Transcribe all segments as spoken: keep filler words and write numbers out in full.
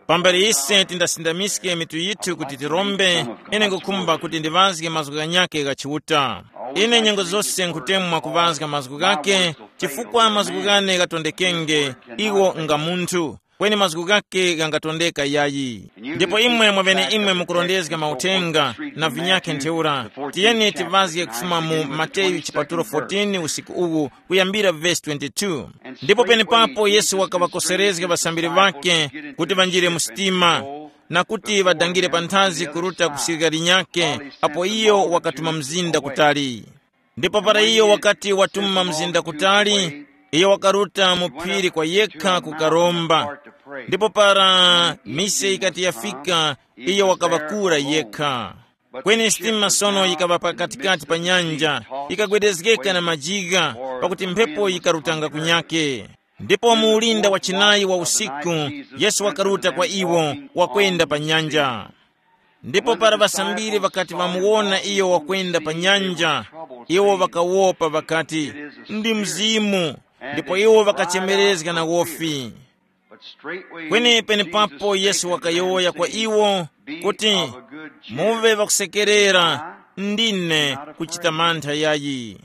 Pambere ise tindasindamiske mitu yithu kuti tirombe, ine ngukhumba kuti ndiŵazge mazgu ghanyakhe gha Chiuta. Ine nyengo zose nkhutemwa kuŵazga mazgu ghakhe, chifukwa mazgu ghane ghatondekenge, iwo nga munthu, kweni mazgu ghakhe ghangatondeka yayi. Ndipo imwe mwaŵeneimwe mukurondezga mauthenga na vinyakhe ntheura. Tiyeni tiŵazge kufuma mu Mateyu chipatulo fourteen usiku uwu, kuyambira vesi twenty-two. Ndipo penepapo Yesu wakaŵakoserezga ŵasambiri ŵakhe kuti ŵanjire mu sitima, na kuti ŵadangire panthazi kuruta ku sirikali nyakhe, apo iyo wakatuma mzinda kutali. Ndipo para iyo wakati watuma mzinda kutali, iyo wakaruta mu phiri kwa yekha kukaromba. Ndipo para mise yikati yafika, iyo wakaŵakura yekha. Kweni sitima sono yikaŵa pakatikati pa nyanja, yikagwedezgeka na majigha, pakuti mphepo yikarutanga kunyake. Ndipo mu ulinda wa chinayi wa usiku, Yesu wakaruta kwa iwo, wakwenda pa nyanja. Ndipo para ŵasambiri ŵakati ŵamuwona iyo wakwenda pa nyanja, iwo ŵakawopa ŵakati, "Ndi mzimu," ndipo iwo ŵakachemerezga na wofi. Kweni penepapo Yesu wakayowoya kwa iwo kuti, "Muve ŵakusekerera, ndine, kuchita mantha yayi."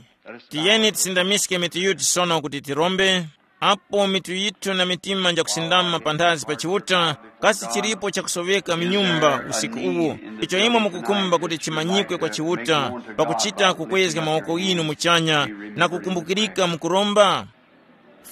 Tiyeni tisindamiske mitu yithu sono kuti tirombe. Apo mitu yithu na mitima njakusindama panthazi pa Chiuta, kasi chilipo chakusoveka mu nyumba usiku uwu, icho imwe mukukhumba kuti chimanyikwe kwa Chiuta, pakuchita kukwezga mawoko ghinu muchanya na kukumbukirika mukuromba?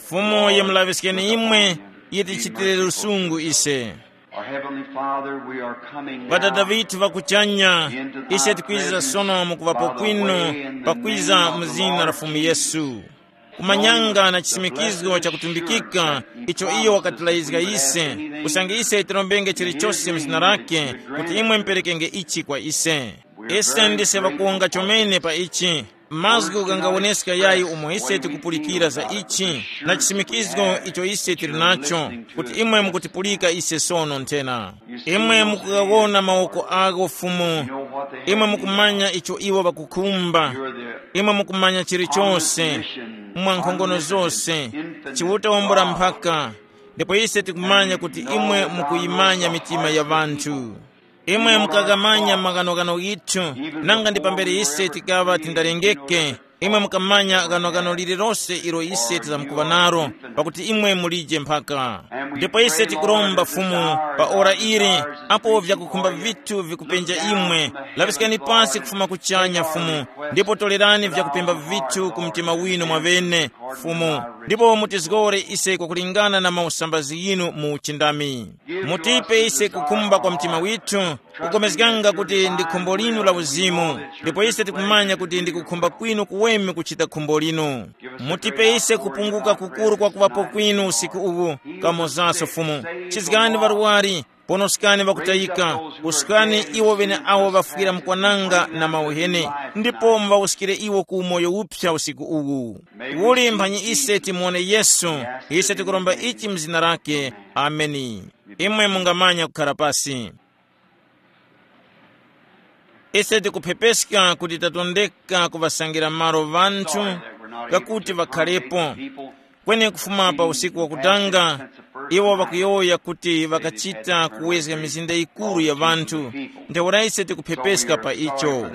Fumu yamulaŵiskeni imwe, yitichitire lusungu ise. Our Heavenly Father, we are coming Ŵadada now ŵithu ŵa kuchanya, ise tikwiza sono mukuŵapo kwinu pakwiza mu zina la Fumu Yesu. Kumanyanga na chisimikizgo chakutumbikika icho iyo wakatilayizga ise, usange ise tirombenge chilichose mu zina lake, kuti imwe muperekenge ichi kwa ise. Ise ndise ŵakuwonga chomene pa ichi. Mazgu ghangawoneska yayi umo ise tikupulikira za ichi, na chisimikizgo icho ise tili nacho, kuti imwe mukutipulika ise sono nthena. Imwe mukughawona mawoko agho Fumu. Imwe mukumanya icho iwo ŵakukhumba. Imwe mukumanya chilichonse, mwa nkhongono zose, Chiuta wambula mphaka. Ndipo ise tikumanya kuti imwe mukuyimanya mitima ya ŵanthu. Imwe mukaghamanya maghanoghano ghithu, nanga ndi pambere ise tikaŵa tindarengeke, imwe mukamanya ghanoghano lililose ilo ise tizamkuŵa nalo, pakuti imwe mulije mphaka. Ndipo ise tikuromba Fumu, pa ora ili, apo vyakukhumba vithu vikupenja imwe, laŵiskani pasi kufuma kuchanya Fumu, ndipo tolerani vyakupemba vithu ku mtima winu mwaŵene, Fumu, ndipo mutizgore ise kwakulingana na mausambazi yinu mu uchindami. Mutipe ise kukhumba kwa mtima withu, kukomezganga kuti ndi khumbo linu la uzimu, ndipo ise tikumanya kuti ndi kukhumba kwinu kuweme kuchita khumbo linu. Mutipe ise kupunguka kukuru kwa kuŵapo kwinu usiku uwu, kamozaso Fumu. Chizgani ŵarwari, ponoskani ŵakutayika, usukani iwo ŵeneawo ŵafwira mkwananga na mauheni, ndipo muŵawuskire iwo ku umoyo uphya usiku uwu. Uli mphanyi ise timuwone Yesu, ise tikuromba ichi mu zina lake. Ameni. Imwe mungamanya kukhala pasi. Ise tikuphepeska kuti tatondeka kuŵasangira malo ŵanthu kakuti ŵakhalepo. Kweni kufuma pa usiku wakutanga, iwo ŵakuyowoya kuti ŵakachita kuwezga mizinda yikuru ya ŵanthu. Ntheura ise tikuphepeska pa icho.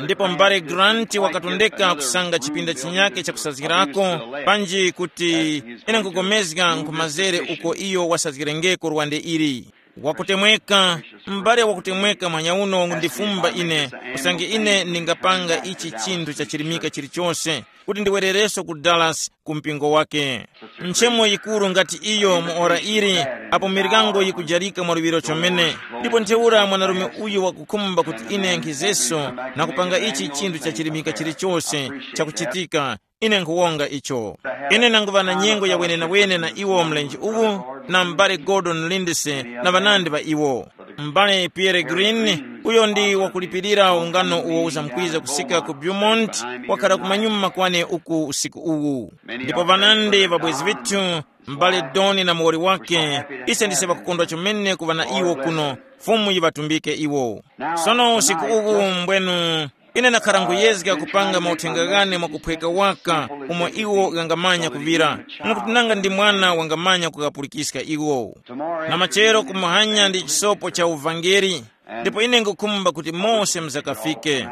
Ndipo m'bale Grant wakatondeka kusanga chipinda chinyake chakusazgirako, panji kuti ine nkupulikana nkhumazere uko iyo wasazgirengeko lwande ili. Wakutemweka, m'bale wakutemweka mwanyauno wangundifumba ine, usange ine ndingapanga ichi chinthu chachirimika chilichose, kuti ndiwerereso ku Dallas ku mpingo wake. Nchemo yikuru ngati iyo mu ora ili, apo miryango yikujarika mwaluŵiro chomene, ndipo ntheura mwanarume uyu wakukhumba kuti ine nkhizeso na kupanga ichi chinthu chachirimika chilichose chakuchitika. Ine nkhuwonga icho. Ine nanguŵa na nyengo ya wenenawene na iwo mlenje uwu, na m'bale Gordon Lindsay na ŵanandi ŵa iwo. M'bale Pierre Green, uyo ndi wakulipirira ungano uwo uzamkwiza kusika ku Beaumont, wakhala kumanyuma kwane uku usiku uwu. Ndipo ŵanandi ŵabwezi vithu, m'bale Doni na muwoli wake, ise ndise ŵakukondwa chomene kuŵa na iwo kuno, Fumu yiŵatumbike iwo. Sono usiku uwu mbwenu, Ine ndakhara nkuyezga kupanga mauthenga ghane mwakuphweka waka, umo iwo ghangamanya kuŵira, mwakuti nanga ndi mwana wangamanya kukapulikiska iwo. Na machero kumuhanya ndi chisopo cha uvangeli, ndipo ine ngukhumba kuti mose muzakafike.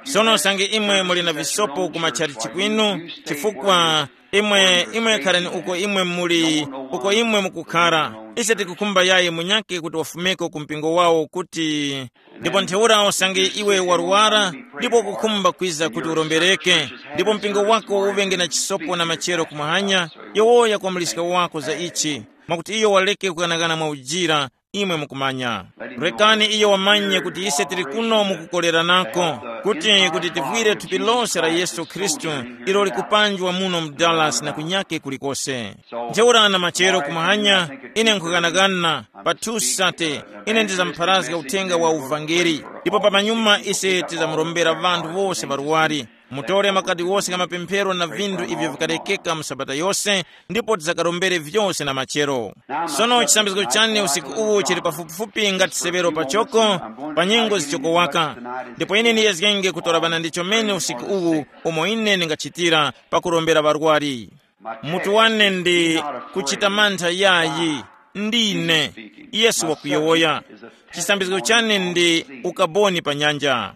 Sono usange imwe muli na visopo ku matchalichi kwinu, chifukwa imwe imwe kharani uko imwe muli, uko imwe mukukhara. Ise tikukhumba yayi munyake kuti wafumeko ku mpingo wawo kuti, ndipo ntheura usange iwe warwara, ndipo ukukhumba kwiza kuti urombereke, ndipo mpingo wako uŵenge na chisopo na machero kumuhanya, yowoya kwa muliska wako za ichi, mwakuti iyo waleke kukanakana mwa ujira. Imwe mukumanya. Rekani iyo wamanye kuti ise tili kuno mukukoleranako, kuti kuti tivwire thupi lose la Yesu Khristu, ilo likupanjwa muno mu Dallas na kunyake kulikose. Ntheura na machero kumahanya, ine nkhughanaghana, pa Tusate, ine ndizamupharazga uthenga wa uvangeli, ndipo pamanyuma ise tizamurombera vanthu wose ŵarwari. Mutore makadi wose gha mapemphero na vinthu ivyo vikalekeka mu sabata yose, ndipo tizakarombere vyose na machero. Sono chisambizgo chane usiku uwu chili pafupifupi ngati severo pachoko, pa nyengo zichokowaka. Ndipo ine ndiyezgenge kutora ŵana ndi chomene usiku uwu, umo ine ndingachitira pakurombera ŵarwari. Mutu wane ndi kuchita mantha yayi, ndine Yesu wakuyowoya. Chisambizgo chane ndi ukaboni pa nyanja.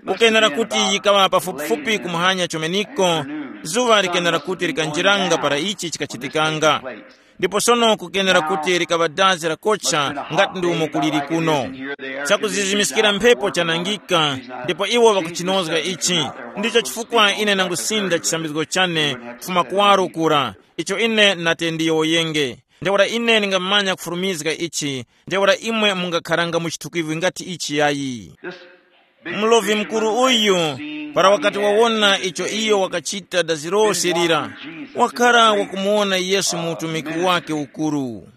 Kukenera kuti yikaŵa pafupifupi kumuhanya chomeniko, zuŵa likenera kuti likanjiranga para ichi chikachitikanga. Ndipo sono kukenera kuti likaŵa dazi lakocha ngati ndi umo kuliri kuno. Chakuzizimiskira mphepo chanangika, ndipo iwo ŵakuchinozga ichi. Ndicho chifukwa ine nangusinda chisambizgo chane kufuma kuwaro kura, icho ine nate ndiyowoyenge. Ntheura ine ndingamanya kufurumizga ichi, ntheura imwe mungakharanga mu chithukwivi ngati ichi yayi. Mulovi mukuru uyu, para wakati wawona icho iyo wakachita dazi lose lira, wakhala wakumuwona Yesu mu utumiki wake ukuru.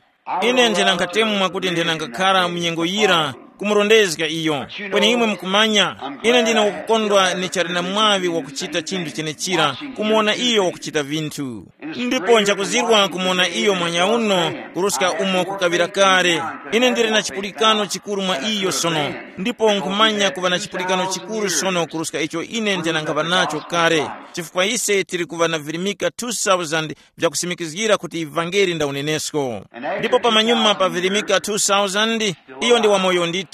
Ine nthenankhatemwa kuti nthenangakhala mu nyengo yira kumurondezga iyo. Kweni imwe mukumanya, ine ndine wakukondwa ni chali na mwaŵi wakuchita chinthu chenechira, kumuwona iyo wakuchita vinthu. Ndipo nchakuzirwa kumuwona iyo mwanyauno kuruska umo kukaŵira kale. Ine ndili na chipulikano chikuru mwa iyo sono, ndipo nkhumanya kuŵa na chipulikano chikuru sono kuruska icho ine ndinangapa nacho kale, chifukwa ise tili kuŵa na virimika two thousand vyakusimikizgira kuti ivangeli nda unenesko. Ndipo pamanyuma pa virimika two thousand, iyo ndi wamoyo ndithu,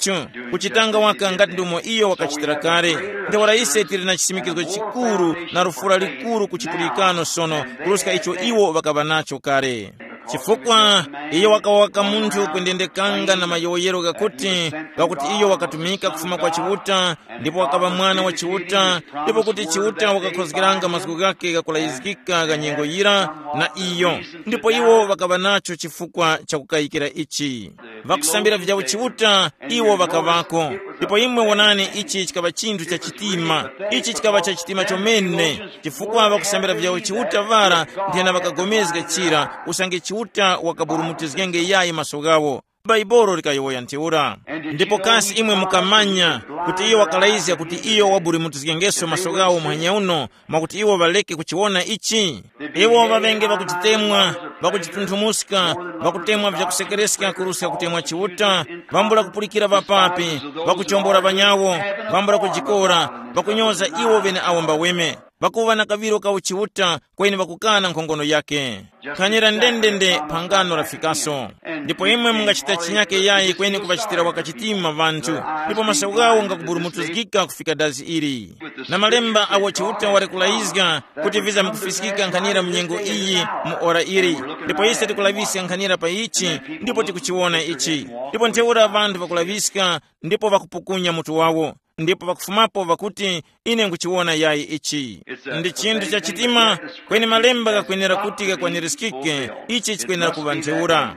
kuchitanga waka ngati ndumo iyo wakachitira kale. Ntheura ise tili na chisimikizgo chikuru na lufura likuru ku chipulikano sono kuruska icho iwo ŵakaŵa nacho kale. Chifukwa iyo wakawa waka munthu kundendekanga na mayowoyero ghakuti, ghakuti iyo wakatumika kufuma kwa Chiuta, ndipo wakaŵa mwana wa Chiuta, ndipo kuti Chiuta wakakhozgeranga mazgu ghake ghakulayizgika gha nyengo yira na iyo, ndipo iwo ŵakaŵa nacho chifukwa chakukayikira ichi. Ŵakusambira vyawo Chiuta, iwo ŵakaŵako. Ndipo imwe wonani, ichi chikaŵa chinthu cha chitima. Ichi chikaŵa cha chitima chomene, chifukwa ŵakusambira vyawo Chiuta ŵara nthena ŵakagomezga chira usange Chiuta wakaburumutizgenge yayi maso ghawo. Bhaibuli likayowoya ntheura. Ndipo kasi imwe mukamanya kuti iyo wakalayizga kuti iyo waburumutizgengeso maso ghawo muhanya uno, mwakuti iwo ŵaleke kuchiwona ichi? Iwo ŵaŵenge ŵakuchitemwa, ŵakuchitunthumuska, ŵakutemwa vyakusekereska kuruska kutemwa Chiuta, ŵambula kupulikira ŵapapi, ŵakuchombora ŵanyawo, ŵambula kujikora, ŵakunyoza iwo ŵeneawo mbaweme, ŵakuŵa na kaŵiro ka uchiuta, kweni ŵakukana nkhongono yake. Khanira ndendende phangano lafikaso. Ndipo imwe mungachita chinyake yayi kweni kuŵachitira wakachitima ŵanthu, ndipo maso ghawo ngakuburumutuzgika kufika dazi ili. Na malemba awo Chiuta wali kulayizga kuti vizamkufiskika nkhanira mu nyengo iyi, mu ora ili. Ndipo ise tikulaŵiska nkhanira pa ichi, ndipo tikuchiwona ichi. Ndipo ntheura ŵanthu ŵakulaŵiska, ndipo ŵakupukunya mutu wawo, ndipo ŵakufumapo ŵakuti, ine nkuchiwona yayi ichi. Ndi chinthu cha chitima, kweni malemba ghakwenera kuti ghakwanirizgike, ichi chikwenera kuŵa ntheura.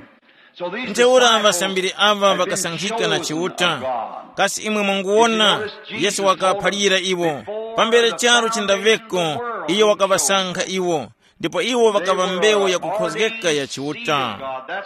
Ntheura ŵasambiri aŵa ŵakasankhika na Chiuta. Kasi imwe mwanguwona, Yesu wakaphalira iwo, pambere charu chindaŵeko, iyo wakaŵasankha iwo, ndipo iwo ŵakaŵa mbewu yakukhozgeka ya Chiuta.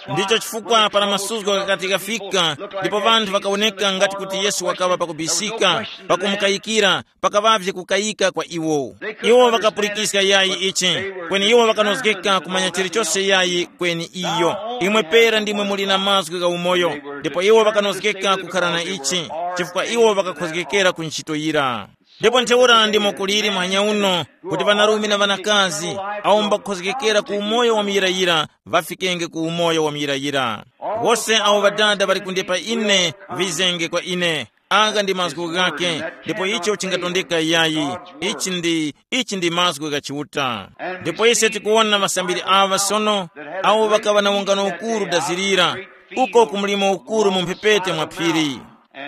Ndicho chifukwa para masuzgo ghakati ghafika, ndipo ŵanthu ŵakawoneka ngati kuti Yesu wakaŵa pakubisika, pakumukayikira, pakaŵavye kukayika kwa iwo. Iwo ŵakapulikiska yayi ichi, kweni iwo ŵakanozgeka kumanya chilichose yayi kweni iyo. Imwe pera ndimwe muli na mazgu gha umoyo, ndipo iwo ŵakanozgeka kukhala na ichi, chifukwa iwo ŵakakhozgekera ku ntchito yira. Ndipo ntheura ndimo kuliri muhanya uno, kuti ŵanarume na ŵanakazi awo mbakukhozgekera ku umoyo wa muyirayira ŵafikenge ku umoyo wa muyirayira. Wose awo Ŵadada ŵali kundepa ine, ŵizenge kwa ine. Agha ndi mazgu ghake, ndipo icho chingatondeka yayi. Ichi ndi ichi ndi mazgu gha Chiuta. Ndipo ise tikuwona ŵasambiri aŵa sono, awo ŵakaŵa na ungano ukuru dazirira, uko ku mlimo ukuru mu mphepete mwa phiri.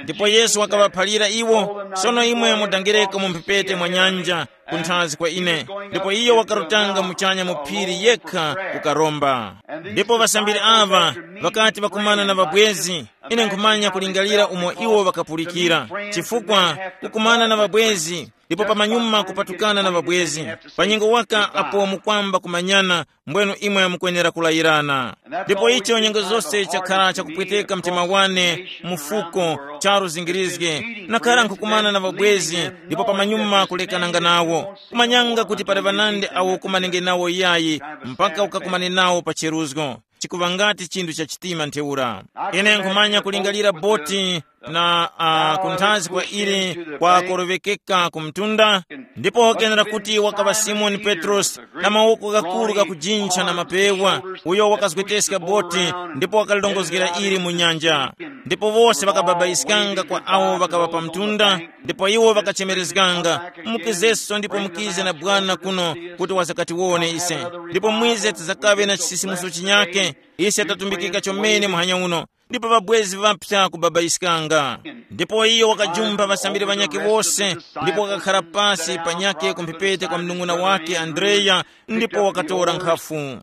Ndipo Yesu wakaŵaphalira iwo, sono imwe mudangireko mu mphepete mwa nyanja, kunthazi kwa ine. Ndipo iyo wakarutanga muchanya mu phiri yekha, kukaromba. Ndipo ŵasambiri aŵa ŵakati ŵakumana na ŵabwezi, ine nkhumanya kulingalira umo iwo ŵakapulikira, chifukwa kukumana na ŵabwezi ndipo pamanyuma kupatukana na ŵabwezi, pa nyengo waka apo mukwamba kumanyana, mbwenu imwe mukwenera kulayirana. Ndipo icho nyengo zose chakhala chakupweteka mtima wane mufuko, charu zingirizge, nakhala nkhukumana na ŵabwezi ndipo pamanyuma kulekananga nawo, kumanyanga kuti pali ŵanandi awo kumanenge nawo yayi, mpaka ukakumane nawo pa cheruzgo. Chikuŵa ngati chinthu cha chitima ntheura. Ine nkhumanya kulingalira boti na uh, kunthazi kwa ili kwa koroŵekeka ku mtunda, ndipo kenera kuti wakaŵa Simoni Petrosi na mawoko ghakuru ghakujintha na mapewa, uyo wakazgweteska boti ndipo wakalilongozgera ili mu nyanja. Ndipo wose ŵakababayiskanga kwa awo ŵakaŵa pa mtunda, ndipo iwo ŵakachemerezganga, mukizeso ndipo mukize na bwana kuno kuti wazakatiwone ise, ndipo mwize tizakaŵe na chisisimuso chinyake. Ise tatumbikika chomene muhanya uno, ndipo ŵabwezi ŵapsa kubabayiskanga. Ndipo iyo wakajumba ŵasambiri ŵanyakhe wose, ndipo wakakhara pasi panyakhe ku mphepete kwa mnung'una wake Andreya, ndipo wakatora nkhafu.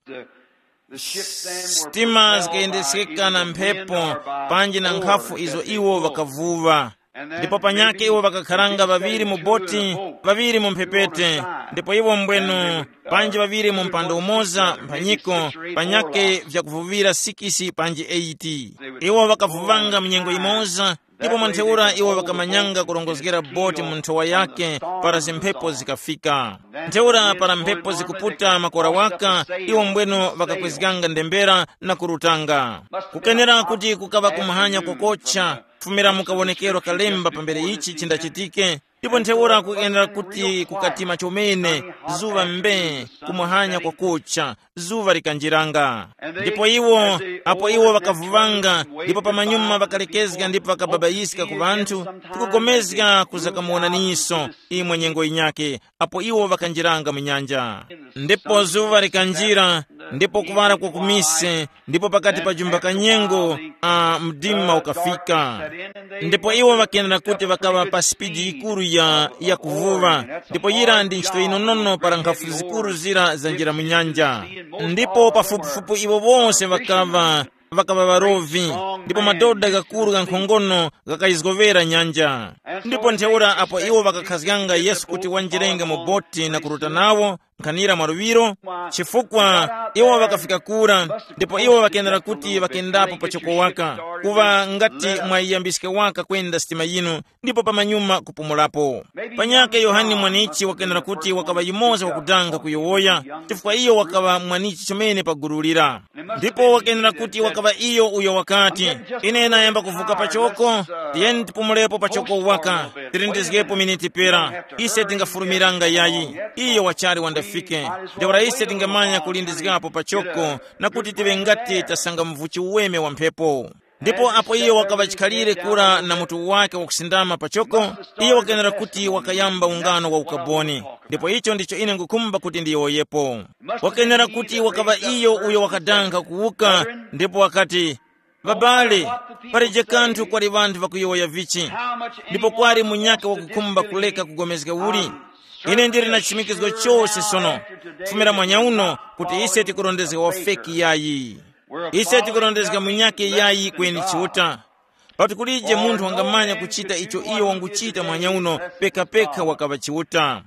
Sitima zikayendesekeka na mphepo, panji na nkhafu izo iwo ŵakavuŵa. Ndipo panyakhe iwo ŵakakharanga ŵaŵiri mu boti, ŵaŵiri mu mphepete, ndipo iwo mbwenu, panji ŵaŵiri mu mpando umoza mphanyiko, panyakhe vyakuvuŵira sikisi panji eyiti. Iwo ŵakavuŵanga mu nyengo imoza, ndipo mwa ntheura iwo ŵakamanyanga kurongozgera boti mu nthowa yake, para zimphepo zikafika. Ntheura para mphepo zikuputa makora waka, iwo mbwenu ŵakakwezganga ndembera na kurutanga. Kukenera kuti kukaŵa kumahanya kokocha, kufumira mu kawonekero kalemba pambere ichi chindachitike, ndipo ntheura kuyenera kuti kukatima chomene, zuŵa mbe, kumuhanya kwakucha, zuŵa likanjiranga. Ndipo iwo, apo iwo ŵakavuvanga, ndipo pamanyuma ŵakalekezga ndipo ŵakababayiska ku ŵanthu, tikugomezga kuzakamuwonaniso imwe nyengo yinyakhe, apo iwo ŵakanjiranga mu nyanja. Ndipo zuŵa likanjira, ndipo kuŵala kwa kumise, ndipo pakati pa jumba ka nyengo, a mdima ukafika. Ndipo iwo ŵakenera kuti ŵakaŵa pa sipidi yikuru ya, ya kuvuŵa, ndipo yira ndi ntchito yinonono para nkhafu zikuru zira zanjira mu nyanja. Ndipo pafupifupi iwo wose ŵakaŵa, ŵakaŵa ŵarovi, ndipo madoda ghakuru ghankhongono ghakayizgovera nyanja. Ndipo ntheura apo iwo ŵakakhazganga Yesu kuti wanjirenge mu boti na kuruta nawo, nkhanira mwa luŵiro, chifukwa iwo ŵakafika kura, ndipo iwo ŵakenera kuti ŵakendapo pachoko waka, kuŵa ngati mwayiyambiska waka kwenda sitima yinu, ndipo pamanyuma kupumulapo. Panyakhe Yohane Mwanichi wakenera kuti wakaŵa yumoza wakudanga kuyowoya, chifukwa iyo wakaŵa mwanichi chomene pa gulu lira. Ndipo wakenera kuti wakaŵa iyo uyo wakati, ine nayamba kuvuka pachoko, tiyeni tipumulepo pachoko waka, tilindizgepo miniti pera, ise tingafurumiranga yayi, iyo wachali wandafike. Ntheura ise tingamanya kulindizgapo pachoko, na kuti tiŵe ngati tasanga mvuchi uweme wa mphepo. Ndipo apo iyo wakaŵa chikhalire kura na mutu wake wakusindama pachoko, iyo wakenera kuti wakayamba ungano wa ukaboni. Ndipo icho ndicho ine ngukhumba kuti ndiyowoyepo. Wakenera kuti wakaŵa iyo uyo wakadankha kuwuka, ndipo wakati, babale, palije kanthu kwali ŵanthu ŵakuyowoya vichi, ndipo kwali munyakhe wakukhumba kuleka kugomezga uli? Ine ndili na chimikizgo chose sono, kufumira mwanya uno, kuti ise tikurondezga wafeki yayi. Ise tikurondezga munyakhe yayi kweni Chiuta. Pakuti kulije munthu wangamanya kuchita icho iyo wanguchita mwanya uno, pekapeka wakaŵa Chiuta.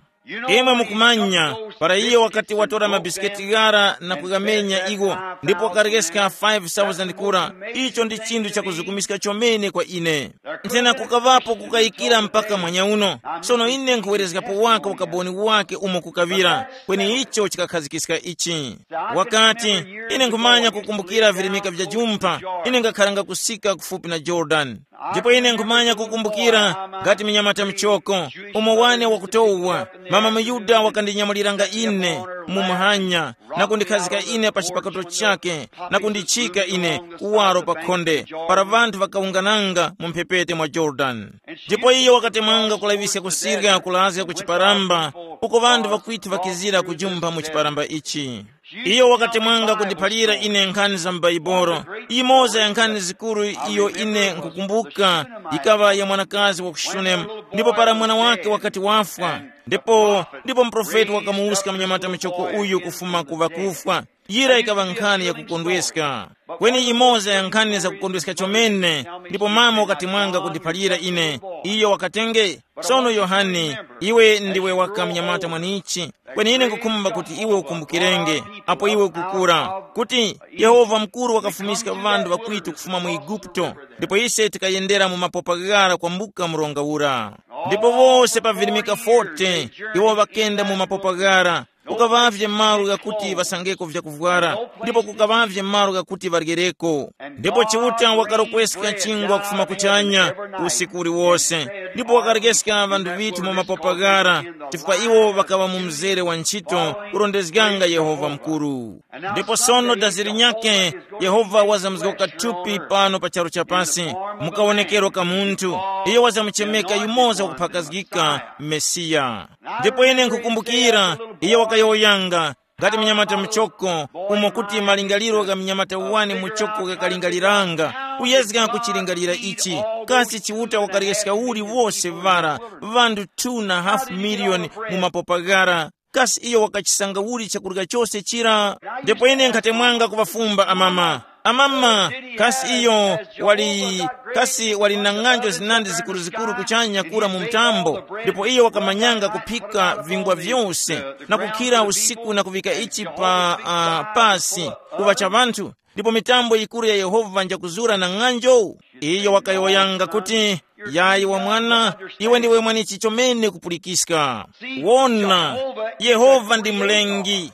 Imwe mukumanya, para iyo wakati watora mabisiketi ghara na kughamenya iwo, ndipo wakarekeska five thousand kura, icho ndi chinthu chakuzukumiska chomene kwa ine. Nthena kukaŵapo kukayikira mpaka mwanya uno. Sono ine nkhuwerezgapo waka ukaboni wake umo kukaŵira, kweni icho chikakhazikika ichi. Wakati, ine nkhumanya kukumbukira virimika vya jumpha, ine ngakharanga kusika kufupi na Jorodani. Ndipo ine nkhumanya kukumbukira ngati mnyamata mchoko, umo wane wakutowa, mama muyuda wakandinyamuliranga ine mu muhanya na kundikhazika ine pa chipakato chake na kundichika ine kuwaro pa khonde, para ŵanthu ŵakawungananga mu mphepete mwa Yorodani. Ndipo iyo wakatemwanga kulaŵiska kusirya kulazga ku chiparamba, uko ŵanthu ŵakwithi ŵakizira kujumpha mu chiparamba ichi. Iyo wakatemwanga kundiphalira ine nkhani za m'Baibolo. Imoza ya nkhani zikuru iyo ine nkukumbuka, yikaŵa ya mwanakazi wa ku Shunemu, ndipo para mwana wake wakati wafwa, ndipo ndipo muprofeti wakamuwuska mnyamata muchoko uyu kufuma ku ŵakufwa. Yira yikaŵa nkhani yakukondweska. Kweni imoza ya nkhani zakukondweska chomene, ndipo mama wakatemwanga kundiphalira ine. Iyo wakatenge, sono Yohane, iwe ndiwe waka mnyamata mwanichi. Kweni ine nkukhumba kuti iwe ukumbukirenge, apo iwe ukukura, kuti Yehova mukuru wakafumiska ŵanthu ŵakwitu kufuma mu Eguputo, ndipo ise tikayendera mu mapopa ghara kwambuka mronga ura. Ndipo wose pa virimika forty iwo ŵakenda mu mapopa ghara, kukaŵavye malo ghakuti ŵasangeko vyakuvwara, ndipo kukaŵavye malo ghakuti ŵaryereko. Ndipo Chiuta wakarokweskha chingwa kufuma kuchanya usiku uliwose, ndipo wakarekeska ŵanthu ŵithu mu mapopa ghara, chifukwa iwo ŵakaŵa mu mzere wa ntchito kurondezganga Yehova mukuru. Ndipo sono dazi linyakhe, Yehova wazamuzgoka thupi pano pa charu chapasi, mukawonekero ka munthu. Iyo wazamuchemeka yumoza wakuphakazgika, Mesiya. Ndipo ine nkukumbukira, iyo wakayowoyanga, ngati mnyamata muchoko, umo kuti malingaliro gha mnyamata wani muchoko ghakalingaliranga, kuyezga kuchilingalira ichi, kasi Chiuta wakaryeskha uli wose vara, ŵanthu two na half million mu mapopa ghara, kasi iyo wakachisanga uli chakurya chose chira? Ndipo ine nkhatemwanga kuŵafumba amama, amama, kasi iyo wali, kasi wali na ng'anjo zinandi zikuruzikuru kuchanya kura mu mtambo, ndipo iyo wakamanyanga kuphika vingwa vyose, na kukhira usiku na kuvika ichi pa uh, pasi, kuŵa cha ŵanthu, ndipo mitambo yikuru ya Yehova njakuzura na ng'anjo? Iyo wakayowoyanga kuti, yayi wa mwana, iwe ndiwe mwanichi chomene kupulikiska. Wona, Yehova ndi mlengi.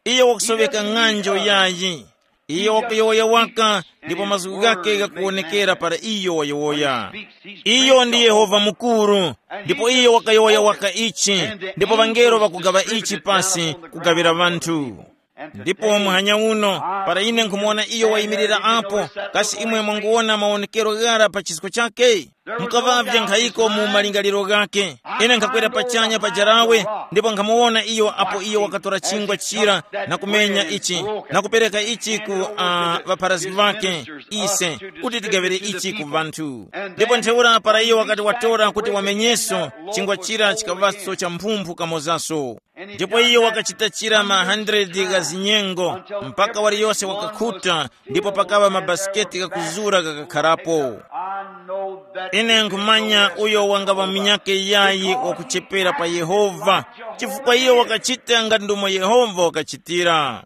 Iyo wakusoveka ng'anjo yayi. Iyo wakuyowoya waka, ndipo mazgu ghake ghakuwonekera para iyo wayowoya. Iyo ndi Yehova mukuru, ndipo iyo wakayowoya waka ichi, ndipo ŵangelo ŵakugaŵa ichi pasi kugaŵira ŵanthu. Ndipo muhanya uno, para ine nkhumuwona iyo wayimirira apo, kasi imwe mwanguwona mawonekero ghara pa chisko chake? Mukaŵavye nkhayiko mu malingaliro ghake. Ine nkhakwera pachanya pa jarawe, ndipo nkhamuwona iyo apo iyo wakatora chingwa chira na kumenya ichi, na kupereka ichi ku uh, ŵapharazgi ŵake, ise, kuti tigaŵire ichi ku ŵanthu. Ndipo ntheura para iyo wakati watora kuti wamenyeso, chingwa chira chikaŵaso cha mphumphu kamozaso. Ndipo iyo wakachita chira ma hundred gha zinyengo, mpaka waliyose wakakhuta, ndipo pakaŵa mabasiketi ghakuzura ghakakharapo. Ine nkhumanya uyo wangaŵa munyakhe yayi wakuchepera pa Yehova, chifukwa iyo wakachita ngati ndomwe Yehova wakachitira.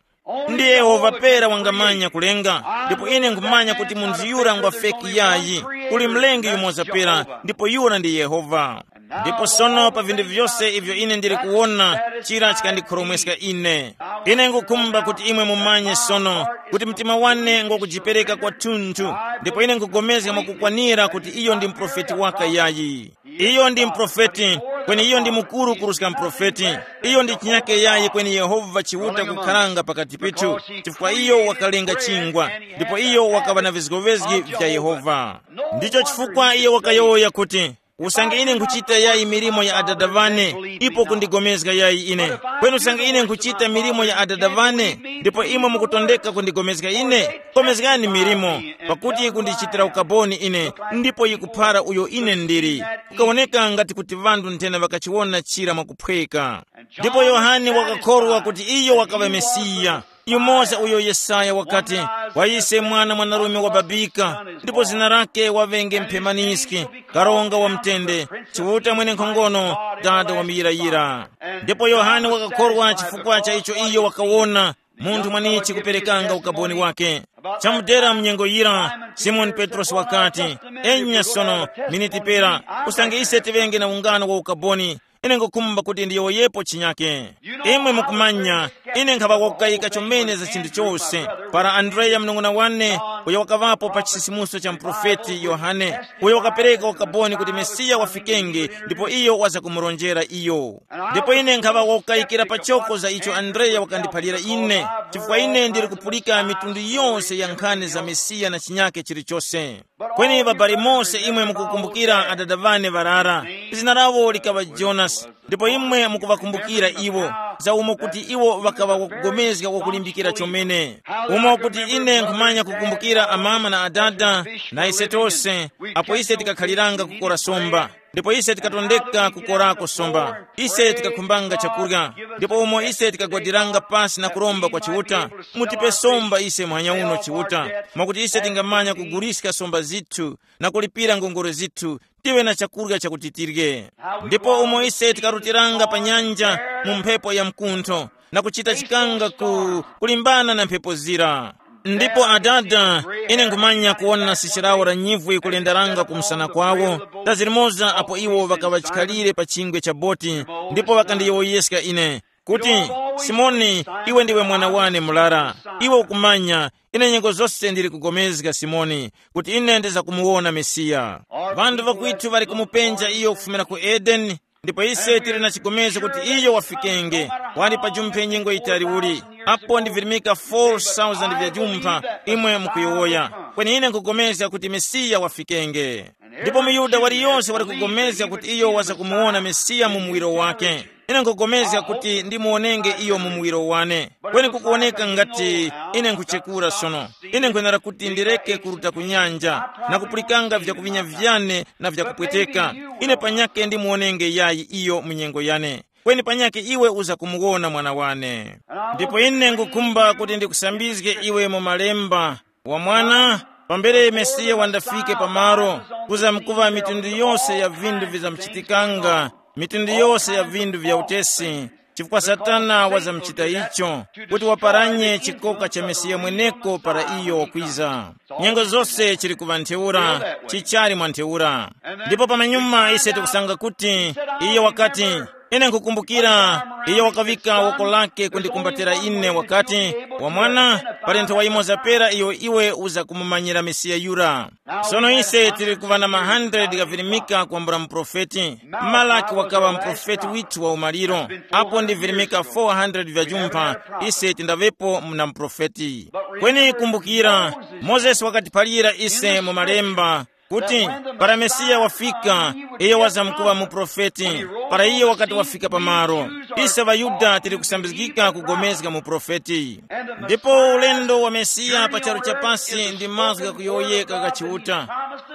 Ndi Yehova pera wangamanya kulenga, ndipo ine nkhumanya kuti munthu yura ngwa feki yayi. Kuli mlengi yumoza pera, ndipo yura ndi Yehova. Ndipo sono pa vinthu vyose ivyo ine ndili kuwona, chira chikandikhoromweska ine. Ine ngukhumba kuti imwe mumanye sono kuti mtima wane ngwakujipereka kwathunthu, ndipo ine nkugomezga mwakukwanira kuti iyo ndi muprofeti waka yayi. Iyo ndi muprofeti, kweni iyo ndi mukuru kuruska muprofeti. Iyo ndi chinyake yayi kweni Yehova Chiuta kukharanga pakati pethu, chifukwa iyo wakalenga chingwa, ndipo iyo wakaŵa na vizgovezgi vya Yehova. Ndicho chifukwa iyo wakayowoya kuti, usange ine nkhuchita yayi milimo ya Adada ŵane, ipo kundigomezga yayi ine. Kweni usange ine nkhuchita milimo ya Adada ŵane, ndipo imwe mukutondeka kundigomezga ine, komezgani milimo, pakuti yikundichitira ukaboni ine, ndipo yikuphara uyo ine ndili. Kukawoneka ngati kuti ŵanthu nthena ŵakachiwona chira mwakuphweka. Ndipo Yohane wakakhorwa kuti iyo wakaŵa Mesiya. Yumoza uyo Yesaya wakati, kwa ise mwana mwanarume wababika, ndipo zina lake waŵenge mphemaniski, karonga wa mtende, Chiuta mwenenkhongono, Dada wa muyirayira. Ndipo Yohane wakakhorwa chifukwa cha icho iyo wakawona, munthu mwanichi kuperekanga ukaboni wake. Chamudera mnyengo yira, Simoni Petrosi wakati, enya sono, miniti pera, usange ise tiŵenge na ungano wa ukaboni, Ine ngukhumba kuti ndiyowoyepo chinyake. Imwe mukumanya, ine nkhaŵa wakukayika chomene za chinthu chose. Para Andreya mnung'una wane, uyo wakaŵapo pa chisisimuso cha muprofeti Yohane, uyo wakapereka ukaboni kuti Mesiya wafikenge, ndipo iyo waza kumurongera iyo. Ndipo ine nkhaŵa wakukayikira pachoko za icho Andreya wakandiphalira ine, chifukwa ine ndili kupulika mitundu yose ya nkhani za Mesiya na chinyake chilichose. Kweni ŵabali mose imwe mukukumbukira adada ŵane ŵarara, zina lawo likaŵa Jonasi, ndipo imwe mukuŵakumbukira iwo, za umo kuti iwo ŵakaŵa wakugomezga wakulimbikira chomene. Umo kuti ine nkhumanya kukumbukira amama na adada, na ise tose, apo ise tikakhaliranga kukora somba. Ndipo ise tikatondeka kukorako somba. Ise tikakhumbanga chakurya. Ndipo umo ise tikagwadiranga pasi na kuromba kwa Chiuta, mutipe somba ise muhanya uno Chiuta, mwakuti ise tingamanya kuguliska somba zithu na kulipira ngongole zithu, tive na chakurya chakuti tirye. Ndipo umo ise tikarutiranga pa nyanja mu mphepo ya mkuntho, na kuchita chikanga ku kulimbana na mphepo zira. Ndipo adada, ine nkhumanya kuwona sisi lawo la nyivwi kulendaranga ku msana kwawo, tazilimoza apo iwo ŵakaŵa chikhalire pa chingwe cha boti, ndipo ŵakandiyowoyeska ine, kuti, Simoni, iwe ndiwe mwana wane mulara. Iwe ukumanya, ine nyengo zose ndili kugomezga Simoni, kuti ine ndizakumuwona Mesiya. Ŵanthu ŵakwitu ŵali kumupenja iyo kufumira ku Edeni, ndipo ise tili na chigomezgo kuti iyo wafikenge. Wali pa jumphe nyengo yitali uli, apo ndivirimika four thousand vya jumpha, imwe mukuyowoya. Kweni ine nkupulikana kuti Mesiya wafikenge. Ndipo muYuda waliyonse wali kupulikana kuti iyo wazakumuwona Mesiya mu muwiro wake. Ine nkupulikana kuti ndimuwonenge iyo mu muwiro wane. Kweni kukuwoneka ngati ine nkuchekura sono. Ine nkwenera kuti ndireke kuruta ku nyanja, na kupulikanga vyakuvinya vyane na vyakupweteka. Ine panyake ndimuwonenge yayi iyo mu nyengo yane. Kweni panyake iwe uza kumuwona mwana wane. Ndipo ine ngukhumba kuti ndikusambizge iwe mu malemba, wa mwana, pambere Mesiya wandafike pamalo, kuzamkuva mitundu yose ya vindu vizamchitikanga, mitundu yose ya vindu vya utesi, chifukwa Satana wazamuchita icho, kuti waparanye chikoka cha Mesiya mweneko para iyo wakwiza. Nyengo zose chili kuŵa ntheura, chichali mwa ntheura. Ndipo pamanyuma ise tikusanga kuti iyo wakati, ine nkukumbukira, iyo wakavika woko lake kundikumbatira ine wakati, wa mwana, pali nthowa yimoza pera iyo iwe uza kumumanyira Mesiya yura. Sono ise tili kuŵa na ma hundred ghavirimika kwambula muprofeti. Malaki wakaŵa muprofeti withu wa umaliro. Apo ndi virimika four hundred vya jumpha, ise tindaŵepo muna muprofeti. Kweni kumbukira, Mozesi wakatiphalira ise mu malemba, kuti, para Mesiya wafika, iyo wazamkuŵa muprofeti. Para iyo wakati wafika pamalo, ise ŵaYuda tili kusambizgika kugomezga muprofeti. Ndipo ulendo wa Mesiya pa charu cha pasi ndi mazgu ghakuyowoyeka gha Chiuta,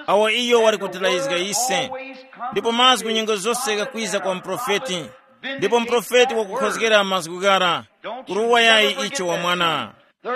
awo iyo wali kutilayizga ise. Ndipo mazgu nyengo zose ghakwiza kwa muprofeti. Ndipo muprofeti wakukhozgera mazgu ghara, kuruwa yayi icho wa mwana.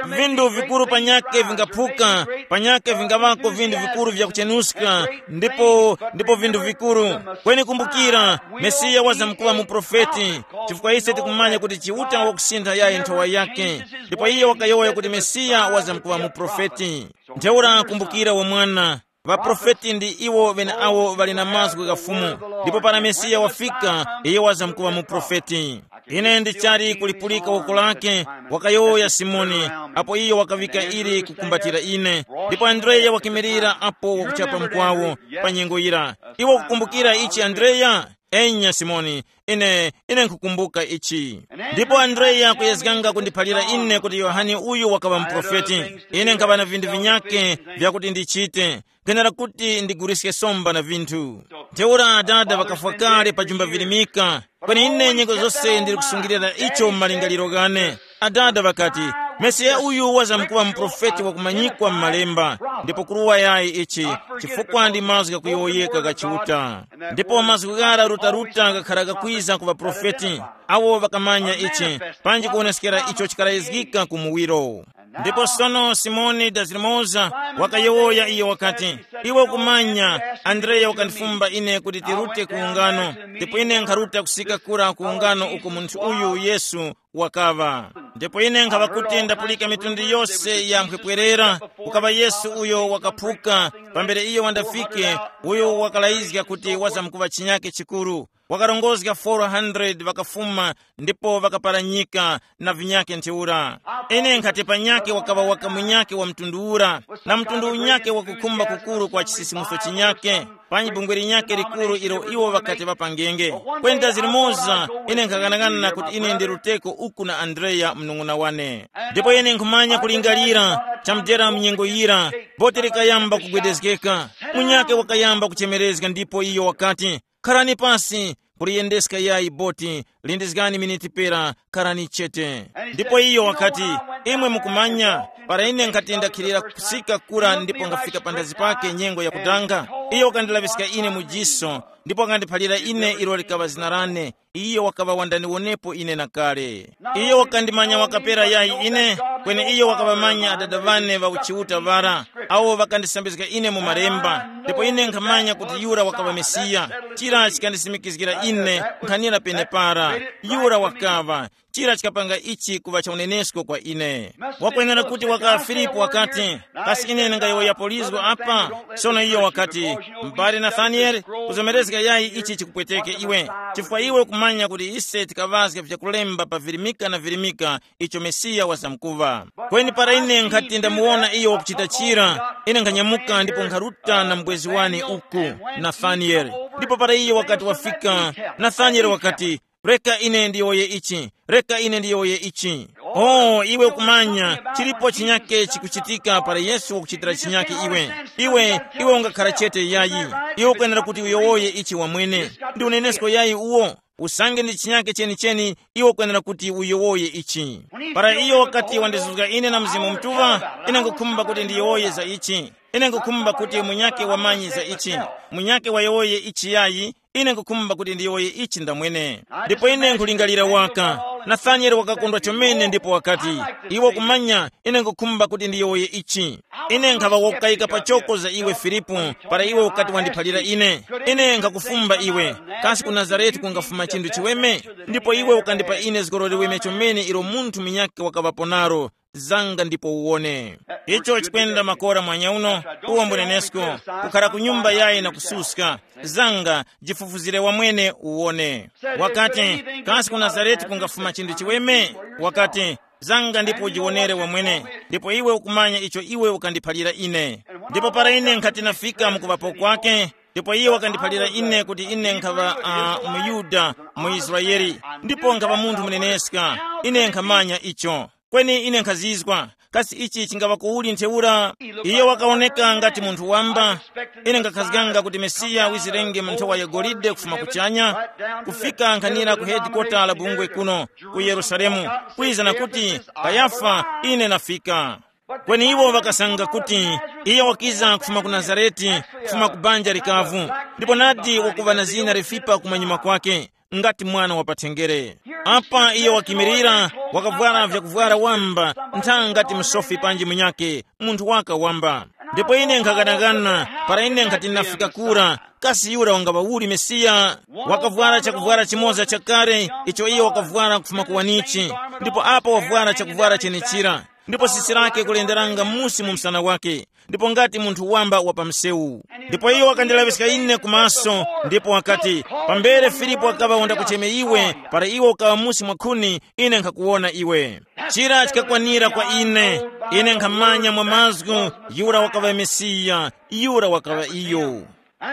Vindu vikuru panyake vingaphuka, panyake vingaŵako vindu vikuru vyakuchenuska, ndipo ndipo vindu vikuru. Kweni kumbukira, Mesiya wazamkuŵa muprofeti, chifukwa ise tikumanya kuti Chiuta wakusintha yayi nthowa yake. Ndipo iye wakayowoya kuti Mesiya wazamkuŵa muprofeti. Ntheura kumbukira wa mwana, ŵaprofeti ndi iwo ŵeneawo ŵali na mazgu gha Fumu. Ndipo para Mesiya wafika, iye wazamkuŵa muprofeti. Ine ndichali kulipulika woko lake, wakayowoya Simoni, apo iyo wakaŵika ili kukumbatira ine. Ndipo Andreya wakimirira apo wakuchapa mkwawo pa nyengo yira. Iwe ukukumbukira ichi Andreya? Enya Simoni, ine, ine nkukumbuka ichi. Ndipo Andreya kuyezganga kundiphalira ine kuti Yohane uyu wakaŵa muprofeti. Ine nkhaŵa na vinthu vinyake vyakuti ndichite. Kwenera kuti ndiguliske somba na vinthu. Ntheura adada ŵakafwa kale pa jumba virimika. Kweni ine nyengo zose ndili kusungilira icho mu malingaliro ghane. Adada ŵakati, Mesiya uyu wazamkuŵa muprofeti wakumanyikwa mu malemba, ndipo kuruwa yayi ichi, chifukwa ndi mazgu ghakuyowoyeka gha Chiuta. Ndipo mazgu ghara rutaruta ghakhara gakwiza ku ŵaprofeti, awo ŵakamanya ichi, panji kuwoneskera icho chikalayizgika ku muwiro. Ndipo sono Simoni Dazirimoza wakayowoya iyo wakati, iwe ukumanya, Andreya wakandifumba ine kuti tirute ku ungano, ndipo ine nkharuta kusika kura ku ungano uko munthu uyu Yesu wakaŵa. Ndipo ine nkhaŵa kuti ndapulika mitundu yose ya mphepwerera, kukaŵa Yesu uyo wakaphuka, pambere iyo wandafike, uyo wakalayizga kuti wazamkuŵa chinyake chikuru. Wakarongozga four hundred ŵakafuma ndipo ŵakaparanyika na vinyake ntheura. Ine nkhati panyake wakaŵa waka munyake wa mtundu ura, na mtundu unyake wakukhumba kukuru kwa chisisimuso chinyake, panyi bungwe linyake likuru ilo iwo ŵakati ŵapangenge. Kwenda zilimoza, ine nkhaghanaghana kuti ine ndi Ruteko uku na Andreya mnung'una wane. Ndipo ine nkhumanya kulingalira chamudera mu nyengo yira, boti likayamba kugwedezgeka. Munyake wakayamba kuchemerezga ndipo iyo wakati, "Kharani pasi, kuliyendeska yayi boti, lindizgani miniti pera, kharani chete." Ndipo iyo wakati, "Imwe mukumanya, para ine nkhati ndakhilira kusika kura ndipo ngafika pandazi pake nyengo yakudanga, iyo wakandilaŵiska ine mu jiso, ndipo wakandiphalira ine ilo likaŵa zina lane. Iyo wakaŵa wandandiwonepo ine na kale. Iyo wakandimanya wakapera yayi ine, kweni iyo wakaŵamanya adada ŵane ŵa uchiuta ŵara, awo ŵakandisambizga ine mu malemba, ndipo ine nkhamanya kuti yura wakaŵa Mesiya. Chira chikandisimikizgira ine nkhanira penepara, yura wakaŵa. Chira chikapanga ichi kuŵa cha unenesko kwa ine. Wakwenera kuti waka Filipu wakati, kasi ine ndingayowoyapo lizgo apa? Sono iyo wakati, m'bale Nathanieli, kuzomerezga yayi ichi chikupweteke iwe, chifukwa iwe ukumanya kuti ise tikaŵazga vyakulemba pa virimika na virimika icho Mesiya wazamkuŵa. Kweni para ine nkhati ndamuwona iyo wakuchita chira, ine nkhanyamuka ndipo nkharuta na mbwezi wane uku, Nathanieli. Ndipo para iyo wakati wafika, Nathanieli wakati, reka ine ndiyowoye ichi, reka ine ndiyowoye ichi. Oh, iwe ukumanya, chilipo chinyake chikuchitika para Yesu wakuchitira chinyake iwe. Iwe, iwe ungakhara chete yayi. Iwe ukwenera kuti uyowoye ichi wamwene. Ndi unenesko yayi uwo? Usange ndi chinyake chenicheni, iwe ukwenera kuti uyowoye ichi. Para iyo wakati wandizuzga ine na Mzimu Mutuŵa, ine ngukhumba kuti ndiyowoye za ichi. Ine ngukhumba kuti munyake wamanyi za ichi. Munyake wayowoye ichi yayi, ine ngukhumba kuti ndiyowoye ichi ndamwene. Ndipo ine nkulingalira waka, Nathanieli wakakondwa chomene ndipo wakati, iwe kumanya, ine ngukhumba kuti ndiyowoye ichi. Ine nkhaŵa wakukayika pachoko za iwe Filipu, para iwe ukati wandiphalira ine. Ine nkhakufumba iwe, kasi ku Nazarete kungafuma chinthu chiweme? Ndipo iwe ukandipa ine zgoro liweme chomene ilo munthu munyakhe wakaŵapo nalo. Zanga ndipo uwone. Icho chikwenda makora mwanya uno, uwo mbunenesko, kukhara ku nyumba yayi na kususka. Zanga, jifufuzire wamwene uwone. Wakati, kasi ku Nazareti kungafuma chinthu chiweme? Wakati, zanga ndipo ujiwonere wamwene, ndipo iwe ukumanya icho iwe ukandiphalira ine. Ndipo para ine nkhati nafika mukuŵapo kwake, ndipo iye wakandiphalira ine kuti ine nkhaŵa uh, muyuda, mu Israeli, ndipo nkhaŵa munthu muneneska. Ine nkhamanya icho. Kweni ine nkhazizwa, kasi ichi chingaŵa kuuli ntheura? Iye wakawoneka ngati munthu wamba. Ine ngakhazganga kuti Mesiya wizirenge mu nthowa ya golide kufuma kuchanya, kufika nkhanira ku hedikota la bungwe kuno ku Yerusalemu, kwiza na kuti, Kayafa, ine nafika. Kweni iwo ŵakasanga kuti iye wakiza kufuma ku Nazareti, kufuma ku banja likavu, ndipo nadi wakuŵa na zina lifipa kumanyuma kwake, ngati mwana wa pathenjere. Apa iye wakimirira, wakavwara vyakuvwara wamba, ntha ngati msofi panji munyake, munthu waka wamba. Ndipo ine nkhaganagana, para ine nkhati ndinafika kura, kasi yura wangaŵa uli Mesiya? Wakavwara chakuvwara chimoza chakale, icho iye wakavwara kufuma ku wanichi, ndipo apa wavwara chakuvwara chenechira, ndipo sisi lake kulenderanga musi mu msana wake, ndipo ngati munthu wamba wa pa msewu. Ndipo iyo wakandilaŵiska ine kumaso, ndipo wakati, pambere Filipo wakaŵa wandakucheme iwe, para iwe ukaŵa musi mwa khuni, ine nkhakuwona iwe. Chira chikakwanira kwa ine. Ine nkhamanya mwa mazgu, yura wakaŵa Mesiya, yura wakaŵa iyo.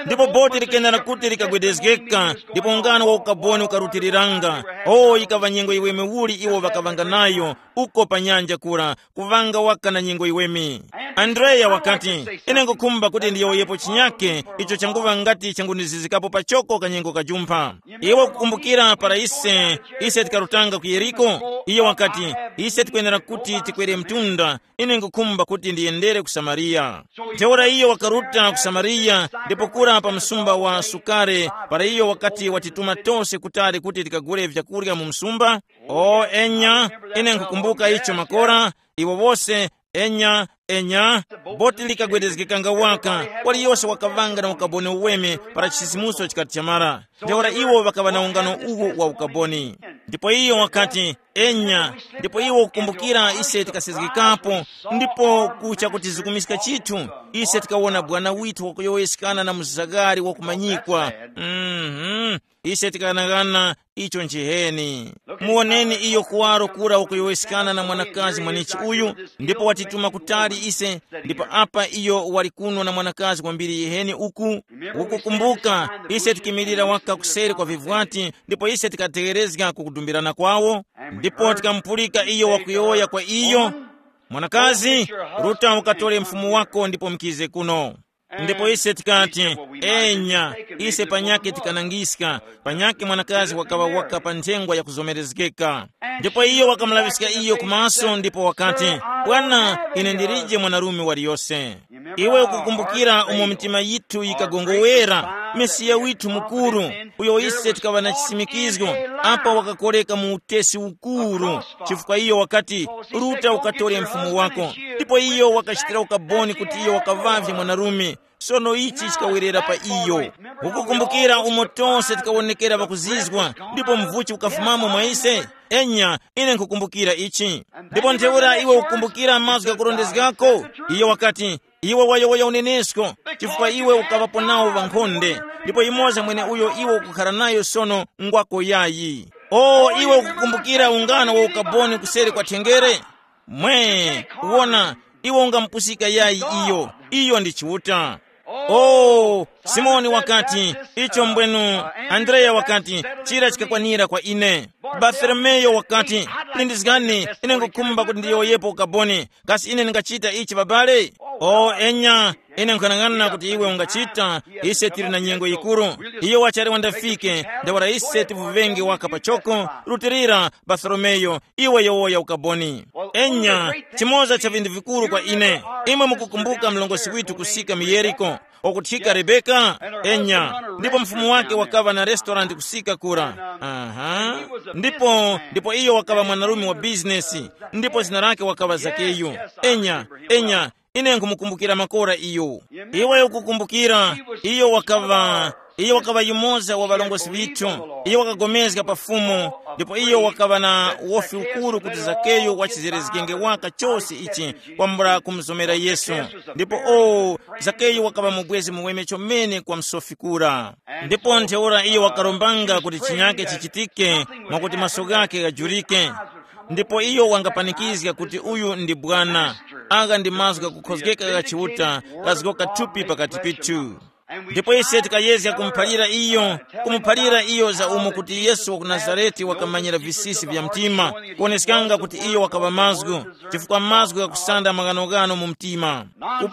Ndipo boti likenera kuti likagwedezgeka, ndipo ungano wa ukaboni ukarutiliranga. O, yikaŵa nyengo yiweme uli iwo ŵakaŵanga nayo, uko pa nyanja kura, kuŵanga waka na nyengo yiweme. Andreya wakati, ine ngukhumba kuti ndiyowoyepo chinyake icho changuŵa ngati changundizizikapo pachoko kanyengo kajumpha. Iwe ukukumbukira para ise, ise tikarutanga ku Yeriko? Iyo wakati, ise tikwenera kuti tikwere mtunda, ine ngukhumba kuti ndiyendere ku Samariya. Ntheura iyo wakaruta ku Samariya, ndipo kura pa msumba wa Sukare, para iyo wakati watituma tose kutali kuti tikagule vyakurya mu msumba. O enya, ine nkhukumbuka icho makora, iwo wose, enya, enya, boti likagwedezgekanga waka, waliyose wakaŵanga na ukaboni uweme para chisisimuso chikati chamara. Ntheura iwo ŵakaŵa na ungano uwu wa ukaboni. Ndipo iyo wakati, enya, ndipo iwo kukumbukira ise tikasezgekapo, ndipo kucha kutizikumiska chithu, ise tikawona bwana withu wakuyowoyeskana na muzagari wakumanyikwa. Mhm. Ise tikanaghana icho nchiheni. Muwoneni iyo kuwaro kura ukuyowoyeskana na mwanakazi mwanichi uyu, ndipo watituma kutali ise, ndipo apa iyo wali kuno na mwanakazi kwambiri yiheni uku. Ukukumbuka, ise tikimirira waka kuseri kwa vivwati, ndipo ise tikategherezga kukudumbirana kwawo, ndipo tikamupulika iyo wakuyowoya kwa iyo, mwanakazi, ruta ukatore mfumu wako ndipo mukize kuno. Ndipo ise tikati, enya, ise panyakhe tikanangiska, panyakhe mwanakazi wakaŵa waka pa nthengwa yakuzomerezgeka. Ndipo iyo wakamulaŵiska iyo kumaso ndipo wakati, bwana, ine ndilije mwanarume waliyose. Iwe ukukumbukira umo mitima yithu yikagongowera, Mesiya withu mukuru, uyo ise tikaŵa na chisimikizgo, apa wakakoreka mu utesi ukuru, chifukwa iyo wakati, ruta ukatore mfumu wako. Ndipo iyo wakachitira ukaboni kuti iyo wakaŵavye mwanarume. Sono ichi chikawerera pa iyo. Ukukumbukira umo tose tikawonekera pakuzizwa, ndipo mvuchi ukafumamo mwa ise? Enya, ine nkukumbukira ichi. Ndipo ntheura iwe ukukumbukira mazgu ghakurondezgako? Iyo wakati, iwe wayowoya unenesko, chifukwa iwe ukaŵapo nawo ŵankhonde, ndipo yimoza mwene uyo iwe ukukhala nayo sono ngwako yayi. O iwe ukukumbukira ungano wa ukaboni kuseri kwa thengere? Mwe, wona, iwe ungamupusika yayi iyo. Iyo ndi Chiuta. O, Simoni wakati, icho mbwenu, Andreya wakati, chira chikakwanira kwa ine. Bartolomeyo wakati, lindizgani, ine ngukhumba kuti ndiyowoyepo ukaboni. Kasi ine ndingachita ichi babale? O enya, ine nkhanang'ana kuti iwe ungachita. Ise tili na nyengo yikuru. Iyo wachali wandafike. Ndawara ise tivuvenge waka pachoko. Rutilira, Bartolomeyo, iwe yowoya ukaboni. Enya, chimoza cha vinthu vikuru kwa ine. Imwe mukukumbuka mlongosi witu kusika mu Yeriko, okuthika Rebeka? Enya, ndipo mfumu wake wakaŵa na restaurant kusika kura. Aha. Ndipo ndipo iyo wakaŵa mwanarume wa bizinesi, ndipo zina lake wakaŵa Zakeyu. Enya, enya, ine nkumukumbukira makora iyo. Iwe ukukumbukira, iyo wakaŵa iyo wakaŵa yumoza wa ŵalongosi ŵithu. Iyo wakagomezga pa Fumu, ndipo iyo wakaŵa na wofi ukuru kuti Zakeyo wachizerezgenge waka chose ichi kwambula kumuzomera Yesu. Ndipo o, Zakeyo wakaŵa mubwezi muweme chomene kwa msofi kura. Ndipo ntheura iyo wakarombanga kuti chinyake chichitike, mwakuti maso ghake ghajurike. Ndipo iyo wangapanikizga kuti uyu ndi bwana. Agha ndi mazgu ghakukhozgeka gha Chiuta, kazgoka thupi pakati pithu. Ndipo ise tikayezga kumuphalira iyo, kumuphalira iyo za umo kuti Yesu wa ku Nazarete wakamanyira visisi vya mtima, kuoneskanga kuti iyo wakaŵa mazgu, chifukwa mazgu ghakusanda maghanoghano mu mtima.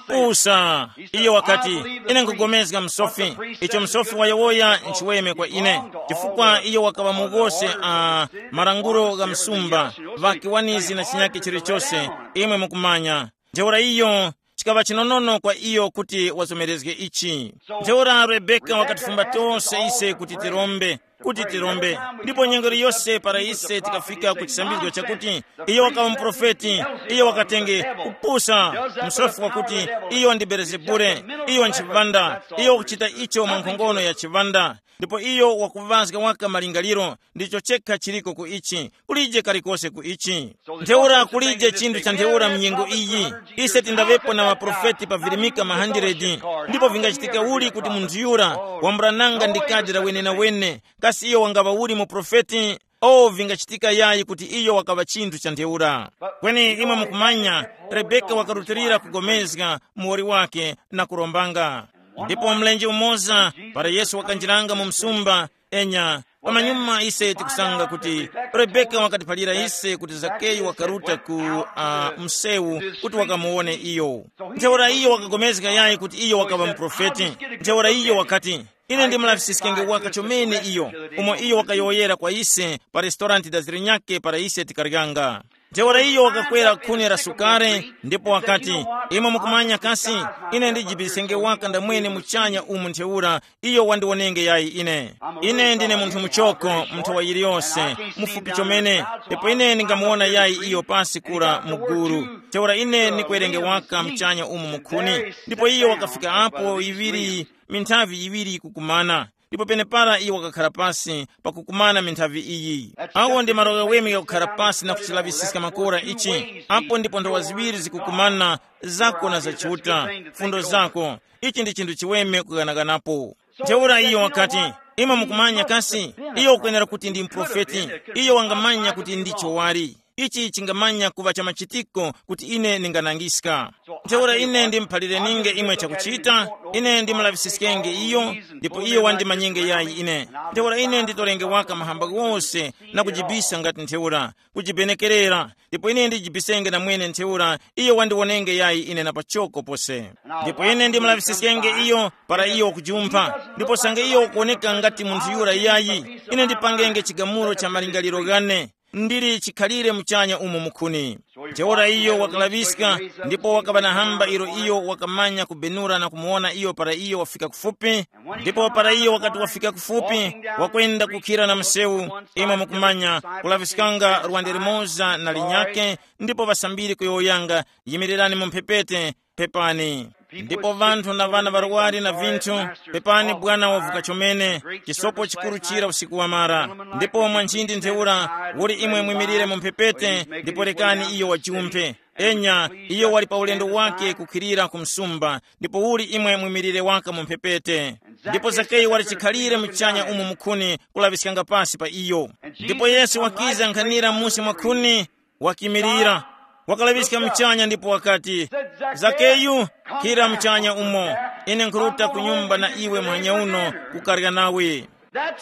Kupusa, iyo wakati, ine nkugomezga msofi, icho msofi wayowoya nchiweme kwa ine, chifukwa iyo wakaŵa mughose a malangulo gha msumba, ŵakiwanizi na chinyake chilichose, imwe mukumanya. Ntheura iyo chikaŵa chinonono kwa iyo kuti wazomerezge ichi. Ntheura Rebeka wakatifumba tose ise kuti tirombe, kuti tirombe. Ndipo nyengo yose para ise tikafika ku chisambizgo chakuti iyo wakawa muprofeti, iyo wakatenge kupusa, msofi wakuti iyo ndi Belezebule, iyo nchivanda, iyo wakuchita icho mwa nkhongono ya chivanda. Ndipo iyo wakuvazga waka malingaliro, ndicho chekha chiliko ku ichi, kulije kalikose ku ichi. Ntheura kulije chinthu cha ntheura mu nyengo iyi. Ise tindaŵepo na maprofeti pavirimika ma hundred. Ndipo vingachitika uli kuti munthu yura wambulananga ndi kadi la wenenawene, kasi iyo wangaŵa uli muprofeti? O, vingachitika yayi kuti iyo wakaŵa chinthu cha ntheura. Kweni imwe mukumanya, Rebeka wakarutilira kugomezga muwoli wake na kurombanga. Ndipo mlenje umoza, para Yesu wakanjiranga mu msumba, enya, pamanyuma ise tikusanga kuti Rebeka wakatiphalira ise kuti Zakeyu wakaruta ku uh, msewu kuti wakamuwone iyo. Ntheura iyo wakagomezga yayi kuti iyo wakaŵa muprofeti. Ntheura iyo wakati, ine ndimulaŵisiskenge waka chomene iyo, umo iyo wakayowoyera kwa ise pa restaurant da zilinyake para ise tikaryanga. Ntheura iyo wakakwera khuni la sukari, ndipo wakati, imwe mukumanya kasi, ine ndijibisenge waka ndamwene muchanya umu ntheura, iyo wandiwonenge yayi ine. Ine ndine munthu muchoko, munthu wa yiliyose, mufupi chomene, ndipo ine ndingamuwona yayi iyo pasi kura mu gulu. Ntheura ine ndikwerenge waka mchanya umu mukhuni, ndipo iyo wakafika apo yiŵiri, minthavi yiŵiri kukumana. Ndipo penepara iyo wakakhala pasi pakukumana minthavi iyi. Awo ndi malo ghaweme ghakukhara pasi na kuchilaŵisiska makora ichi. Apo ndipo nthowa ziŵiri zikukumana, zako na za Chiuta, fundo zako. Ichi ndi chinthu chiweme kughanaghanapo. Ntheura iyo wakati, Imwe mukumanya kasi, iyo ukwenera kuti ndi muprofeti. Iyo wangamanya kuti ndicho wali. Ichi chingamanya kuŵa cha machitiko kuti ine ndinganangiska. Ntheura ine ndimuphalire ninge imwe chakuchita. Ine ndimulaŵisiskenge iyo, ndipo iyo wandimanyenge yayi ine. Ntheura ine nditorenge waka mahamba ghose na kujibisa ngati ntheura, kujibenekerera. Ndipo ine ndijibisenge na mwene ntheura, iyo wandiwonenge yayi ine na pachoko pose. Ndipo ine ndimulaŵisiskenge iyo para iyo wakujumpha, ndipo sange iyo ukuwoneka ngati munthu yura yayi, ine ndipangenge chigamulo cha malingaliro ghane. Ndili chikhalire muchanya umo mukhuni. Ntheura iyo wakalaŵiska, ndipo wakaŵa na hamba ilo iyo wakamanya kubenura na kumuwona iyo para iyo wafika kufupi. Ndipo para iyo wakati wafika kufupi, wakwenda kukhira na msewu, imwe mukumanya, kulaŵiskanga lwande limoza na linyake, ndipo ŵasambiri kuyowoyanga, yimirirani mu mphepete, pepani. Ndipo vanthu na vana ŵarwari na vinthu, pepani bwana wavuka chomene, chisopo chikuru chira usiku wamara. Ndipo mwa nchindi ntheura, uli imwe mwimirire mu mphepete, ndipo rekani iyo wajumphe. Enya, iyo wali pa ulendo wake kukhilira ku msumba, ndipo uli imwe mwimirire waka mu mphepete. Ndipo Zakeyu wali chikhalire muchanya umo mukhuni kulaŵiskanga pasi pa iyo. Ndipo Yesu wakiza nkhanira musi mwa khuni, wakimirira, wakalaŵiska muchanya ndipo wakati, "Zakeyu, khira muchanya umo, ine nkhuruta ku nyumba na iwe muhanya uno kukarya nawe."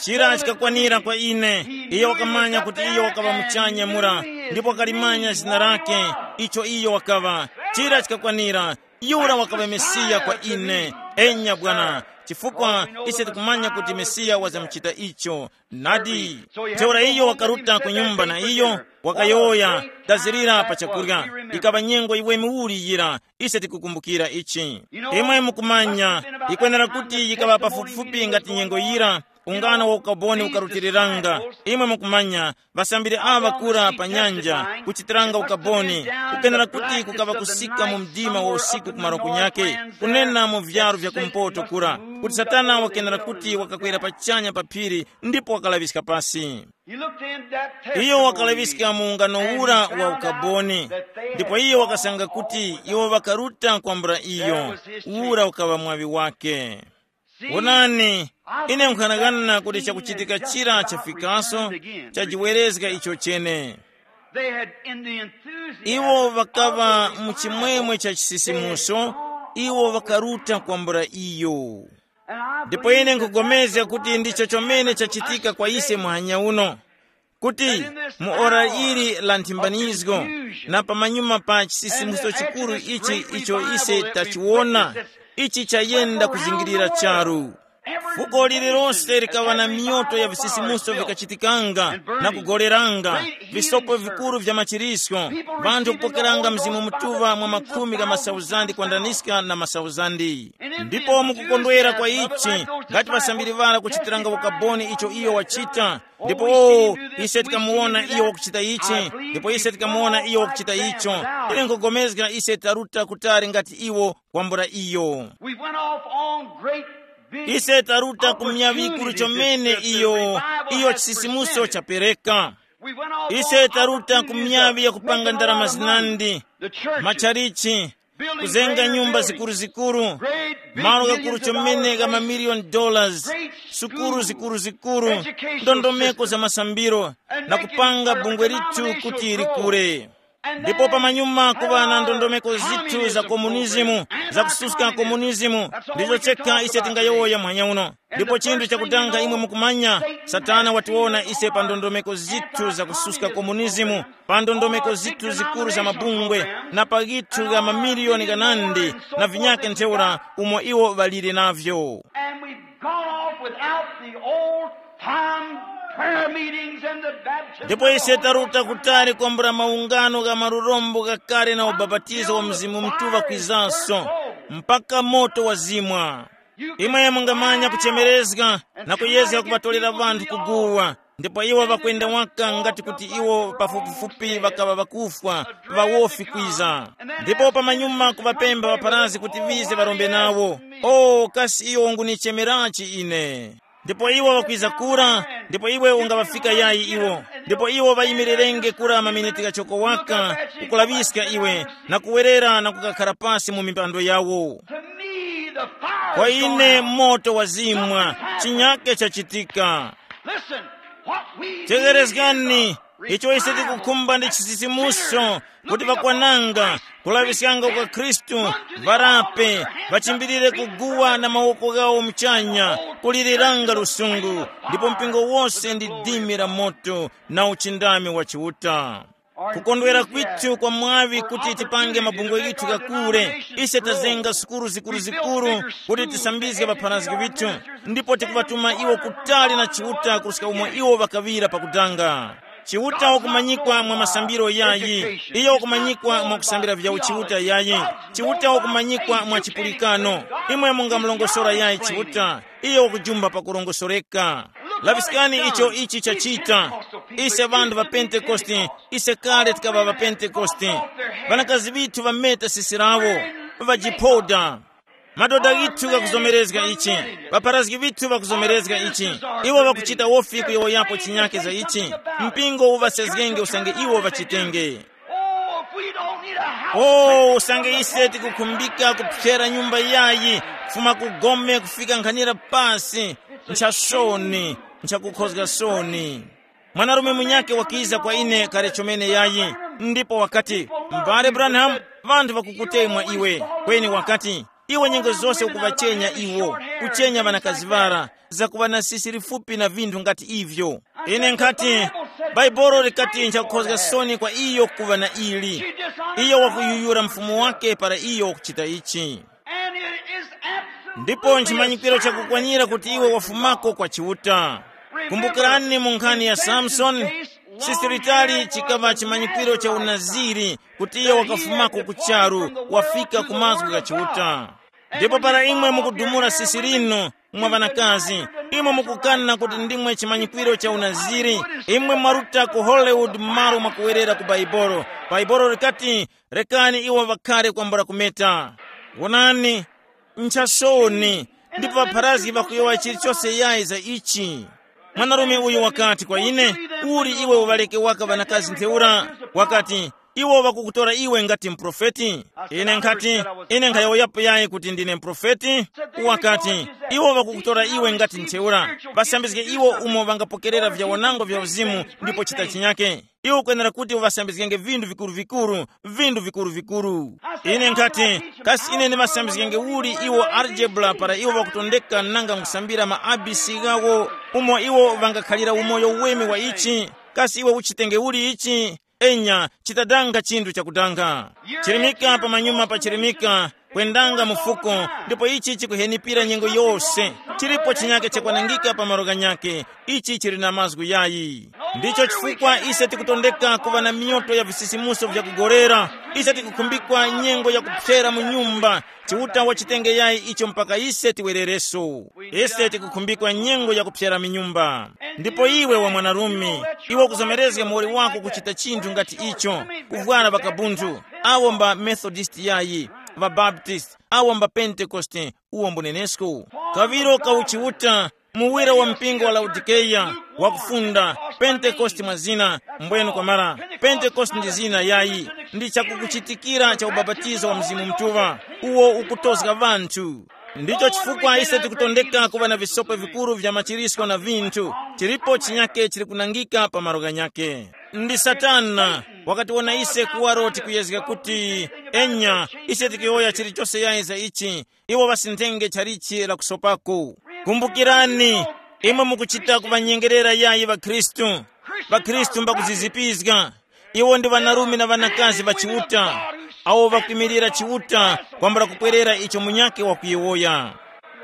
Chira chikakwanira kwa ine. Iyo wakamanya kuti iyo wakaŵa muchanya mura, ndipo wakalimanya zina lake, icho iyo wakaŵa. Chira chikakwanira. Yura wakaŵa Mesiya kwa ine. Enya bwana, chifukwa ise tikumanya kuti Mesiya wazamuchita icho. Nadi. Ntheura iyo wakaruta ku nyumba na iyo, wakayowoya, tazirira pa chakurya. Ikaŵa nyengo iwe miwuri yira, ise tikukumbukira ichi. Imwe mukumanya, ikwenera kuti yikaŵa pafupifupi ngati nyengo yira, ungano wa ukaboni ukarutiriranga. Imwe mukumanya, ŵasambiri aŵa kura pa nyanja, kuchitiranga ukaboni, kukenera kuti kukaŵa kusika mu mdima wa usiku kumaro kunyake, kunena mu vyaro vya kumpoto kura, kuti Satana wakenera kuti wakakwera pachanya pa phiri ndipo wakalaŵiska pasi. Iyo wakalaŵiska mu ungano ura wa ukaboni, ndipo iyo wakasanga kuti iwo ŵakaruta kwambula iyo. Ura ukaŵa mwaŵi wake. Wonani, ine nkhanang'ana kuti chakuchitika chira chafikaso, chajiwerezga icho chene. They had in the enthusiasm iwo ŵakaŵa of the mu chimwemwe cha chisisimuso, iwo ŵakaruta kwambula iyo. And I ndipo believe ine that nkupulikana kuti ndicho chomene chachitika kwa ise muhanya uno, kuti mu ora ili la nthimbanizgo, na pamanyuma pa chisisimuso chikuru ichi icho ise tachiwona, ichi chayenda kuzingirira charu. Fuko lililonse likaŵa na miyoto ya visisimuso vikachitikanga na kugoleranga, visopo vikuru vya machirisko, vanthu kupokeranga Mzimu Mutuŵa mwa makhumi gha masauzandi kwandaniska na masauzandi. Ndipo mukukondwera kwa ichi, ngati ŵasambiri ŵara kuchitiranga ukaboni icho iyo wachita, ndipo ise tikamuwona iyo wakuchita ichi, ndipo ise tikamuwona iyo wakuchita icho. Ine nkugomezga ise taruta kutali ngati iwo kwambula iyo. We went off on great big ise taruta ku miyavi ikuru chomene iyo, iyo chisisimuso chapereka. Ise taruta ku miyavi ya kupanga ndalama zinandi, machalichi, kuzenga nyumba zikuruzikuru, malo gakuru chomene ga mamiliyoni dollars, sukuru zikuruzikuru, ndondomeko za masambiro, na kupanga bungwe lithu kuti likure. Ndipo pamanyuma kuŵa na ndondomeko zithu za komunizimu, za kususka komunizimu, ndicho chekha ise tingayowoya muhanya uno. Ndipo chinthu chakutanga imwe mukumanya, Satana watiwona ise pa ndondomeko zithu za kususka komunizimu, pa ndondomeko zithu zikuru za mabungwe, na pa ghithu gha mamiliyoni ghanandi na vinyake ntheura umo iwo ŵalire navyo. And we've gone off without the old time prayer meetings and the baptism. Ndipo ise taruta kutali kwambula maungano gha marurombo ghakale na ubapatizo wa Mzimu Mutuŵa kwizanso, mpaka moto wazimwa. Imwe mungamanya kuchemerezga na kuyezga kuŵatolera ŵanthu kuguwa, ndipo iwo ŵakwenda waka ngati kuti iwo pafupifupi ŵakaŵa ŵakufwa, ŵawofi kwiza. Ndipo pamanyuma kuŵapempha ŵapharazgi kuti ŵize ŵarombe nawo. O, kasi iwo ngunichemerachi ine? Ndipo iwo ŵakwiza kura, ndipo iwe ungaŵafika yayi iwo? Ndipo iwo ŵayimirirenge kura maminiti ghachoko waka, kukulaŵiska iwe, na kuwerera na kukakhara pasi mu mipando yawo. To me, the fire kwa is gone ine out. Moto wazimwa, Chinyake chachitika. Listen, what we need is Tegerezgani, a icho ise revival tikukhumba ndi that chisisimuso, filling kuti up pakwananga, Christ, kulaŵiskanga kwa Khristu, varape, vachimbilire kuguwa na mawoko ghawo muchanya, kuliliranga lusungu, ndipo mpingo wose ndi dimi la moto na uchindami wa Chiuta. Kukondwera kwithu kwa mwaŵi kuti tipange mabungwe ghithu ghakure. Ise tazenga sukulu zikuruzikuru kuti tisambizge ŵapharazgi ŵithu, ndipo tikuŵatuma iwo kutali na Chiuta kuruska umo iwo ŵakaŵira pakudanga. Chiuta wakumanyikwa mwa masambiro yayi. Iyo wakumanyikwa mwa kusambira vya uchiuta yayi. Chiuta wakumanyikwa mwa chipulikano. Imwe mungamulongosora yayi Chiuta. Iyo wakujumba pakurongosoreka. Laŵiskani icho ichi chachita. Ise ŵanthu ŵa Pentekoste, ise kale tikaŵa ŵa Pentekoste. Ŵanakazi ŵithu ŵameta sisi lawo, ŵajiphoda. Madoda ghithu ghakuzomerezga ichi. Ŵapharazgi ŵithu ŵakuzomerezga ichi. Iwo ŵakuchita wofi kuyowoyapo chinyake za ichi. Mpingo uŵasezgenge usange iwo ŵachitenge. Oh, if we don't need a house, oh, usange ise tikukhumbika kuphyera nyumba yayi, kufuma ku gome kufika nkhanira pasi, nchasoni, nchakukhozga soni. Mwanarume munyake wakiza kwa ine kale chomene yayi, ndipo wakati, "M'bale Branham, ŵanthu ŵakukutemwa iwe." Kweni wakati, "Iwe nyengo zose ukuŵachenya iwo, kuchenya ŵanakazi ŵara, zakuŵa na sisi lifupi na vinthu ngati ivyo." Ine nkhati, Bhaibuli likati nchakukhozga soni kwa iyo kuŵa na ili. Iyo wakuyuyura mfumu wake para iyo wakuchita ichi. And it is absolutely ndipo nchimanyikiro chakukwanira kuti iwe wafumako kwa Chiuta. Kumbukirani mu nkhani ya Samsoni, sisi litali chikaŵa chimanyikiro cha unaziri kuti iyo wakafumako ku charu, wafika ku mazgu gha Chiuta. Ndipo para imwe mukudumula sisi linu mwa ŵanakazi, imwe mukukana kuti ndimwe chimanyikwiro cha unaziri. Imwe mwaruta ku Hollywood m'malo mwakuwerera ku Baibolo. Baibolo likati, "Rekani iwo ŵakhare kwambula kumeta." Wonani, nchasoni, ndipo ŵapharazgi ŵakuyowa chilichose yayi za ichi. Mwanarume uyu wakati kwa ine, "Uli iwe uŵaleke waka ŵanakazi ntheura?" Wakati, "Iwo ŵakukutora iwe ngati muprofeti?" Ine nkhati, "Ine nkhayowoyapo yayi kuti ndine muprofeti." Wakati, "Iwo ŵakukutora iwe ngati ntheura. Ŵasambizge iwo umo ŵangapokerera vyawanango vya uzimu, ndipo chita chinyake. Iwe ukwenera kuti uŵasambizgenge vinthu vikuru-vikuru, vinthu vikuru-vikuru." Ine nkhati, "Kasi ine ndimasambizgenge uli iwo algebra para iwo ŵakutondeka nanga nkusambira ma A B C ghawo, umo iwo ŵangakhalira umoyo weme wa ichi? Kasi iwe uchitenge uli ichi?" Enya, chitadanga chinthu chakudanga. Chirimika pamanyuma pa chirimika, kwendanga mufuko, ndipo ichi chikuhenipira nyengo yose. Chilipo chinyake chakwanangika pa malo ghanyake. Ichi chili na mazgu yayi. Ndicho chifukwa ise tikutondeka kuva na miyoto ya visisimuso vyakugorera. Ise tikukhumbikwa nyengo yakupsera mu nyumba. Chiuta wachitenge yayi icho mpaka ise tiwerereso. Ise tikukhumbikwa nyengo yakupsera minyumba. Ndipo iwe wa mwanarume, iwe ukuzomerezga muwoli wako kuchita chinthu ngati icho, kuvwara ŵakabunthu, awo mba Methodist yayi, ŵaBaptist, awo mba Pentekoste, uwo mbunenesko. Kawiro ka uchiuta, muwira wa mpingo wa Laodikeya, wakufunda, Pentekoste mwa zina, mbwenu kwamara, Pentekoste ndi zina yayi, ndi chakukuchitikira cha ubapatizo wa Mzimu Mutuŵa, uwo ukutozga ŵanthu. Ndicho chifukwa ise tikutondeka kuŵa na visopo vikuru vya machirisko na vinthu, chilipo chinyake chili kunangika pa malo ghanyake. Ndi Satana wakatiwona ise kuwaro tikuyezga kuti, enya, ise tikuyowoya chilichose yayi za ichi, iwo ŵasinthenge chalichi la kusopako. Kumbukirani, imwe mukuchita kuŵanyengerera yayi ŵakhristu. །ŵakhristu mbakuzizipizga. Iwo ndi ŵanarume na ŵanakazi ŵa Chiuta, awo ŵakwimilira Chiuta kwambula kupwerera icho munyakhe wakuyowoya.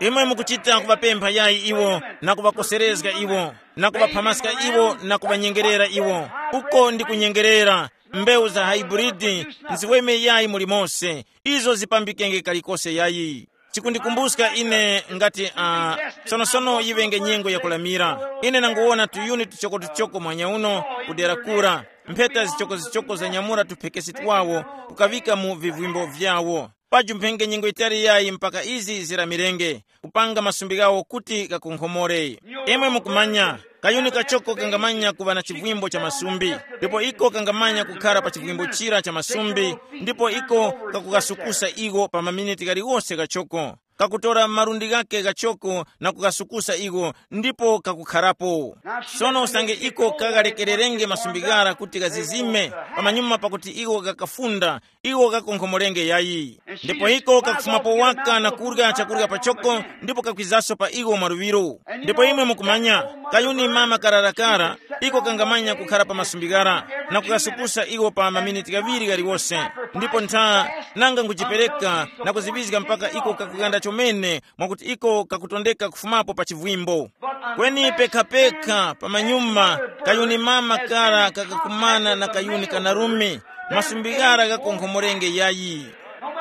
Imwe mukuchita kuŵapempha yayi iwo, na kuŵakoserezga iwo, na kuŵaphamaska iwo na kuŵanyengerera iwo. Uko ndi kunyengerera. Mbewu za haiburidi nziweme yayi muli mose. Izo zipambikenge kalikose yayi. Chikundikumbuska ine ngati uh, sonosono yiŵenge nyengo yakulamira. Ine nanguwona tuyuni tuchoko-tuchoko mwanya uno kudera kura, mpheta zichoko-zichoko zanyamula tuphekesi twawo, kukaŵika mu vivwimbo vyawo. Paju mphenge nyengo yitali yayi mpaka izi ziramirenge, kupanga masumbi ghawo kuti ghakonkhomore. Imwe mukumanya, kayuni kachoko kangamanya kuŵa na chivwimbo cha masumbi, ndipo iko kangamanya kukhara pa chivwimbo chira cha masumbi, ndipo iko kakukasukusa iwo pa maminiti ghaliwose ghachoko. kakutora malundi ghake ghachoko na kugasukusa iwo, ndipo kakukharapo. Sono usange iko kaghalekererenge masumbi ghara kuti ghazizime, pamanyuma pakuti iwo ghakafunda, iwo ghakonkhomorenge yayi. Ndipo iko kakufumapo waka na kurya chakurya pachoko, ndipo kakwizaso pa iwo mwaluŵiro. Ndipo imwe mukumanya, kayuni mama kararakara, iko kangamanya kukhara pa masumbi ghara, na kukasukusa iwo pa maminiti ghaŵiri ghaliwose. Ndipo ntha, nanga nkujipereka na kuziŵizga mpaka iko kakuganda chomene, mwakuti iko kakutondeka kufumapo pa chivwimbo. Kweni pekhapekha pamanyuma, kayuni mama kara kakakumana na kayuni kanarume, masumbi ghara ghakonkhomorenge yayi.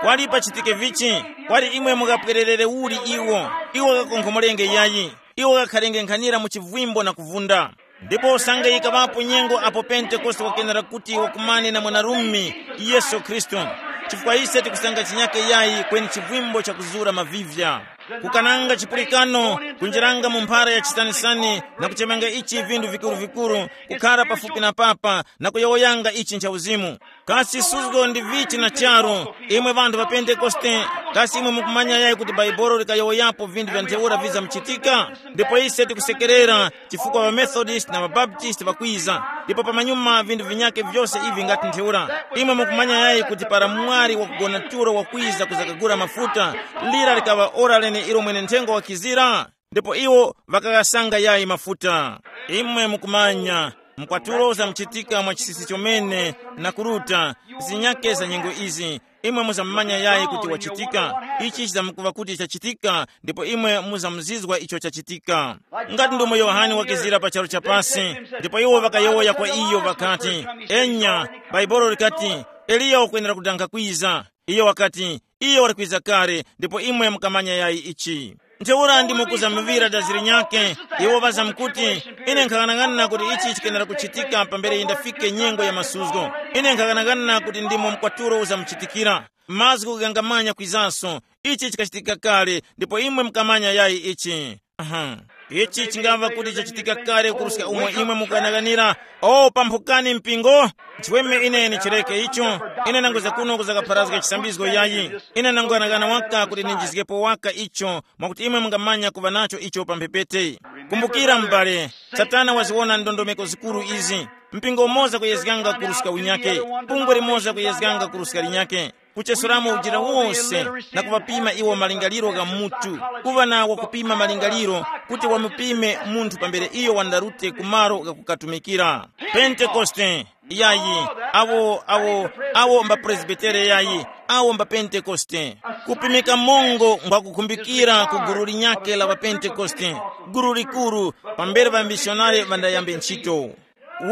Kwali pachitike vichi? Kwali imwe mukapwererere uli iwo? Iwo ghakonkhomorenge yayi. Iwo ghakharenge nkhanira mu chivwimbo na kuvunda. Ndipo usange yikaŵapo nyengo apo Pentekoste wakenera kuti wakumane na mwanarume, Yesu Khristu, chifukwa ise tikusanga chinyake yayi kweni chivwimbo chakuzura mavivya. Kukananga chipulikano, kunjiranga mu mphara ya chisanisani, na kuchemanga ichi vindu vikuru-vikuru, kukhara pafupi na papa na kuyowoyanga ichi ncha uzimu. Kasi suzgo ndi vichi na charu, imwe ŵanthu ŵa Pentekoste? Kasi imwe mukumanya yayi kuti Baibolo likayowoyapo vinthu vya ntheura vizamuchitika? Ndipo ise tikusekerera, chifukwa ŵamethodist na ŵabaptist ŵakwiza, ndipo pamanyuma vinthu vinyake vyose ivi ngati ntheura. Imwe mukumanya yayi kuti para mwali wakugona tulo wakwiza kuzakagula mafuta, lira likaŵa ora lene ilo mwene nthengo wakizira? Ndipo iwo ŵakaghasanga yayi mafuta. Imwe mukumanya, mkwatulo uzamuchitika mwa chisisi chomene, na kuruta zinyake za nyengo izi. Imwe muzamumanya yayi kuti wachitika. Ichi chizamkuva kuti chachitika, ndipo imwe muzamuzizwa icho chachitika. Ngati ndomwe Yohane wakizira pa charu cha pasi, ndipo iwo ŵakayowoya kwa iyo ŵakati, enya, Baibolo likati, Eliya wakwenera kudanga kwiza. Iyo wakati, iyo wali kwiza kale, ndipo imwe mukamanya yayi ichi. Ntheura ndimo kuzamuŵira daziri nyakhe, iwo ŵazamkuti, ine nkhaghanaghanana kuti ichi chikenera kuchitika pambere yindafike nyengo ya masuzgo. Ine nkhaghanaghanana kuti ndimo mkwatulo uzamuchitikira. Mazgu ghangamanya kwizaso. Ichi chikachitika kale, ndipo imwe mukamanya yayi ichi. Aha. Ichi chingava kuti chachitika kale kuruska umo imwe mukughanaganira. O pamphukani mpingo, chiweme ine ndichireke icho. Ine nanguza kuno kuzakapharazga chisambizgo yayi. Ine nangughanaghana waka kuti ndinjizgepo waka icho, mwakuti imwe mungamanya kuva nacho icho pa mphepete. Kumbukira m'bale, Satana waziwona ndondomeko zikuru izi. Mpingo umoza kuyezganga kuruska unyake, bungwe limoza kuyezganga kuruska linyake. Kuchesuramo ujira wose, na kuŵapima iwo malingaliro gha mutu, kuŵa na wakupima malingaliro, kuti wamupime munthu pambere iyo wandarute ku malo ghakukatumikira. Pentekoste yayi, awo awo awo mba presbitere yayi, awo mba Pentekoste. Kupimika mongo ngwakukhumbikira ku gulu linyakhe la ŵapentekoste, gulu likuru, pambere ŵamisionare ŵandayambe ntchito.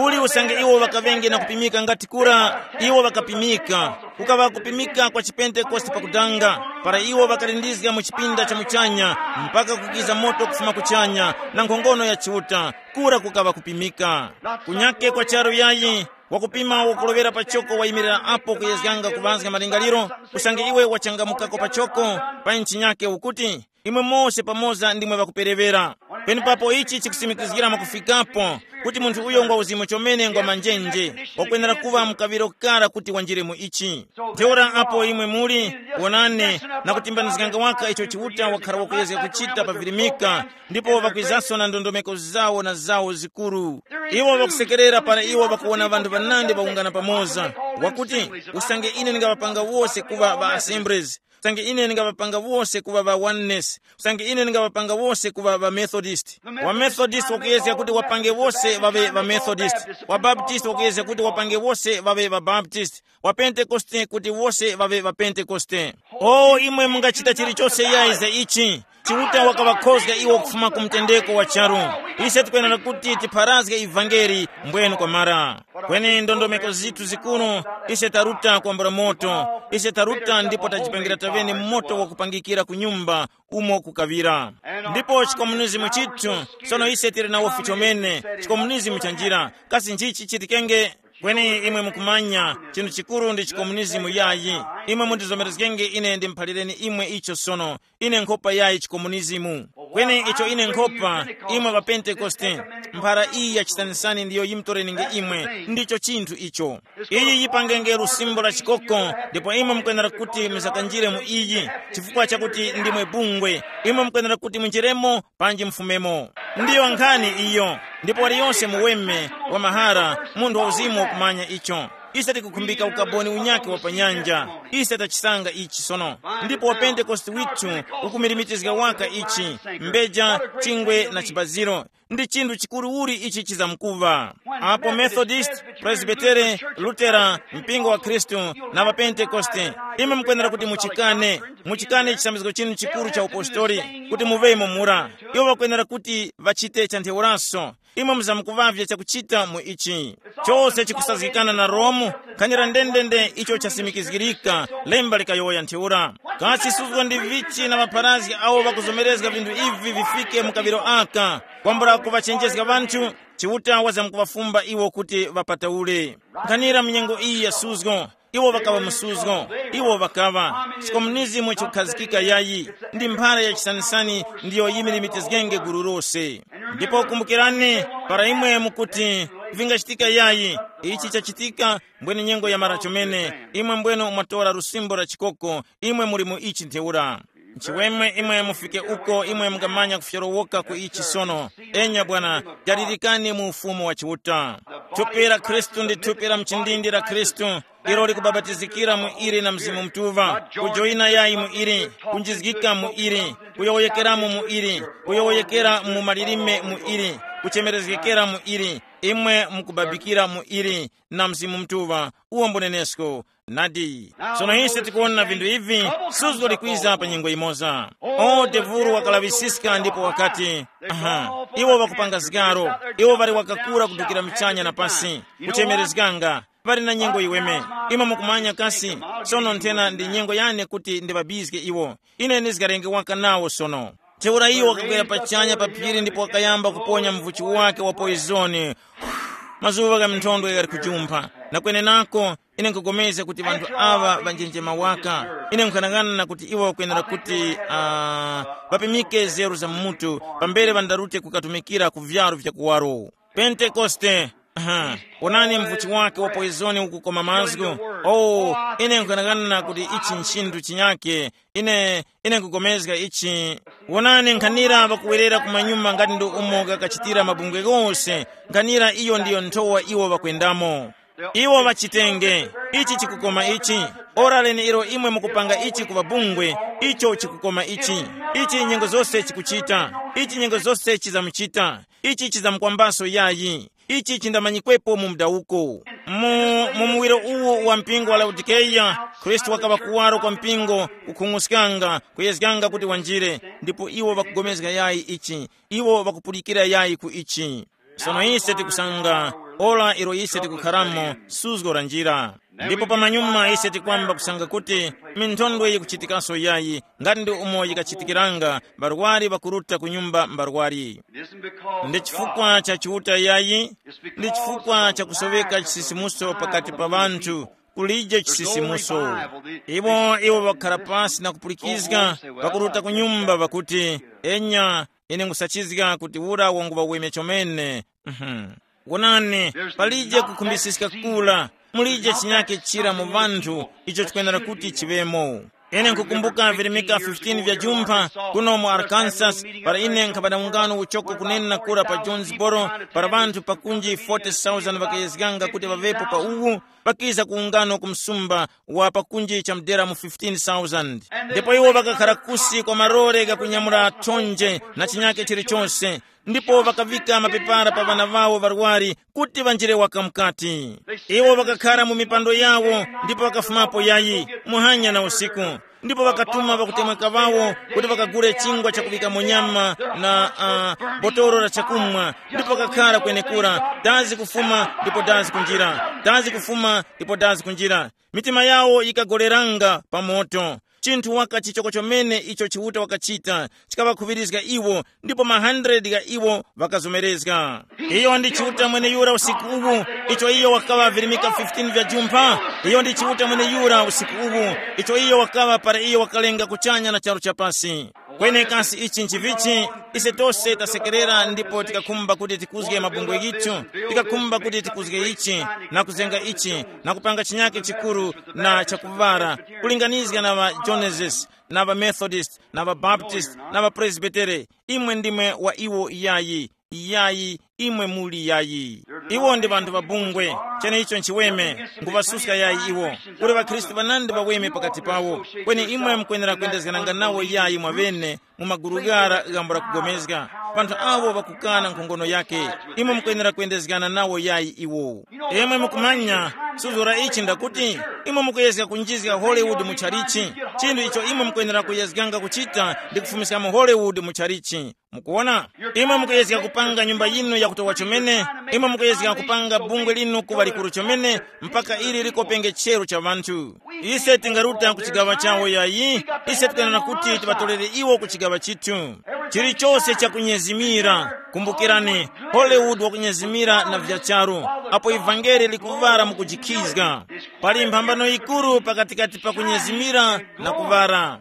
Uli usange iwo ŵakaŵenge na kupimika ngati kura, iwo ŵakapimika. Kukaŵa kupimika kwa chipentekoste pakudanga, para iwo ŵakalindizga mu chipinda cha muchanya, mpaka kukiza moto kufuma kuchanya, na nkhongono ya Chiuta, kura kukaŵa kupimika. Kunyake kwa charu yayi, wakupima wakulovera pachoko wayimirira apo kuyezganga kuŵazga malingaliro, usange iwe wachangamukako pachoko, pa nchinyake ukuti, imwe mose pamoza ndimwe ŵakuperewera. Penepapo ichi chikusimikizgira mwakufikapo, kuti munthu uyo ngwa uzimu chomene ngwa manjenje, wakwenera kuŵa mu kaŵiro kara kuti wanjire mu ichi. Ntheura apo imwe muli, wonani, na kutimbanizganga waka icho Chiuta wakhara wakuyezga kuchita pa virimika, ndipo ŵakwizanso na ndondomeko zawo na zawo zikuru. Iwo ŵakusekerera para iwo ŵakuwona ŵanthu ŵanandi ŵawungana pamoza, wakuti, usange ine ndingaŵapanga wose kuŵa ŵa assemblies, usange ine ndingaŵapanga wose kuŵa ŵa oneness, usange ine ndingaŵapanga wose kuŵa ŵa Methodist. Wa Methodist wakuyezga kuti wapange wose ŵaŵe ŵa Methodist. Wa Baptist wakuyezga kuti wapange wose ŵaŵe ŵa Baptist. Wa Pentekoste kuti wose ŵaŵe ŵa Pentekoste. O imwe mungachita chilichose yayi za ichi. Chiuta wakaŵakhozga iwo kufuma ku mtendeko wa charu. Ise tikwenera kuti tipharazge ivangeli mbwenu kwamara. Kweni ndondomeko zithu zikuru, ise taruta kwambula moto. Ise taruta ndipo tajipangira taŵene moto wakupangikira ku nyumba umo kukaŵira. Ndipo chikomunizimu chithu, sono ise tili nawo fichomene, chikomunizimu cha njira. Kasi nchichi chitikenge? Kweni imwe mukumanya, chinthu chikuru ndi chikomunizimu yayi. Imwe mundizomerezgenge ine ndimuphalireni imwe icho sono. Ine nkhopa yayi chikomunizimu. Kweni icho ine nkhopa, imwe ŵa Pentekoste, mphara iyi ya chisanisani ndiyo yimtorenenge imwe, ndicho chinthu icho. Iyi yipangenge lusimbo la chikoko, ndipo imwe mukwenera kuti musakanjire mu iyi, chifukwa chakuti ndimwe bungwe. Imwe mukwenera kuti munjeremo panji mufumemo. Ndiyo nkhani iyo. Ndipo waliyonse muweme wa mahara, munthu wauzimu wakumanya icho. Ise tikukhumbika ukaboni unyakhe wa pa nyanja. Ise tachisanga ichi sono. Ndipo wapentekoste withu ukumilimitizga waka ichi, mbeja, chingwe na chibaziro. Ndi chinthu chikuru uli ichi chizamkuŵa. Apo Methodist, Presbytere, Lutera, mpingo wa Khristu, na ŵapentekoste, imwe mukwenera kuti muchikane, muchikane chisambizgo chinu chikuru cha upostori, kuti muŵemo mura. Iwo ŵakwenera kuti ŵachite cha ntheuraso. Imwe muzamkuŵavye chakuchita mu ichi. Chose chikusazgikana na Romu, khanira ndendende icho chasimikizgirika, lemba likayowoya ntheura. Kasi suzgo ndi vichi na ŵapharazgi awo ŵakuzomerezga vinthu ivi vifike mu kaŵiro aka, kwambula kuŵachenjezga ŵanthu, Chiuta wazamkuŵafumba iwo kuti ŵapataule. Nkhanira mu nyengo iyi ya suzgo, iwo ŵakaŵa mu suzgo, iwo ŵakaŵa. Sikomunizimu chikukhazikika yayi, ndi mphara ya chisanisani ndiyo yimilimitizgenge gulu lose. Ndipo kumbukirani, para imwe mukuti, vingachitika yayi, ichi chachitika, mbwene nyengo yamara chomene, imwe mbweno mwatora lusimbo la chikoko, imwe muli mu ichi ntheura. Nchiweme imwe mufike uko imwe mungamanya kufyorowoka ku ichi sono. Enya bwana, dalirikani mu ufumu wa Chiuta. Thupi la Khristu ndi thupi la mchindindi la Khristu, ilo likubabatizikira mu ili na Mzimu Mutuŵa, kujoyina yayi mu ili, kunjizgika mu ili, kuyowoyekeramo mu ili, kuyowoyekera mu malilime mu ili, kuchemerezgekera mu ili. Imwe mukubabikira mu ili na Mzimu Mutuŵa, uwo mbunenesko. Nadi. Sono ise tikuwona vinthu ivi, suzgo likwiza pa nyengo imoza. O devulu wakalaŵisiska ndipo wakati, aha, iwo ŵakupanga zigaro, iwo ŵali wakakura kudukira michanya na pasi, kuchemerezganga, ŵali na nyengo yiweme. Imwe mukumanya kasi, sono nthena ndi nyengo yane kuti ndiŵabizge iwo. Ine ndizgarenge waka nawo sono. Ntheura iwo wakakwera pachanya pa phiri ndipo wakayamba kuponya mvuchi wake wa poizoni. Mazuŵa gha minthondwe ghali kujumpha, na kwenenako, ine nkupulikana kuti ŵanthu aŵa ŵanjenjema waka. Ine nkhanang'ana kuti iwo ŵakwenera kuti, ah, ŵapimike nzeru za mmutu, pambere ŵandarute kukatumikira ku vyalu vya kuwaro. Pentekoste. Aha, wonani mvuchi wake wa poizoni ukukoma mazgu. Oh, ine nkhanang'ana kuti ichi nchinthu chinyake. Ine, ine nkupulikana ichi. Wonani nkhanira ŵakuwerera kumanyuma ngati ndi umo ghakachitira mabungwe ghose. Nkhanira iyo ndiyo nthowa iwo ŵakwendamo. Iwo ŵachitenge. Ichi chikukoma ichi. Ora lene ilo imwe mukupanga ichi ku ŵabungwe, icho chikukoma ichi. Ichi nyengo zose chikuchita. Ichi nyengo zose chizamuchita. Ichi chizamukwambaso yayi. Ichi chindamanyikwepo mu mudawuko. Mu, mu muwiro uwu wa mpingo wa Laodikeya, Khristu wakaŵa kuwaro kwa mpingo, kukhung'uskanga, kuyezganga kuti wanjire, ndipo iwo ŵakugomezga yayi ichi, iwo ŵakupulikira yayi ku ichi. Sono ise tikusanga, ora ilo ise tikukharamo, suzgo la njira. Ndipo pamanyuma ise tikwamba kusanga kuti minthondwe yikuchitikaso yayi, ngati ndi umo yikachitikiranga, barwari ŵakuruta ku nyumba mbarwari. Ndi chifukwa cha Chiuta yayi, ndi chifukwa cha kusoweka chisisimuso pakati pa ŵanthu, kulije chisisimuso. Iwo, iwo ŵakhara pasi na kupulikizga, ŵakuruta ku nyumba ŵakuti, enya, ine nkhusachizga kuti ura wanguŵa weme chomene. Mhm. Wonani, palije kukhumbisiska kura, mulije chinyake chira mu ŵanthu, icho chikwenera kuti chiŵemo. Ine nkukumbuka virimika fifteen vya jumpha kuno mu Arkansas, para ine nkhapata ungano uchoko kunena kura pa Jonesboro, para ŵanthu pakunji forty thousand ŵakayezganga kuti ŵaŵepo pa uwu, ŵakiza ku ungano ku msumba wa pakunji cha mdera mu fifteen thousand. Ndipo iwo ŵakakhara kusi kwa malore ghakunyamula thonje na chinyake chilichonse, ndipo ŵakavika mapepara pa ŵana ŵawo ŵarwari kuti ŵanjire waka mukati. Iwo ŵakakhara mu mipando yawo ndipo ŵakafumapo yayi, muhanya na usiku. Ndipo ŵakatuma ŵakutemweka ŵawo kuti ŵakagule chingwa chakuŵikamo nyama na, uh, botolo la chakumwa, ndipo ŵakakhara kwenekura, dazi kufuma ndipo dazi kunjira, dazi kufuma ndipo dazi kunjira. Mitima yawo yikagoleranga pa moto. Chinthu waka chichoko chomene icho Chiuta wakachita, chikaŵakhuŵirizga iwo, ndipo ma hundred gha iwo ŵakazomerezga. Iyo ndi Chiuta mweneyura usiku uwu, icho iyo wakaŵa virimika fifteen vya jumpha. Iyo ndi Chiuta mweneyura usiku uwu, icho iyo wakaŵa para iyo wakalenga kuchanya na charu cha pasi. Kweni kasi ichi nchivichi? Ise tose tasekerera ndipo tikakhumba kuti tikuzge mabungwe yicho, tikakhumba kuti tikuzge ichi, na kuzenga ichi, na kupanga chinyake chikuru na chakuvara, kulinganizga na ŵa Genesis, na ŵa Methodist, na ŵa Baptist, na ŵa Presbytere. Imwe ndimwe wa iwo iyayi. Iyayi, imwe muli yayi. Iwo ndi ŵanthu ŵa bungwe. Cheneicho nchiweme, nguŵasuska yayi iwo. Kuli ŵakhristu ŵanandi ŵaweme pakati pawo. Kweni imwe mukwenera kwendezgananga nawo yayi mwaŵene, mu maguru ghara ghambo la kugomezga, panthu awo ŵakukana nkhongono yake. Imwe mukwenera kwendezgana nawo yayi iwo. Imwe mukumanya, suzgo la ichi ndakuti, imwe mukuyezga kunjizga Hollywood mu chalichi. Chinthu icho imwe mukwenera kuyezganga kuchita ndi kufumiskamo Hollywood mu chalichi. Mukuwona, imwe mukuyezga kupanga nyumba yinu yakutowa chomene. Imwe mukuyezga kupanga bungwe linu kuŵa likuru chomene, mpaka ili likopenge chero cha ŵanthu. Ise tingaruta ku chigaŵa chawo yayi. Ise tikanena kuti tiŵatolere iwo ku chigaŵa chithu. Chilichose chakunyezimira, kumbukirani, Hollywood wakunyezimira na vya charu. Apo ivangeli likuŵala mukujikhizga, pali mphambano yikuru pakatikati pa kunyezimira na kuŵala.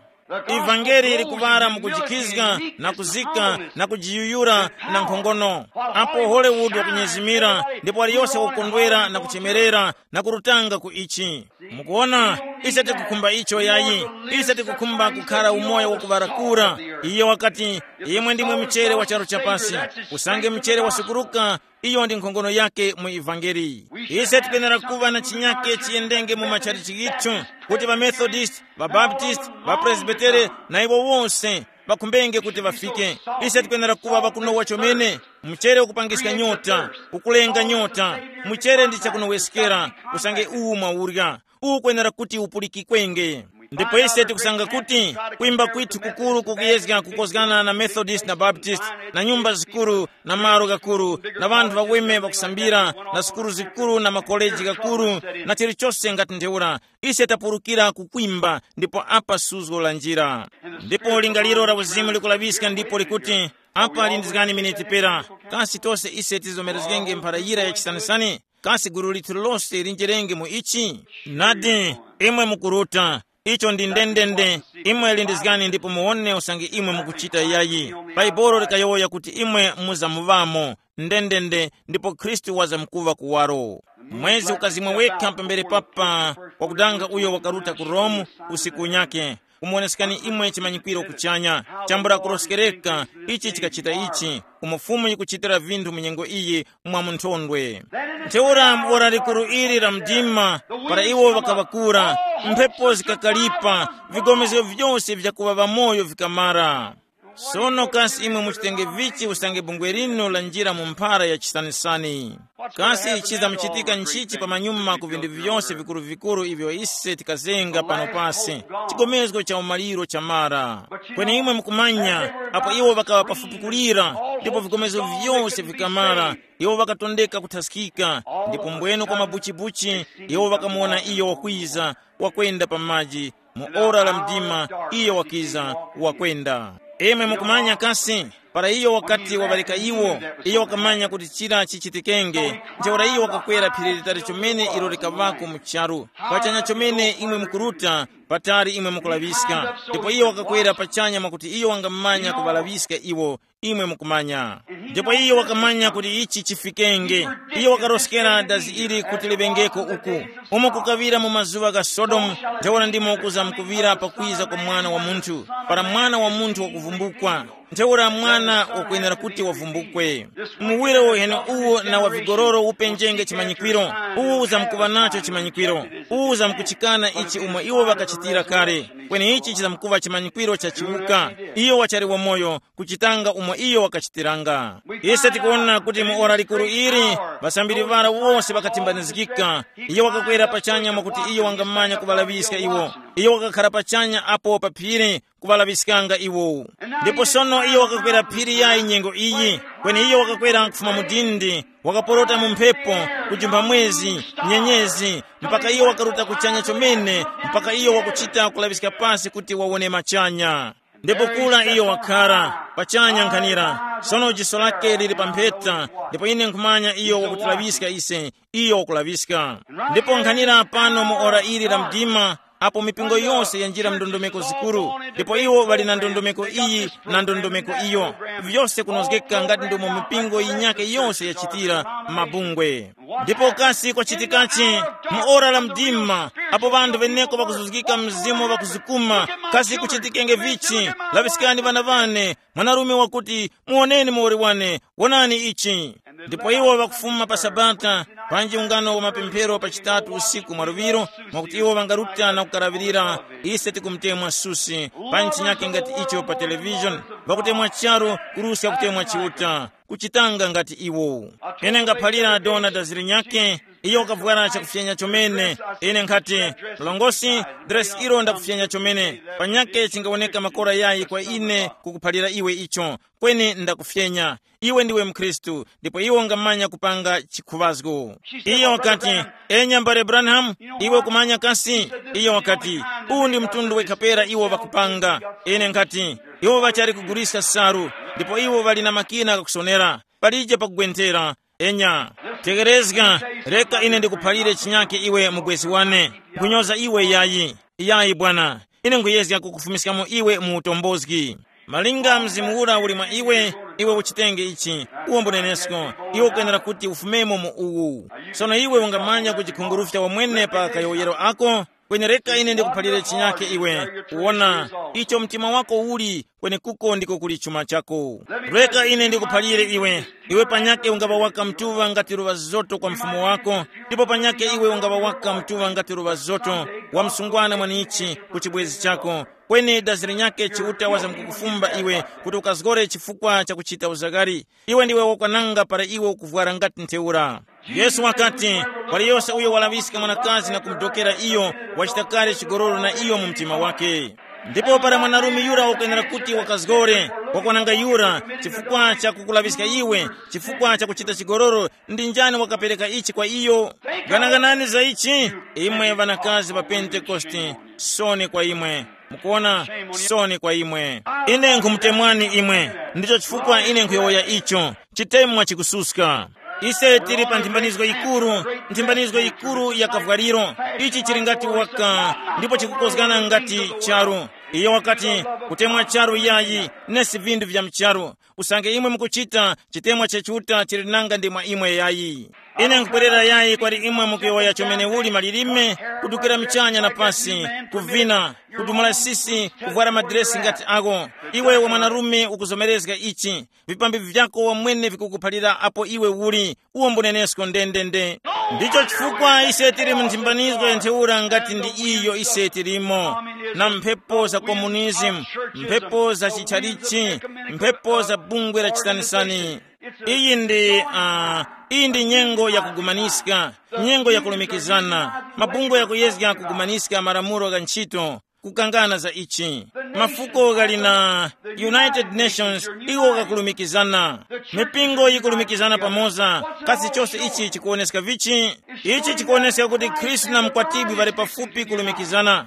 Ivangeli likuŵala mukujikhizga na kuzika na kujiyuyura na nkhongono. Apo Hollywood wakunyezimira, ndipo aliyose wakukondwera na kuchemerera na kurutanga ku ichi. Mukuona, ise tikukhumba icho yayi. Ise tikukhumba kukhara umoyo wakuŵarakura. Iye wakati, imwe ndimwe mchere wa charu chapasi. Usange mchere wasukuruka, iyo ndi nkhongono yake mu ivangeli. Ise tipenera kuŵa na chinyake chiyendenge mu machalichi ghithu, kuti ŵamethodist, ŵabaptist, ŵapresbitere na iwo wose ŵakhumbenge kuti ŵafike. Ise tipenera kuŵa ŵakunowa chomene. Mchere ukupangiska nyota, ukulenga nyota. Mchere ndi chakunoweskera, usange uwu mwaurya, ukwenera kuti upulikikwenge. Ndipo ise tikusanga kuti kuimba kwithu kukuru kukuyezga kukozgana na Methodist na Baptist, na nyumba zikuru, na malo ghakuru, na ŵanthu ŵaweme ŵakusambira, na sukulu zikuru na makoleji ghakuru, na chilichose ngati ntheura. Ise tapurukira kukwimba, ndipo apa suzgo la njira. Ndipo lingaliro la uzimu likulaŵiska ndipo likuti, apa lindizgani miniti pera. Kasi tose ise tizomerezgenge mphara yira ya chisanisani? Kasi gulu lithu lose linjerenge mu ichi? Nadi, imwe mukuruta. Icho ndi ndendende. Imwe lindizgani ndipo muwone usange imwe mukuchita yayi. Bhaibuli likayowoya kuti imwe muzamuŵamo. Ndendende, ndipo Khristu wazamkuŵa kuwaro. Mwezi ukazimwa wekha pambere papa wakudanga uyo wakaruta ku Rome usiku unyake. Kumuwonesekani imwe chimanyikwiro kuchanya, chambula kuroskereka, ichi chikachita ichi, umo Fumu yikuchitira vinthu mu nyengo iyi mwa munthondwe. Ntheura mu ora likuru ili la mdima, para iwo ŵakaŵakura, mphepo zikakalipa, vigomezgo vyose vyakuŵa ŵamoyo vikamara. Sono kasi imwe muchitenge vichi usange bungwe linu lanjira mu mphara ya chisanisani? Kasi chizamuchitika nchichi pamanyuma ku vinthu vyose vikuru-vikuru ivyo ise tikazenga pano pasi? Chigomezgo cha umaliro chamara. Kweni imwe mukumanya, apo iwo ŵakaŵa pafupi kulira, ndipo vikomezo vyose vikamara, iwo ŵakatondeka kuthaskika. Ndipo mbwenu kwa mabuchibuchi, iwo ŵakamuwona iyo wakwiza, wakwenda pa maji. Mu ora la mdima, iyo wakiza, wakwenda. Imwe mukumanya kasi, para iyo wakati waŵareka iwo, iyo wakamanya kuti chira chichitikenge. Ntheura iyo wakakwera phiri litali chomene ilo likaŵako mu charu, pachanya chomene imwe mukuruta, patali imwe mukulaŵiska. Ndipo iyo wakakwera pachanya mwakuti iyo wangamanya kuŵalaŵiska iwo, imwe mukumanya. Ndipo iyo wakamanya kuti ichi chifikenge. Iyo wakaroskera dazi ili kuti liŵengeko uku, umo kukaŵira mu mazuŵa gha Sodomu, ntheura ndimo kuzamkuŵira pakwiza kwa Mwana wa Munthu, para Mwana wa Munthu wakuvumbukwa. Ntheura mwana wakwenera kuti wavumbukwe. Muwiro uheni uwu na wa vigororo upenjenge chimanyikwiro. Uwu uzamkuŵa nacho chimanyikwiro. Uwu uzamkuchikana ichi umo iwo ŵakachitira kale. Kweni ichi chizamkuŵa chimanyikwiro cha chiwuka. Iyo wachali wamoyo, kuchitanga umo iyo wakachitiranga. Ise tikuwona kuti mu ora likuru ili, ŵasambiri ŵara wose ŵakatimbanizgika. Iyo wakakwera pachanya mwakuti iyo wangamanya kuŵalaŵiska iwo. Iyo wakakhara pachanya apo pa phiri, kuŵalaŵiskanga iwo. Ndipo sono iyo wakakwera phiri yayi nyengo iyi, kweni iyo wakakwera kufuma mu dindi, wakaporota mu mphepo, kujumpha mwezi, nyenyezi, mpaka iyo wakaruta kuchanya chomene, mpaka iyo wakuchita kulaŵiska pasi kuti wawone machanya. Ndipo kura iyo wakhara pachanya nkhanira, sono jiso lake lili pa mpheta, ndipo ine nkhumanya iyo wakutilaŵiska ise, iyo wakulaŵiska. Ndipo nkhanira pano mu ora ili la mdima, apo mipingo yose yanjira mndondomeko zikuru, ndipo iwo ŵali na ndondomeko iyi na ndondomeko iyo, vyose kunozgeka ngati ndomwe mipingo yinyake yose yachitira mabungwe. Ndipo kasi kwachitikachi mu ora la mdima, apo ŵanthu veneko ŵakuzuzgika mzimu ŵakuzukuma, kasi kuchitikenge vichi? Laŵiskani ŵana ŵane, mwanarume wakuti, muwoneni muwoli wane, wonani ichi. Ndipo iwo ŵakufuma pa sabata, panji ungano wa mapemphero pa chitatu usiku mwaluŵiro, mwakuti iwo ŵangaruta na kukalaŵirira, ise tikumutemwa susi, pa ntchinyake ngati icho pa televishoni, ŵakutemwa charu, kuruska kutemwa chiuta, kuchitanga ngati iwo. Ine ngaphalira dona daziri nyake, iyo wakavwara chakufyenya chomene. Ine nkhati, mlongosi, dresi ilo ndakufyenya chomene, panyake chingawoneka makora yayi kwa ine kukuphalira iwe icho, kweni ndakufyenya. Iwe ndiwe mkhristu, ndipo iwe ungamanya kupanga chikhuŵazgo. Iyo wakati, enya mbale Branham, iwe kumanya kasi? Iyo wakati, uwu ndi mtundu wekhapera iwo ŵakupanga. Ine nkhati, iwo ŵachali kuguliska salu, ndipo iwo ŵali na makina ghakusonera, palije pakugwenthera. Enya, tegerezga, reka ine ndikuphalire chinyake iwe mubwezi wane. Nkhunyoza iwe yayi. Yayi bwana, ine nkhuyezga kukufumiskamo iwe mu utombozgi. Malinga mzimu ura uli mwa iwe, iwe uchitenge ichi, uwo mbunenesko, iwe ukwenera kuti ufumemo mu uwu. Sono iwe ungamanya kujikhungurufya wamwene pa kayowoyero ako, kweni reka ine ndikuphalire chinyake iwe, kuwona icho mtima wako uli, kwenekuko ndiko kuli chuma chako. Reka ine ndikuphalire iwe, iwe panyake ungaŵa waka mtuŵa ngati luŵa zoto kwa mfumu wako, ndipo panyake iwe ungaŵa waka mtuŵa ngati luŵa zoto wa msungwana mwanichi ku chibwezi chako, kweni dazi linyake Chiuta wazamkukufumba iwe kuti ukazgore chifukwa cha kuchita uzagari. Iwe ndiwe wakwananga para iwe ukuvwara ngati ntheura. Yesu wakati, waliyose uyo walaŵiska mwanakazi na kumudokera iyo, wachita kale chigololo na iyo mu mtima wake. Ndipo para mwanarume yura wakwenera kuti wakazgore, wakwananga yura, chifukwa cha kukulaŵiska iwe, chifukwa cha kuchita chigololo, ndi njani wakapereka ichi kwa iyo? Ganaganani za ichi, imwe ŵanakazi pa Pentekoste, soni kwa imwe. Mukuona, soni kwa imwe. Ine nkhumutemwani imwe. Ndicho chifukwa ine nkhuyowoya icho. Chitemwa chikususka. Ise tili pa nthimbanizgo yikuru, nthimbanizgo yikuru ya kavwaliro. Ichi chili ngati waka, ndipo chikukozgana ngati charu. Iyo wakati, kutemwa charu yayi, nesi vindu vya mcharu. Usange imwe mukuchita, chitemwa cha Chiuta chili nanga ndi mwa imwe yayi. Ine nkupwerera yayi kwali imwe mukuyowoya chomene uli malilime, kudukira michanya na pasi, kuvina, kudumula sisi, kuvwara madiresi ngati ako. Iwe wa mwanarume ukuzomerezga ichi. Vipambi vyako wamwene vikukuphalira apo iwe uli, uwo mbunenesko ndendende. Ndicho chifukwa ise tili mu nthimbanizgo ya ntheura ngati ndi iyo ise tilimo, na mphepo za komunizimu, mphepo za chitchalichi, mphepo za bungwe la chitanisani. Iyi ndi, uh, iyi ndi nyengo ya kugumaniska, nyengo ya kulumikizana, mabungwe yakuyezga kugumaniska malamulo gha ntchito, kukangana za ichi. Mafuko ghali na United Nations, iwo ghakulumikizana. Mipingo yikulumikizana pamoza. Kasi chose ichi chikuwoneska vichi? Ichi chikuwoneska kuti Khristu na mkwatibwi ŵali pafupi kulumikizana.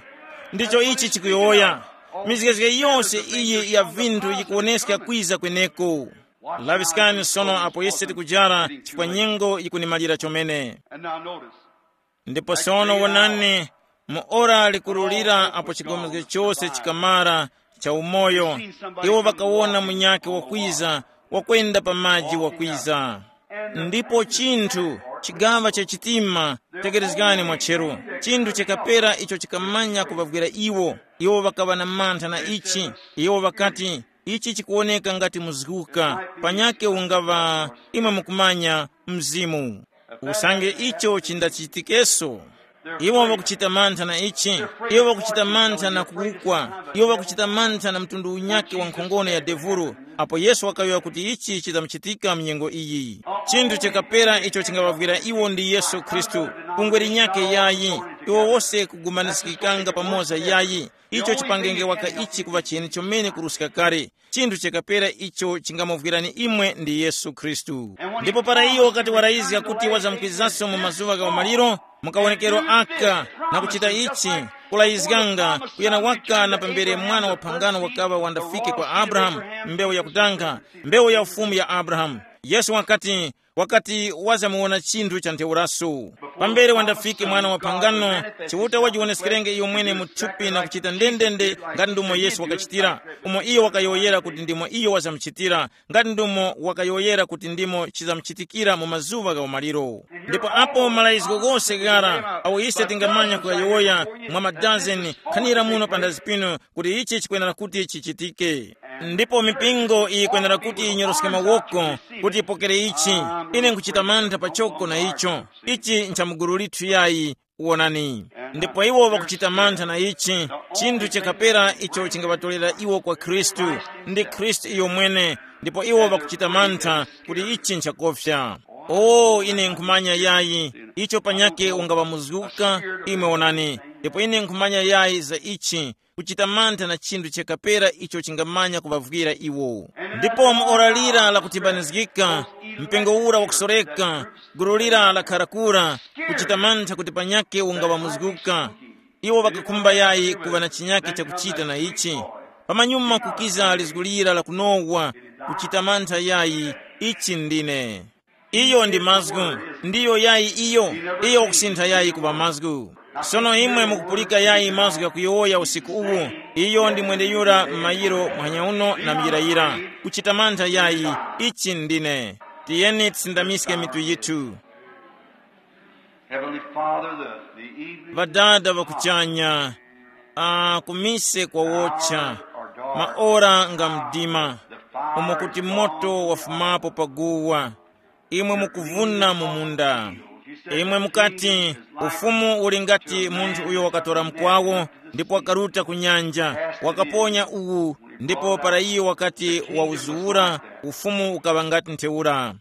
Ndicho ichi chikuyowoya. Mizgezge yose iyi ya vinthu yikuwoneska kwiza kweneko. Laŵiskani sono apo ise tikujara, chifukwa nyengo yikunimalira chomene. And now notice. Ndipo sono wonani, mu ora likurulira apo chigomezge chose chikamara cha umoyo, iwo ŵakawona munyakhe wakwiza, wakwenda pa maji wakwiza. Ndipo chinthu, chigaŵa cha chitima, tekerezgani mwacheru, chinthu chakapera icho chikamanya kuŵavwira iwo. Iwo ŵakaŵa na mantha na ichi. Iwo ŵakati, ichi chikuwoneka ngati muzguka, panyakhe ungaŵa, imwe mukumanya, mzimu. Usange icho chindachitikeso, iwo ŵakuchita mantha na ichi. Iwo ŵakuchita mantha na kuwukwa. Iwo ŵakuchita mantha na mtundu unyakhe wa nkhongono ya devuro. Apo Yesu wakayowoya kuti ichi chidzamuchitika mu nyengo iyi, chinthu chakapera icho chingaŵavwira iwo ndi Yesu Khristu. Bungwe linyakhe yayi. Iwo wose kugumaniskikanga pamoza yayi. Icho chipangenge waka ichi kuŵa cheni chomene kuruska kale. Chinthu chakapera icho chingamuvwirani imwe ndi Yesu Khristu. Ndipo para iyo wakati warayizga kuti wazamkizanso mu mazuŵa gha umaliro, mukawonekero aka, na kuchita ichi, kulayizganga, kuyana waka na pambere mwana wa phangano wakaŵa wandafike kwa Abrahamu, mbewu yakutanga, mbewu ya ufumu ya Abrahamu. Yesu wakati, wakati wazamuwona chinthu cha ntheuraso. Pambere wandafike mwana wa phangano, Chiuta wajiwoneskerenge iyo mwene mu thupi na kuchita ndendende ngati ndumo Yesu wakachitira, umo iyo wakayowoyera kuti ndimo iyo wazamuchitira, ngati ndumo wakayowoyera kuti ndimo chizamuchitikira mu mazuŵa gha umaliro. Ndipo apo malayizgo ghose ghara awo ise tingamanya kuyowoya mwa madazeni, khanira muno pa ndazi pinu kuti ichi chikwenera kuti chichitike. Ndipo mipingo iyi yikwenera kuti yinyoroske mawoko kuti yipokere ichi. Ine nkuchita mantha pachoko na icho. Ichi nchamuguru lithu yayi. Wonani. Ndipo iwo ŵakuchita mantha na ichi, chinthu chakapera icho chingaŵatorera iwo kwa Khristu, ndi Khristu iyo mwene. Ndipo iwo ŵakuchita mantha kuti ichi nchakofya. O, ine nkhumanya yayi, icho panyake ungaŵamuzguka. Imwe wonani. Ndipo ine nkhumanya yayi za ichi, kuchita mantha na chinthu chakapera icho chingamanya kuŵavwira iwo. Ndipo mu ora lira lakutimbanizgika, mpengo ura wakusoreka, gulu lira lakhara kura, kuchita mantha kuti panyake ungaŵamuzguka. Iwo ŵakakhumba yayi kuŵa na chinyake chakuchita na ichi. Pamanyuma kukiza lizgu lira lakunowa, kuchita mantha yayi, ichi ndine. Iyo ndi mazgu. Ndiyo yayi iyo. Iyo wakusintha yayi kuŵa mazgu. Sono imwe mukupulika yayi mazgu ghakuyowoya usiku uwu. Iyo ndi mwendeyura m'mayiro muhanya uno na muyirayira. Kuchita mantha yayi. Ichi ndine. Tiyeni tisindamiske mitu yithu. Heavenly Father, the, the evening Ŵadada ŵakuchanya, a kumise kwawocha, maora nga mdima, umo kuti moto wafumapo pa guwa. Imwe mukuvuna mu munda. Imwe mukati, ufumu uli ngati munthu uyo wakatora mkwawo, ndipo wakaruta ku nyanja, wakaponya uwu, ndipo para iyo wakati wawuzuwura, ufumu ukaŵa ngati ntheura.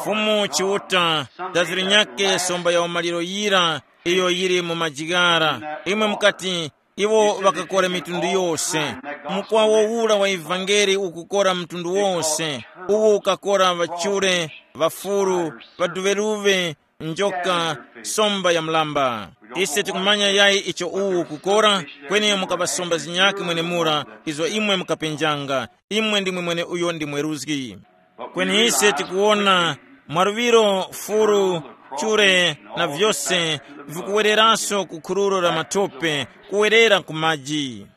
Fumu Chiuta, dazi linyakhe somba ya umaliro yira, iyo yili mu majighara. Imwe mukati, iwo ŵakakora mitundu yose. Mukwawo ura wa ivangeli ukukora mtundu wose. Uwu ukakora ŵachure, ŵafuru, ŵaduŵeruŵe, njoka, somba ya mlamba. Ise tikumanya yayi icho uwu ukukora. Kweni mukaŵasomba zinyakhe mwenemura, izo imwe mukapenjanga. Imwe ndimwe mwene uyo ndi mweruzgi. Kweni ise tikuwona mwaluŵiro, furu, chure, na vyose vikuwereranso ku khururo la matope, kuwerera ku maji.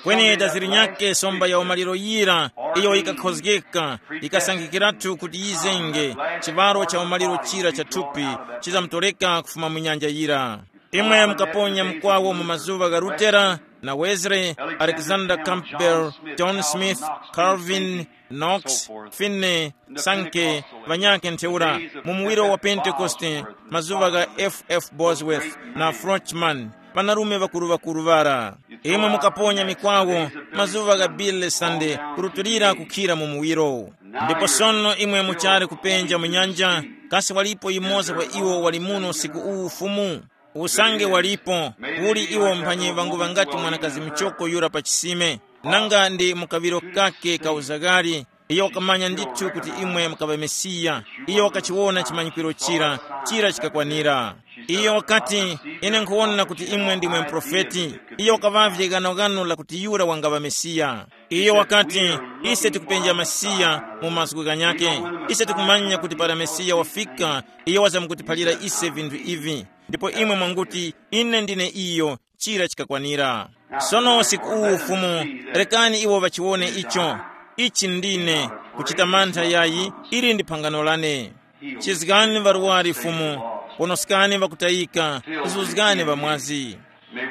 Kweni daziri nyakhe somba ya umaliro yira, iyo yikakhozgeka, yikasankhikiratu kuti yizenge, chiŵaro cha umaliro chira cha thupi chizamutoleka kufuma mu nyanja yira. Imwe mukaponya mkwawo mu mazuŵa gha Lutera na Wesley, Alexander Campbell, John Smith, Calvin, Knox, Finney, Sankey, ŵanyakhe ntheura, mu muwiro wa Pentekoste, mazuŵa gha F F Bosworth na Frochman, ŵanarume ŵakuru-ŵakuru ŵara. Imwe mukaponya mikwawo, mazuŵa gha Billy Sunday, kurutulira kukhira mu muwiro. Ndipo sono imwe muchali kupenja mu nyanja, kasi walipo yumoza wa iwo wali muno usiku uwu Fumu? Usange walipo, uli iwo mphanyi ŵangu ŵangati mwanakazi muchoko yura pa chisime, nanga ndi mu kaŵiro kake ka uzaghali, iyo wakamanya ndithu kuti imwe mukaŵa Mesiya. Iyo wakachiwona chimanyikiro chira, chira chikakwanira. Iyo wakati, ine nkhuwona kuti imwe ndimwe muprofeti. Iyo wakaŵavye ghanoghano lakuti yura wangaŵa Mesiya. Iyo wakati, ise tikupenja Mesiya mu mazgu ghanyakhe. Ise tikumanya kuti para Mesiya wafika, iyo wazamkutiphalira ise vinthu ivi. Ndipo imwe mwanguti, ine ndine iyo, chira chikakwanira. Sono usiku uwu Fumu, rekani iwo ŵachiwone icho. Ichi ndine, kuchita mantha yayi, ili ndi phangano lane. Chizgani ŵarwari Fumu, ponoskani ŵakutayika, zuzgani ŵamwazi.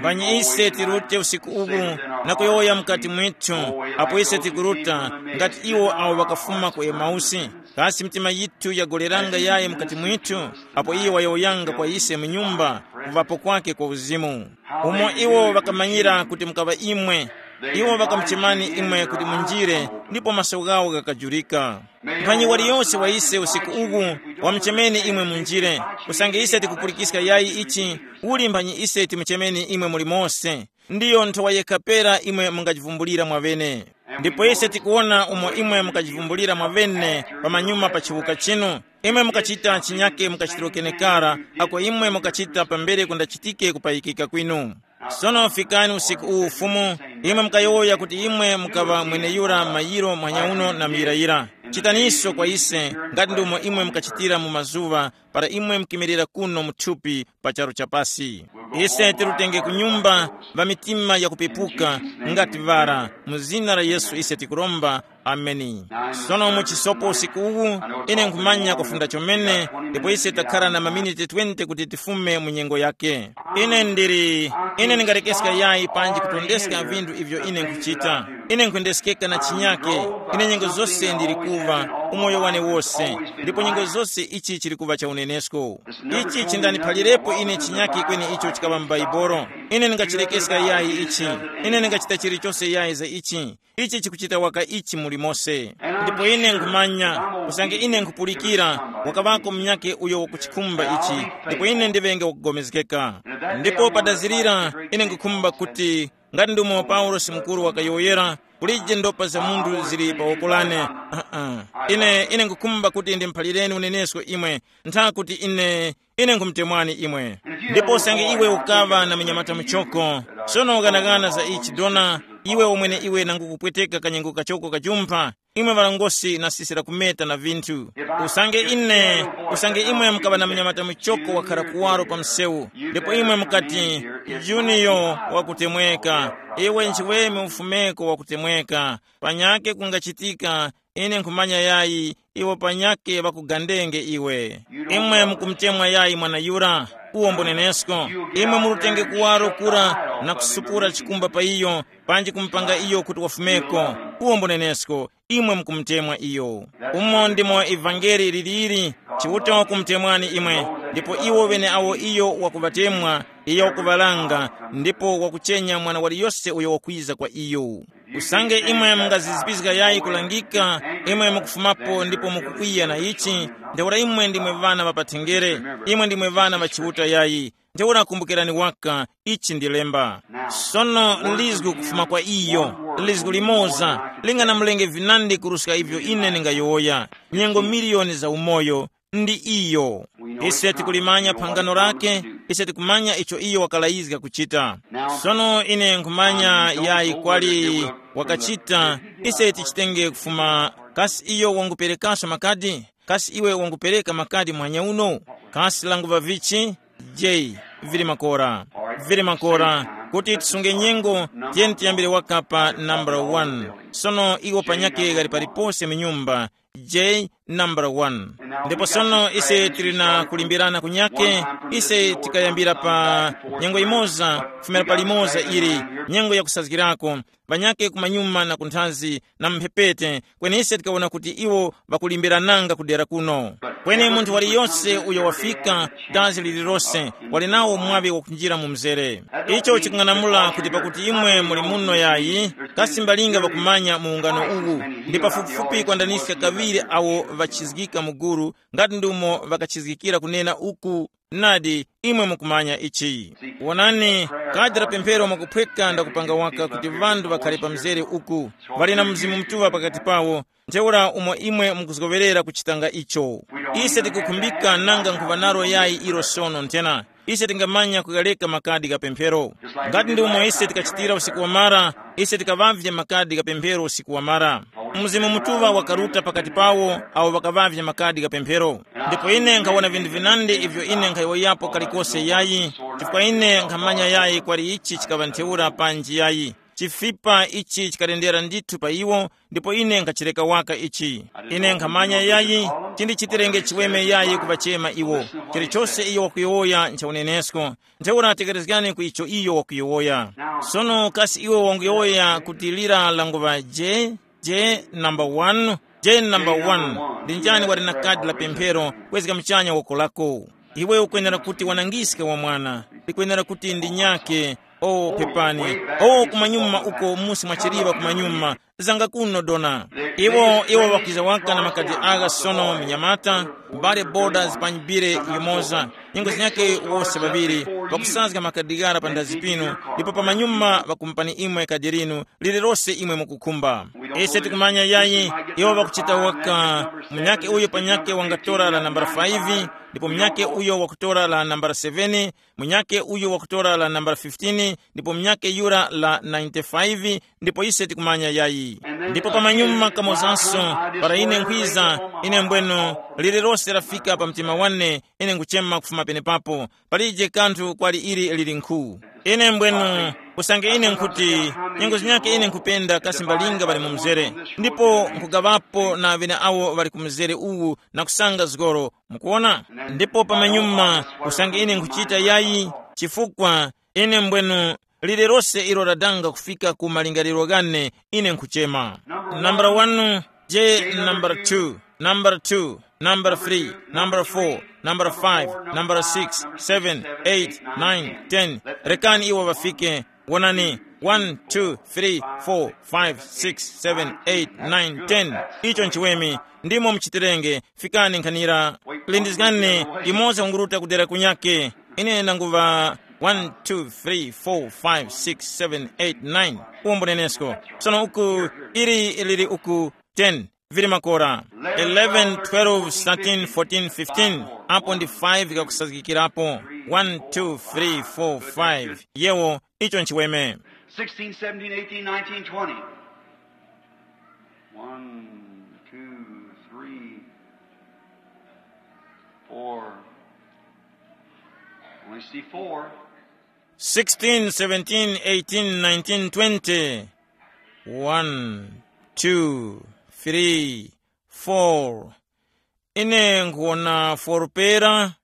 Mphanyi ise tirute usiku uwu na kuyowoya mukati mwithu, apo ise tikuruta, ngati iwo awo ŵakafuma ku Emausi. Kasi mitima yithu yagoleranga yayi mukati mwithu, apo iyo wayowoyanga kwa ise mu nyumba, kuŵapo kwake kwa uzimu? Umo iwo ŵakamanyira kuti mukaŵa imwe, iwo ŵakamuchemani imwe kuti munjire, ndipo maso ghawo ghakajurika. Mphanyi waliyose wa ise usiku uwu, wamuchemeni imwe munjire. Usange ise tikupulikiska yayi ichi, uli mphanyi ise timuchemeni imwe muli mose. Ndiyo nthowa yekha pera imwe mungajivumbulira mwaŵene. Ndipo ise tikuwona umo imwe mukajivumbulira mwaŵene pamanyuma pa chiwuka chinu. Imwe mukachita chinyake mukachitiro kenekara, ako imwe mukachita pambere kundachitike kupayikika kwinu. Sono fikani usiku uwu Fumu, imwe mukayowoya kuti imwe mukaŵa mweneyura mayiro mwanyauno na muyirayira. Chitaniso kwa ise, ngati ndomwe imwe mukachitira mu mazuŵa para imwe mukimirira kuno mu thupi pa charu cha pasi. Ise tirutenge ku nyumba, ŵa mitima yakupepuka, ngati ŵara, mu zina la Yesu ise tikuromba. Ameni. Sono mu chisopo usiku uwu, ine nkhumanya kufunda chomene, ndipo ise takhara na maminiti twenty kuti tifume mu nyengo yake. Ine ndili, ine ndingarekeska yayi panji kutondeska vinthu ivyo ine nkhuchita. Ine nkhwendeskeka na chinyake. Ine nyengo zose ndili kuva, umoyo wane wose, ndipo nyengo zose ichi chili kuva cha unenesko. Ichi chindaniphalirepo ine chinyake kweni icho chikaŵa mu Baibolo. Ine ndingachirekeska yayi ichi. Ine ndingachita chilichose yayi za ichi. Ichi chikuchita waka ichi muli mose. Ndipo ine nkhumanya, usange ine nkhupulikira, wakaŵako munyake uyo wakuchikhumba ichi, ndipo ine ndiŵenge wakugomezgeka. Ndipo padazirira, ine nkhukhumba kuti, ngati ndumo Paulosi mukuru wakayowoyera, kulije ndopa za munthu zili pa woko lane. Uh-uh. Ine, ine nkhukhumba kuti ndimphalireni unenesko imwe, ntha kuti ine, ine nkhumutemwani imwe. Ndipo usange iwe ukaŵa na munyamata muchoko, sono ukanakana za ichi dona, iwe umwene iwe nangu kupweteka kanyengo kachoko kajumpha, imwe ŵalangosi nasisira kumeta na vinthu. Usange ine, usange imwe mukaŵa na munyamata muchoko wakhara kuwaro pa msewu, ndipo imwe mukati, juniyo, wakutemweka, iwe nchiweme ufumeko wakutemweka, panyake kungachitika, ine nkhumanya yayi, iwo panyake ŵakugandenge iwe. Imwe mukumutemwa yayi mwana yura, uwo mbonenesko. Imwe murutenge kuwaro kura na kusupura chikumba pa iyo, panji kumupanga iyo kuti wafumeko, uwo mbonenesko. Imwe mukumutemwa iyo. Umo ndimo ivangeli liliri. Chiuta wakumutemwani imwe, ndipo iwo ŵeneawo iyo wakuŵatemwa, iyo wakuŵalanga, ndipo wakuchenya mwana waliyose uyo wakwiza kwa iyo. Usange imwe mungazizipiska yayi kulangika, imwe mukufumapo ndipo mukukwiya na ichi, ntheura imwe ndimwe ŵana ŵa pathenjere, imwe ndimwe ŵana ŵa Chiuta yayi. Ntheura kumbukirani waka, ichi ndi lemba. Sono lizgu kufuma kwa iyo, lizgu limoza, linganamulenge vinandi kuruska ivyo ine ndingayowoya, nyengo miliyoni za umoyo, ndi iyo. Ise tikulimanya phangano lake, ise tikumanya icho iyo wakalayizga kuchita. Sono ine nkhumanya yayi kwali wakachita, ise tichitenge kufuma, kasi iyo wanguperekaso makadi? Kasi iwe wangupereka makadi muhanya uno? Kasi languva vichi? J, vili makora. Vili makora. Kuti tisunge nyengo, tiyeni tiyambire waka pa nambala one. Sono iwo panyake ghali palipose mu nyumba, J nambala one. Ndipo sono ise tili na kulimbirana kunyake, ise tikayambira pa nyengo imoza, kufumira pa limoza ili, nyengo yakusazgirako, panyake kumanyuma na kunthazi na mphepete, kweni ise tikawona kuti iwo ŵakulimbirananga kudera kuno. Kweni munthu waliyose uyo wafika, dazi lililose, wali nawo mwaŵi wakunjira mu mzere. Icho chikung'anamula kuti pakuti imwe muli muno yayi, kasi mbalinga ŵakumanya mu ungano uwu, ndi pafupifupi kwandaniska kaŵiri awo ŵachizgika mu gulu, ngati ndumo ŵakachizgikira kunena uku, nadi, imwe mukumanya ichi. Wonani, kadi la pemphero mwakuphweka ndakupanga waka kuti ŵanthu ŵakhale pa mzere uku, ŵali na Mzimu Mutuŵa pakati pawo, ntheura umo imwe mukuzgowerera kuchitanga icho. Ise tikukhumbika nanga nkhuŵa nalo yayi ilo sono nthena. Ise tingamanya kughaleka makadi gha pemphero. Ngati ndi umo ise tikachitira usiku wamara, ise tikaŵavye makadi gha pemphero usiku wamara. Mzimu Mutuŵa wakaruta pakati pawo awo ŵakaŵavye makadi gha pemphero. Ndipo ine nkhawona vinthu vinandi ivyo ine nkhayowoyapo kalikose yayi, chifukwa ine nkhamanya yayi kwali ichi chikaŵa ntheura panji yayi. Chifipa ichi chikalendera ndithu pa iwo, ndipo ine nkhachireka waka ichi. Ine nkhamanya yayi, chindichitirenge chiweme yayi kuŵachema iwo. Chilichose iyo wakuyowoya ncha unenesko. Ntheura tekerezgani ku icho iyo wakuyowoya. Sono kasi iwe wanguyowoya kuti lira languŵa J, J number one, J number one, ndi njani wali na kadi la pemphero kwezga muchanya woko lako? Iwe ukwenera kuti wanangiske wa mwana, likwenera kuti ndi nyake. O pepani, o kumanyuma uko musi mwa chiliŵa kumanyuma, zanga kuno dona. Iwo, iwo ŵakwiza waka na makadi agha sono mnyamata, mbale boda zipanyibire yumoza, nyengo zinyakhe wose ŵaŵiri, ŵakusazga makadi ghara pa ndazi pinu, ndipo pamanyuma ŵakumupani imwe kadi linu, lililose imwe mukukhumba. Ise tikumanya yayi, iwo ŵakuchita waka, munyakhe uyo panyakhe wangatora la nambala five, ndipo munyakhe uyo wakutora la nambala seven, munyakhe uyo wakutora la nambala fifteen, ndipo munyakhe yura la ninety-five, ndipo ise tikumanya yayi. Ndipo pamanyuma kamozanso, para ine nkhwiza, ine mbwenu, lililose lafika pa mtima wane, ine nkuchema kufuma penepapo. Palije kanthu kwali ili lili nkhu. Ine mbwenu, usange ine nkhuti, nyengo zinyakhe ine nkhupenda kasi mbalinga ŵali mu mzere, ndipo nkhugaŵapo na ŵene awo ŵali ku mzere uwu na kusanga zgoro, mukuona. Ndipo pamanyuma, usange ine nkhuchita yayi, chifukwa ine mbwenu, lililose ilo ladanga kufika ku malingaliro ghane, ine nkhuchema. Nambala one, je nambala two, nambala two, nambala three, nambala four, nambala five, nambala six, seven, eight, nine, ten. Rekani iwo ŵafike. Wonani, one, two, three, four, five, six, seven, eight, nine, ten. Icho nchiweme. Ndimo muchitirenge. Fikani nkhanira. Lindizgani. Imoza kunguruta kudera kunyake. Ine nanguva one, two, three, four, five, six, seven, eight, nine. Uwombo nenesko. Sono uku, ili lili uku, ten. Vili makora. Eleven, twelve, thirteen, fourteen, fifteen. Apo ndi five kakusazgikirapo. One, two, three, four, five. Yewo, icho nchiweme. Sixteen, seventeen, eighteen, nineteen, twenty. One, two, three, four. Only see four. Sixteen, seventeen, eighteen, nineteen, twenty. One, two, three, four. Ine nkuwona four pera.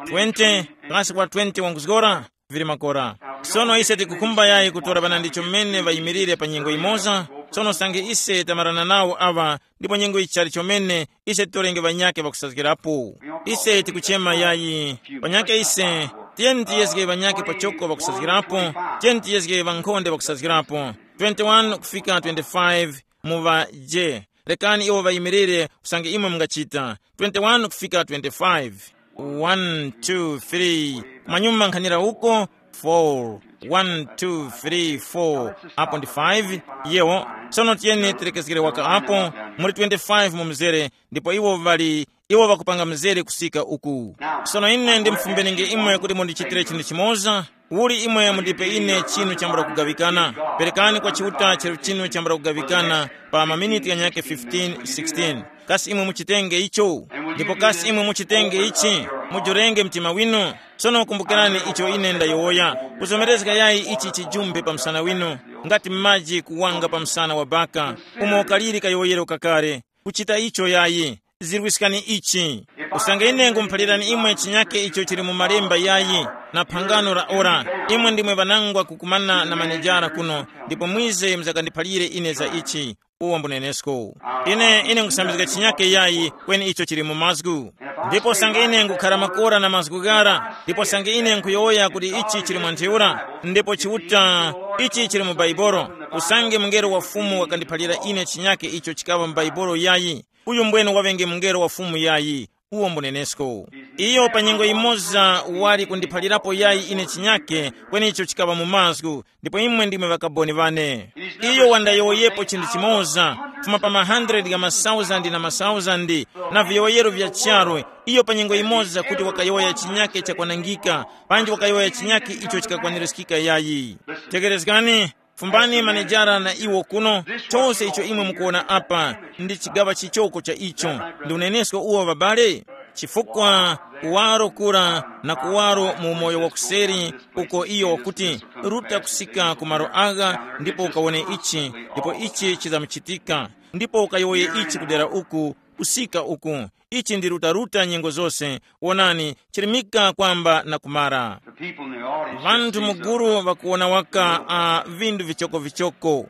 Twenty, kasi kwa twenty wanguzgora? Vili makora. Sono ise tikukhumba yayi kutora ŵana ndicho mmene ŵayimirire pa nyengo imoza. Sono sange ise tamarana nawo aŵa, ndipo nyengo ichali chomene, ise titorenge ŵanyakhe ŵakusazgirapo. Ise tikuchema yayi, ŵanyakhe ise, tiyeni tiyezge ŵanyakhe pachoko ŵakusazgirapo, tiyeni tiyezge ŵankhonde ŵakusazgirapo. Twenty-one kufika twenty-five, mu ŵa je. Rekani iwo ŵayimirire, usange imwe mungachita. Twenty-one kufika twenty-five. One, two, three. Kumanyuma nkhanira uko. Four. One, two, three, four. Apo ndi five. Yewo. Sono tiyeni tilekezgere waka apo. Muli twenty-five mu mzere, ndipo iwo ŵali, iwo ŵakupanga mzere kusika uku. Sono ine ndimufumbenenge imwe kuti mundichitire chinthu chimoza. Uli imwe mundipe ine chinu chambula kugaŵikana. Perekani kwa Chiuta chero chinu chambula kugaŵikana pa maminiti ghanyakhe fifteen, sixteen. Kasi imwe muchitenge icho? Ndipo kasi imwe muchitenge ichi? Mujurenge mtima winu. Sono kumbukirani icho ine ndayowoya. Kuzomerezga yayi ichi chijumbe pa msana winu, ngati maji kuwanga pa msana wa baka, umo kaliri kayowoyero kakale. Kuchita icho yayi. Zirwiskani ichi. Usange ine ngumuphalirani imwe chinyake icho chili mu malemba yayi, na phangano la ora, imwe ndimwe ŵanangwa kukumana na manejara kuno, ndipo mwize muzakandiphalire ine za ichi. Uwo mbunenesko. Ine, ine nkusambizga chinyake yayi, kweni icho chili mu mazgu. Ndipo sange ine ngukhara makora na mazgu ghara, ndipo sange ine nkuyowoya kuti ichi chili mwa ntheura, ndipo Chiuta, ichi chili mu Baibolo, usange mungelo wa Fumu wakandiphalira ine chinyake icho chikaŵa mu Baibolo yayi. Uyu mbwene waŵenge mungelo wa Fumu yayi, uwo mbunenesko. Iyo pa nyengo yimoza wali kundiphalirapo yayi ine chinyake, kweni icho chikaŵa mu mazgu, ndipo imwe ndimwe ŵakaboni ŵane. Iyo wandayowoyepo chinthu chimoza, kufuma pa ma hundred gha masauzandi na masauzandi, na viyowoyero vya charu, iyo pa nyengo yimoza kuti wakayowoya chinyake chakwanangika, panji wakayowoya chinyake icho chikakwanirizgika yayi. Tekerezgani, fumbani manejara na iwo kuno, chose icho imwe mukuwona apa, ndi chigaŵa chichoko cha icho. Ndi unenesko uwo, ŵabale? Chifukwa kuwaro kura na kuwaro mu umoyo wakuseri, uko iyo wakuti, ruta kusika ku malo agha, ndipo ukawone ichi, ndipo ichi chizamuchitika, ndipo ukayowoye ichi kudera uku, kusika uku. Ichi ndi rutaruta nyengo zose. Wonani, chirimika kwamba na kumara. The people in the audience just Vanthu see muguru vakuwona waka a vindu vichokovichoko.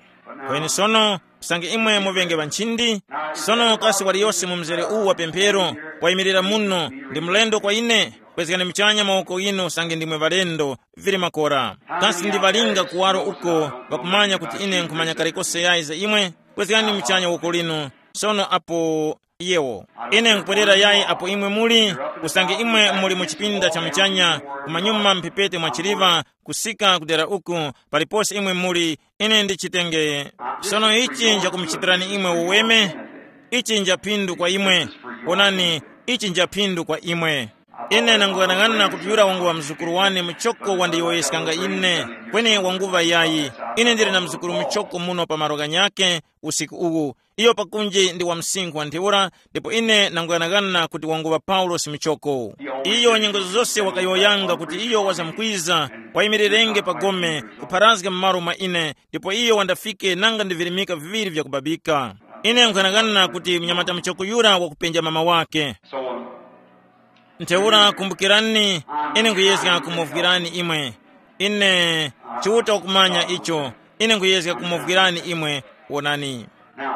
Kweni sono, usange imwe muvenge ŵanchindi, sono kasi waliyose mu mzere uwu wa pemphero wayimirira muno, ndi mlendo kwa ine? Kwezgani muchanya mawoko ghinu usange ndimwe ŵalendo, vili makora. Kasi ndi ŵalinga kuwaro uko ŵakumanya kuti ine nkhumanya kalikose yayi za imwe? Kwezgani muchanya woko linu. Sono apo yewo. Ine nkupwerera yayi apo imwe muli, usange imwe muli mu chipinda cha muchanya, kumanyuma mphepete mwa chiliva, kusika kudera uku, palipose imwe muli, ine ndichitenge. Sono ichi njakumuchitirani imwe uweme, ichi nja phindu kwa imwe. Onani, ichi nja phindu kwa imwe. Ine nanguyang'ana kuti yura wanguŵa mzukuru wane muchoko wandiyowoyeskanga ine, kweni wanguŵa yayi. Ine ndili na mzukuru muchoko muno pa malo ghanyakhe usiku uwu. Iyo pakunji ndi wa msinkhu wa ntheura, ndipo ine nanguyang'ana kuti wanguŵa Paulosi muchoko. Iyo nyengo zose wakayowoyanga kuti iyo wazamkwiza, wayimirirenge pa gome, kupharazga m'malo mwa ine, ndipo iyo wandafike nanga ndi virimika viŵiri vyakubabika. Ine nkhuyang'ana kuti mnyamata muchoko yura wakupenja mama wake. Ntheura kumbukirani, ine nkhuyezga kumuvwirani imwe. Ine Chiuta ukumanya icho. Ine nkhuyezga kumuvwirani imwe. Wonani.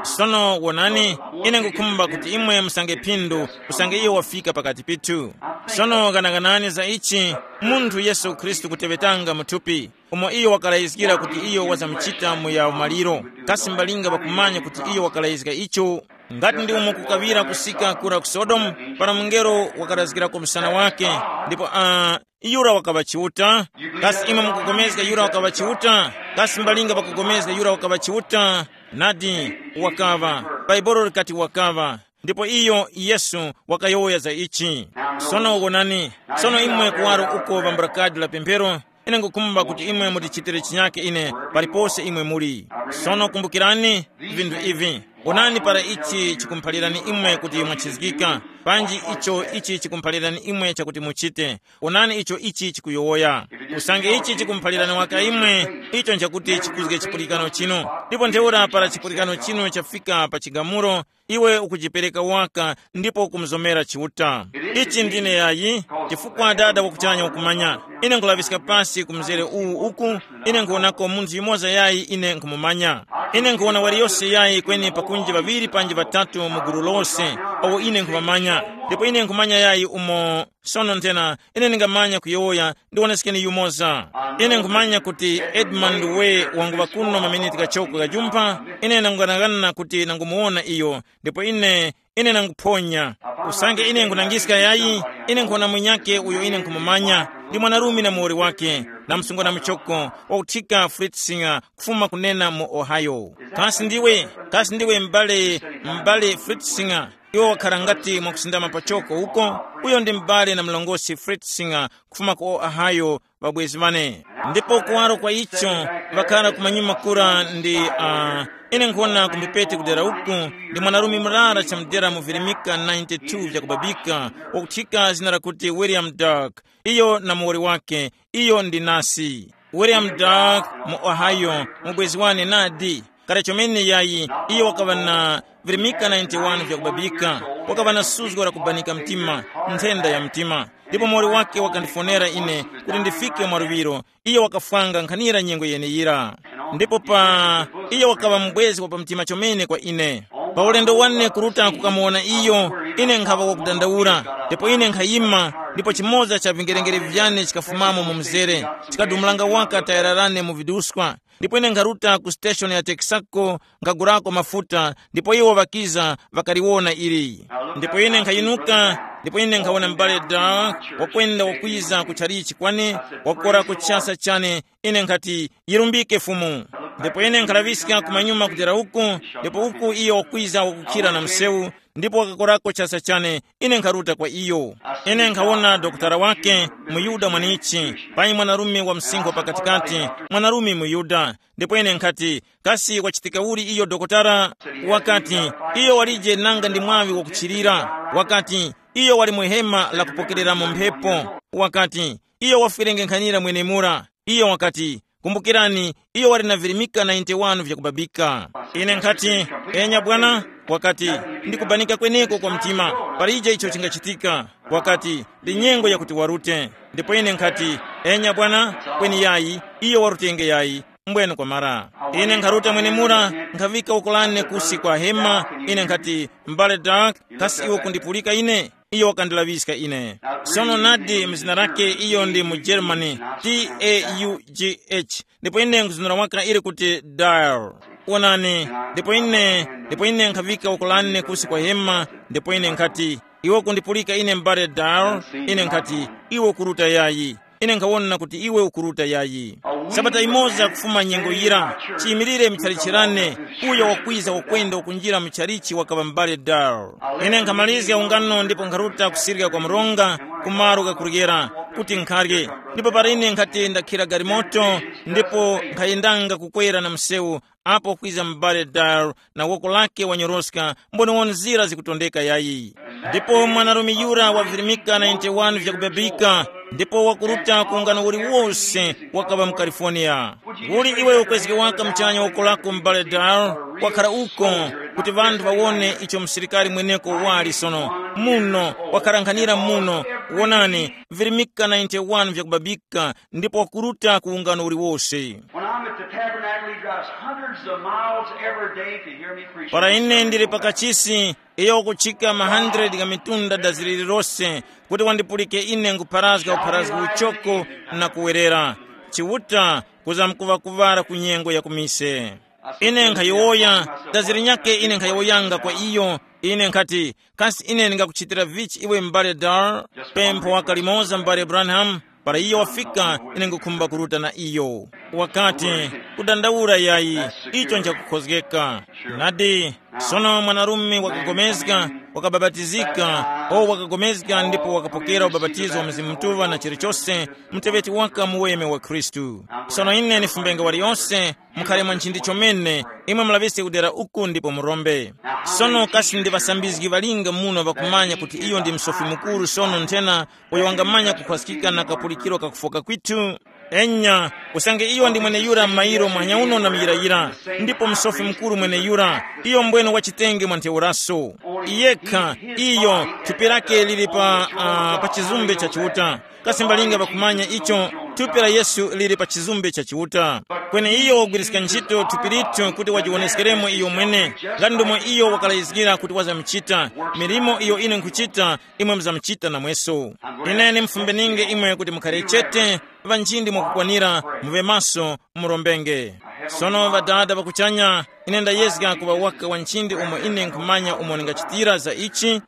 Sono wonani, ine nkukhumba kuti imwe musange phindu, usange iyo wafika pakati pithu. Sono ghanaganani za ichi, munthu Yesu Khristu kuteŵetanga mu thupi, umo iyo wakalayizgira kuti iyo wazamuchita mu ya umaliro. Kasi mbalinga ŵakumanya kuti iyo wakalayizga icho? Ngati ndi umo kukaŵira kusika kura ku Sodomu, para mungelo wakarazgirako msana wake, ndipo uh, yura wakaŵa Chiuta. Kasi imwe mukupulikana yura wakaŵa Chiuta? Kasi mbalinga pakupulikana yura wakaŵa Chiuta? Nadi, wakaŵa. Bhaibuli likati wakaŵa. Ndipo iyo Yesu wakayowoya za ichi. Sono wonani, sono imwe kuwaro uko vamburakadi la pemphero, ine ngukhumba kuti imwe mutichitire chinyake ine palipose imwe muli. Sono kumbukirani vinthu ivi. Onani para ichi chikumphalirani imwe kuti mwachizgika, panji icho ichi chikumphalirani imwe chakuti muchite. Onani icho ichi chikuyowoya. Usange ichi chikumphalirani waka imwe, icho nchakuti chikuzge chipulikano chinu. Ndipo ntheura para chipulikano chinu chafika pa chigamulo, iwe ukujipereka waka ndipo ukumuzomera Chiuta. Ichi ndine yayi, chifukwa Dada wakuchanya ukumanya. Ine nkulaŵiska pasi ku mzere uwu uku, ine nkuwonako munthu yumoza yayi ine nkhumumanya. Ine nkhuwona waliyose yayi kweni pakunji ŵaŵiri panji ŵatatu mu gulu lose, awo ine nkhumamanya. Ndipo ine nkhumanya yayi umo. Sono nthena, ine ndingamanya kuyowoya, ndiwonesekeni yumoza. Ine nkhumanya kuti Edmund we wanguŵa kuno maminiti kachoko kajumpha, ine nanganaghana kuti nangumuwona iyo, ndipo ine, ine nanguphonya. Usange ine nkhunangiska yayi, ine nkhona mwinyake uyo ine nkhumumanya, ndi mwanarume na muwoli wake, na msungwana muchoko, wakuthika Fritzinger, kufuma kunena mu Ohio. Kasi ndiwe, kasi ndiwe m'bale, m'bale Fritzinger? Iwo wakhala ngati mwakusindama pachoko uko. Uyo ndi m'bale na mlongosi Fritzinger kufuma ku Ohio, ŵabwezi ŵane. Ndipo kuwaro kwa icho, ŵakhala kumanyuma kura ndi uh, ine nkhona kumbipete kudera uku, ndi mwanarume murara chamudera mu virimika ninety-two vyakubabika, wakuthika zina lakuti William Dark. Iyo na muwoli wake, iyo ndi nasi. William Dark mu Ohio, mubwezi wane nadi. Kale chomene yayi, iyo wakaŵa na virimika ninety-one vyakubabika, wakaŵa na suzgo la kubanika mtima, nthenda ya mtima. Ndipo muwoli wake wakandifonera ine kuti ndifike mwaluŵiro. Iyo wakafwanga nkhanira nyengo yeneyira. Ndipo pa iyo wakaŵa mubwezi wa pamtima chomene kwa ine. Pa ulendo wane kuruta kukamuwona iyo, ine nkhaŵa wakudandaula. Ndipo ine nkhayima, ndipo chimoza cha vingerengere vyane chikafumamo mu mzere, chikadumulanga waka tayara lane mu viduskwa. Ndipo ine nkharuta ku siteshoni ya Texaco, nkhagurako mafuta, ndipo iwo ŵakiza, ŵakaliwona ili. Ndipo ine nkhayinuka, ndipo ine nkhawona m'bale Dark wakwenda wakwiza ku chalichi kwane, wakorako chasa chane. Ine nkhati, yirumbike Fumu. Ndipo ine nkhalaŵiska kumanyuma kutera uku, ndipo uku iyo wakwiza wakukhira na msewu, ndipo wakakorako chasa chane. Ine nkharuta kwa iyo. Ine nkhawona dokotala wake, muyuda mwanichi, payi mwanarume wa msinkhu wa pakatikati, mwanarume muyuda. Ndipo ine nkhati, kasi wachitika uli iyo dokotala? Wakati, iyo walije nanga ndi mwaŵi wakuchirira. Wakati, iyo wali mu hema la kupokereramo mphepo. Wakati, iyo wafwirenge nkhanira mwenemura. Iyo wakati, kumbukirani, iyo wali na virimika ninety-one vyakubabika. Ine nkhati, enya bwana. Wakati, ndikubanika kweneko kwa mtima, palije icho chingachitika. Wakati, ndi nyengo yakuti warute. Ndipo ine nkhati, enya bwana, kweni yayi, iyo warutenge yayi. Mbwene kwamara, ine nkharuta mwenemura, nkhavika uko lane kusi kwa hema. Ine nkhati, m'bale Dark, kasi iwe kundipulika ine? Iyo wakandilaŵiska ine. Sono nadi mzina lake iyo ndi mu Germany, T A U G H. Ndipo ine nkuzunura waka ili kuti Dar. Wonani, ndipo ine, ndipo ine nkhavika uko lane kusi kwa hema. Ndipo ine nkhati, iwe kundipulika ine m'bale Dar? Ine nkhati, iwe ukuruta yayi. Ine nkhawona kuti iwe ukuruta yayi. Sabata imoza kufuma nyengo yira, chiyimilire mchalichi lane, uyo wakwiza ukwenda ukunjira mchalichi wakaŵa m'bale Dar. Ine nkhamalizga ungano ndipo nkharuta kusirika kwa mronga, kumalo kakuryera, kuti nkharye. Ndipo para ine nkhati ndakhira galimoto, ndipo nkhayendanga kukwera na msewu, apo kwiza m'bale Dar na woko lake wanyoroska, mboniwoni nzira zikutondeka yayi. Ndipo mwanarume yura wavirimika ninety-one vyakubabika, ndipo wakuruta ku ungano uliwose wakaŵa mu California. Uli iwe ukwezge waka muchanya woko lako m'bale Dar, wakhara uko, kuti ŵanthu ŵawone icho msilikari mweneko wali sono, muno, wakharankhanira muno, wonani, virimika ninety-one vyakubabika, ndipo wakuruta ku ungano uliwose. When I'm at the tabernacle, he drives hundreds of miles every day to hear me preach. Para ine ndili pakachisi, iyo wakuchika ma hundred ga mitunda dazi lililose, kuti wandipulike ine nkupharazga upharazgi uchoko na kuwerera. Chiuta, kuzamkuŵa kuŵala ku nyengo ya kumise. Ine nkhayowoya, dazi linyakhe ine nkhayowoyanga kwa iyo, ine nkhati, kasi ine ndingakuchitira vichi iwe m'bale Dar? Pempho waka limoza m'bale Branham, para iyo wafika, ine ngukhumba kuruta na iyo. Wakati, kudandaula yayi, icho nchakukhozgeka. Nadi, sono mwanarume wakagomezga, wakababatizika, o wakagomezga ndipo wakapokera ubapatizo wa Mzimu Mutuŵa na chilichose, muteŵeti waka muweme wa Khristu. Sono ine nifumbenga waliyose, mukhale mwa nchindi chomene, imwe mulaŵiske kudera uku ndipo murombe. Sono kasi ndi ŵasambizgi ŵalinga muno ŵakumanya kuti iyo ndi msofi mukuru sono nthena uyo wangamanya kukhwaskika na kapulikiro kakufoka kwithu? Enya, usange iyo ndi mweneyura m'mayiro muhanya uno na muyirayira, ndipo msofi mukuru mweneyura, iyo mbwene wachitenge mwa ntheuraso. Yekha, iyo, thupi lake lili pa, uh, pa chizumbe cha Chiuta. Kasi mbalinga ŵakumanya icho? Thupi la Yesu lili pa chizumbe cha Chiuta. Kweni iyo wagwiriska ntchito thupi lithu kuti wajiwoneskeremo iyo mwene, ngati ndomwe iyo wakalayizgira kuti wazamuchita. Milimo iyo ine nkhuchita, imwe muzamuchita namweso. Ine ndimufumbeninge imwe kuti mukhare chete, ŵanjindi mwakukwanira, muŵe maso, murombenge. Sono Ŵadada ŵa kuchanya, ine ndayezga kuŵa waka wa nchindi umo ine nkhumanya umo ndingachitira za ichi.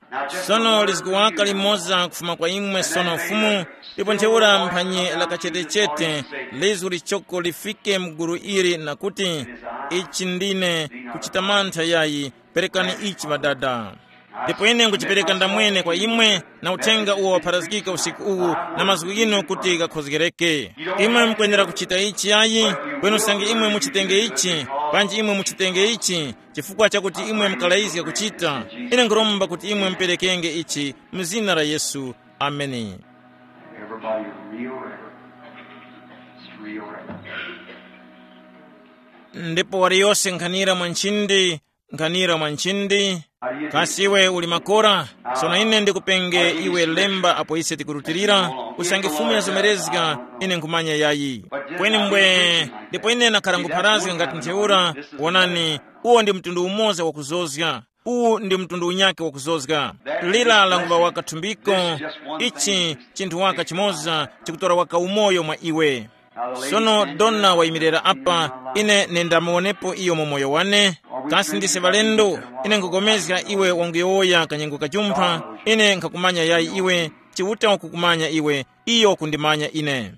Sono lizgu waka limoza kufuma kwa imwe sono Fumu, ndipo ntheura mphanye la kachetechete, lizgu lichoko lifike mu gulu ili na kuti, ichi ndine, kuchita mantha yayi, perekani ichi Ŵadada. Ndipo ine nkuchipereka ndamwene kwa imwe, na uthenga uwo wapharazgika usiku uwu, na mazgu ghinu kuti ghakhozgereke. Imwe mukwenera kuchita ichi yayi, kweni usange imwe muchitenge ichi, panji imwe muchitenge ichi, chifukwa chakuti imwe mukalayizga kuchita, ine nkhuromba kuti imwe muperekenge ichi mu zina la Yesu. Ameni. Everybody real reverent. It's real reverent. Ndipo waliyose nkhanira mwa nchindi, nkhanira mwa nchindi. Kasi iwe uli makora? Sono ine ndikupenge iwe lemba apo ise tikurutilira, usange Fumu yazomerezga, ine nkhumanya yayi. Kweni mbwe, ndipo ine nakhala ngupharazga ngati ntheura, wonani, uwo ndi mtundu umoza wakuzozga. Uwu ndi mtundu unyakhe wakuzozga. Lira languŵa waka thumbiko, ichi chinthu waka chimoza chikutora waka umoyo mwa iwe. Sono dona wayimirira apa, ine nendamuwonepo iyo mu moyo wane. Kasi ndise ŵalendo? Ine nkhupulikana iwe wanguyowoya kanyengo kajumpha, ine nkhakumanya yayi iwe, Chiuta wakukumanya iwe, iyo wakundimanya ine.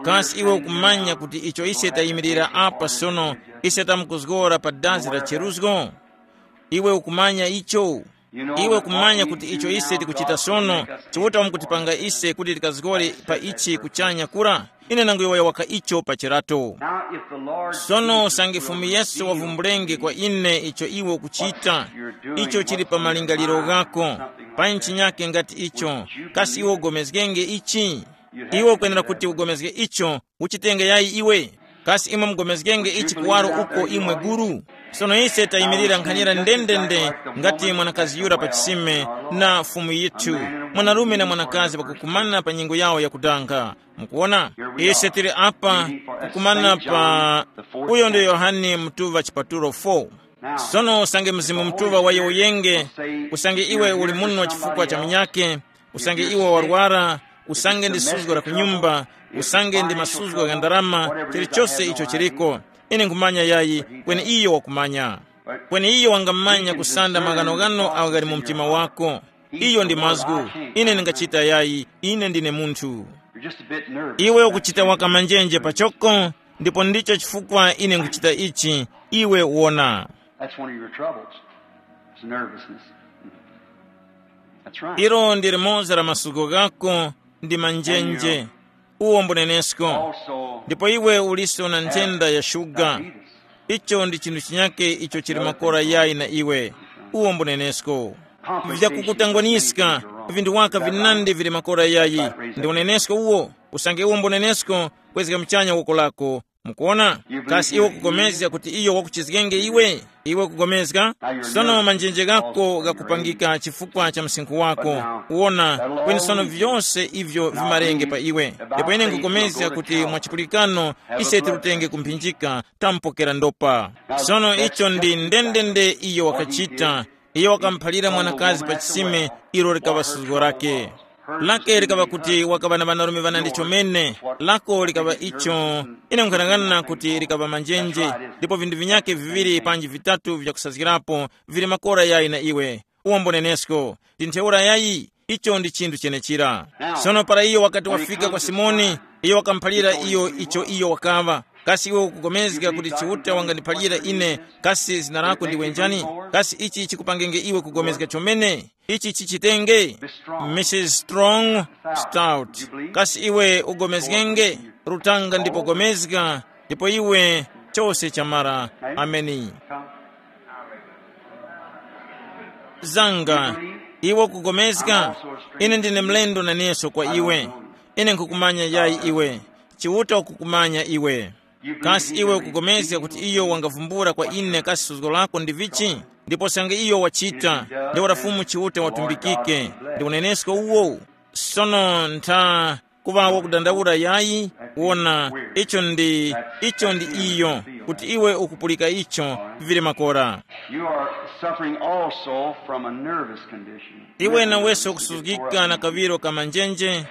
Kasi iwe ukumanya kuti icho ise tayimirira apa sono, ise tamkuzgora pa dazi la cheruzgo? Iwe ukumanya icho? Iwe ukumanya kuti icho ise tikuchita sono, Chiuta wamkutipanga ise kuti tikazgore pa ichi kuchanya kura? Ine nanguyowoya waka icho pa chirato. Sono usange Fumu Yesu wavumbulenge kwa ine icho iwe ukuchita, icho chili pa malingaliro ghako, pa nchinyake ngati icho, kasi iwe ugomezgenge ichi? Iwe ukwenera kuti ugomezge icho, uchitenge yayi iwe? Kasi imwe mugomezgenge ichi kuwaro uko imwe guru? Sono ise tayimirira nkhanira ndendende ngati mwanakazi yura pa chisime na Fumu yithu, mwanarume na mwanakazi pakukumana pa nyengo yawo yakudanga. Mukuwona? Ise tili apa kukumana pa uyo ndi Yohane mutuŵa chipatulo four. Sono usange Mzimu Mutuŵa wayowoyenge, usange iwe uli muno chifukwa cha munyake, usange iwe warwara, usange ndi suzgo la kunyumba, usange ndi masuzgo gha ndarama, chilichose icho chiliko. Ine nkhumanya yayi, kweni iyo wakumanya. Kweni iyo wangamanya kusanda maghanoghano agho ghali mu mtima wako. Iyo ndi mazgu. Ine ndingachita yayi, ine ndine munthu. Iwe ukuchita waka manjenje pachoko, ndipo ndicho chifukwa ine nkuchita ichi, iwe wona. That's one of your troubles. It's nervousness. Ilo ndi limoza la masuko ghako ndi manjenje, uwo mbunenesko. Ndipo iwe uliso na nthenda ya shuga. Icho ndi chinthu chinyake icho chili makora yayi na iwe, uwo mbunenesko. Vyakukutangwaniska, vinthu waka vinandi vili makora yayi, ndi unenesko uwo. Usange uwo mbunenesko, kwezga muchanya woko lako. Mukuona? Kasi iwe kugomezga kuti iyo wakuchizgenge iwe? Iwe kugomezga? Sono manjenje ghako ghakupangika chifukwa cha msinkhu wako. Uwona, kweni sono vyose ivyo vimarenge pa iwe. Ndipo ine nkugomezga kuti mwa chipulikano ise tirutenge kumphinjika, tampokera ndopa. Sono icho ndi ndendende iyo wakachita. Iyo wakamuphalira mwanakazi pa chisime, ilo likaŵa suzgo lake. Lake likaŵa kuti wakaŵa na ŵanarume ŵanandi chomene. Lako likaŵa icho, ine nkhanang'ana kuti likaŵa manjenje. Ndipo vinthu vinyake viŵiri panji vitatu vyakusazgirapo, vili makora yayi na iwe. Uwombo nenesko, ndi ntheura yayi. Icho ndi chinthu chenechira. Sono para iyo wakati wafika kwa Simoni, iyo wakamuphalira iyo icho iyo wakaŵa. Kasi iwe ukugomezga kuti Chiuta wangandiphalira ine? Kasi zina lako ndiwe njani? Kasi ichi chikupangenge iwe kugomezga chomene? Ichi chichitenge? Mrs Strong, Stout. Kasi iwe ugomezgenge? Rutanga ndipo gomezga, ndipo iwe, chose chamara. Ameni. Zanga, iwe ukugomezga? Ine ndine mlendo naneso kwa iwe. Ine nkukumanya yayi iwe. Chiuta ukukumanya iwe. Kasi iwe ukugomezga kuti iyo wangavumbula kwa ine kasi suzgo lako ndi vichi? Ndipo sange iyo wachita, ndi wala Fumu Chiuta watumbikike, ndi unenesko uwo. Sono ntha kuŵa wakudandaula yayi. Wona, icho ndi, icho ndi iyo, kuti iwe ukupulika icho, vili makora. You are suffering also from a nervous condition. Iwe naweso ukusuzgika na kaŵiro ka manjenje,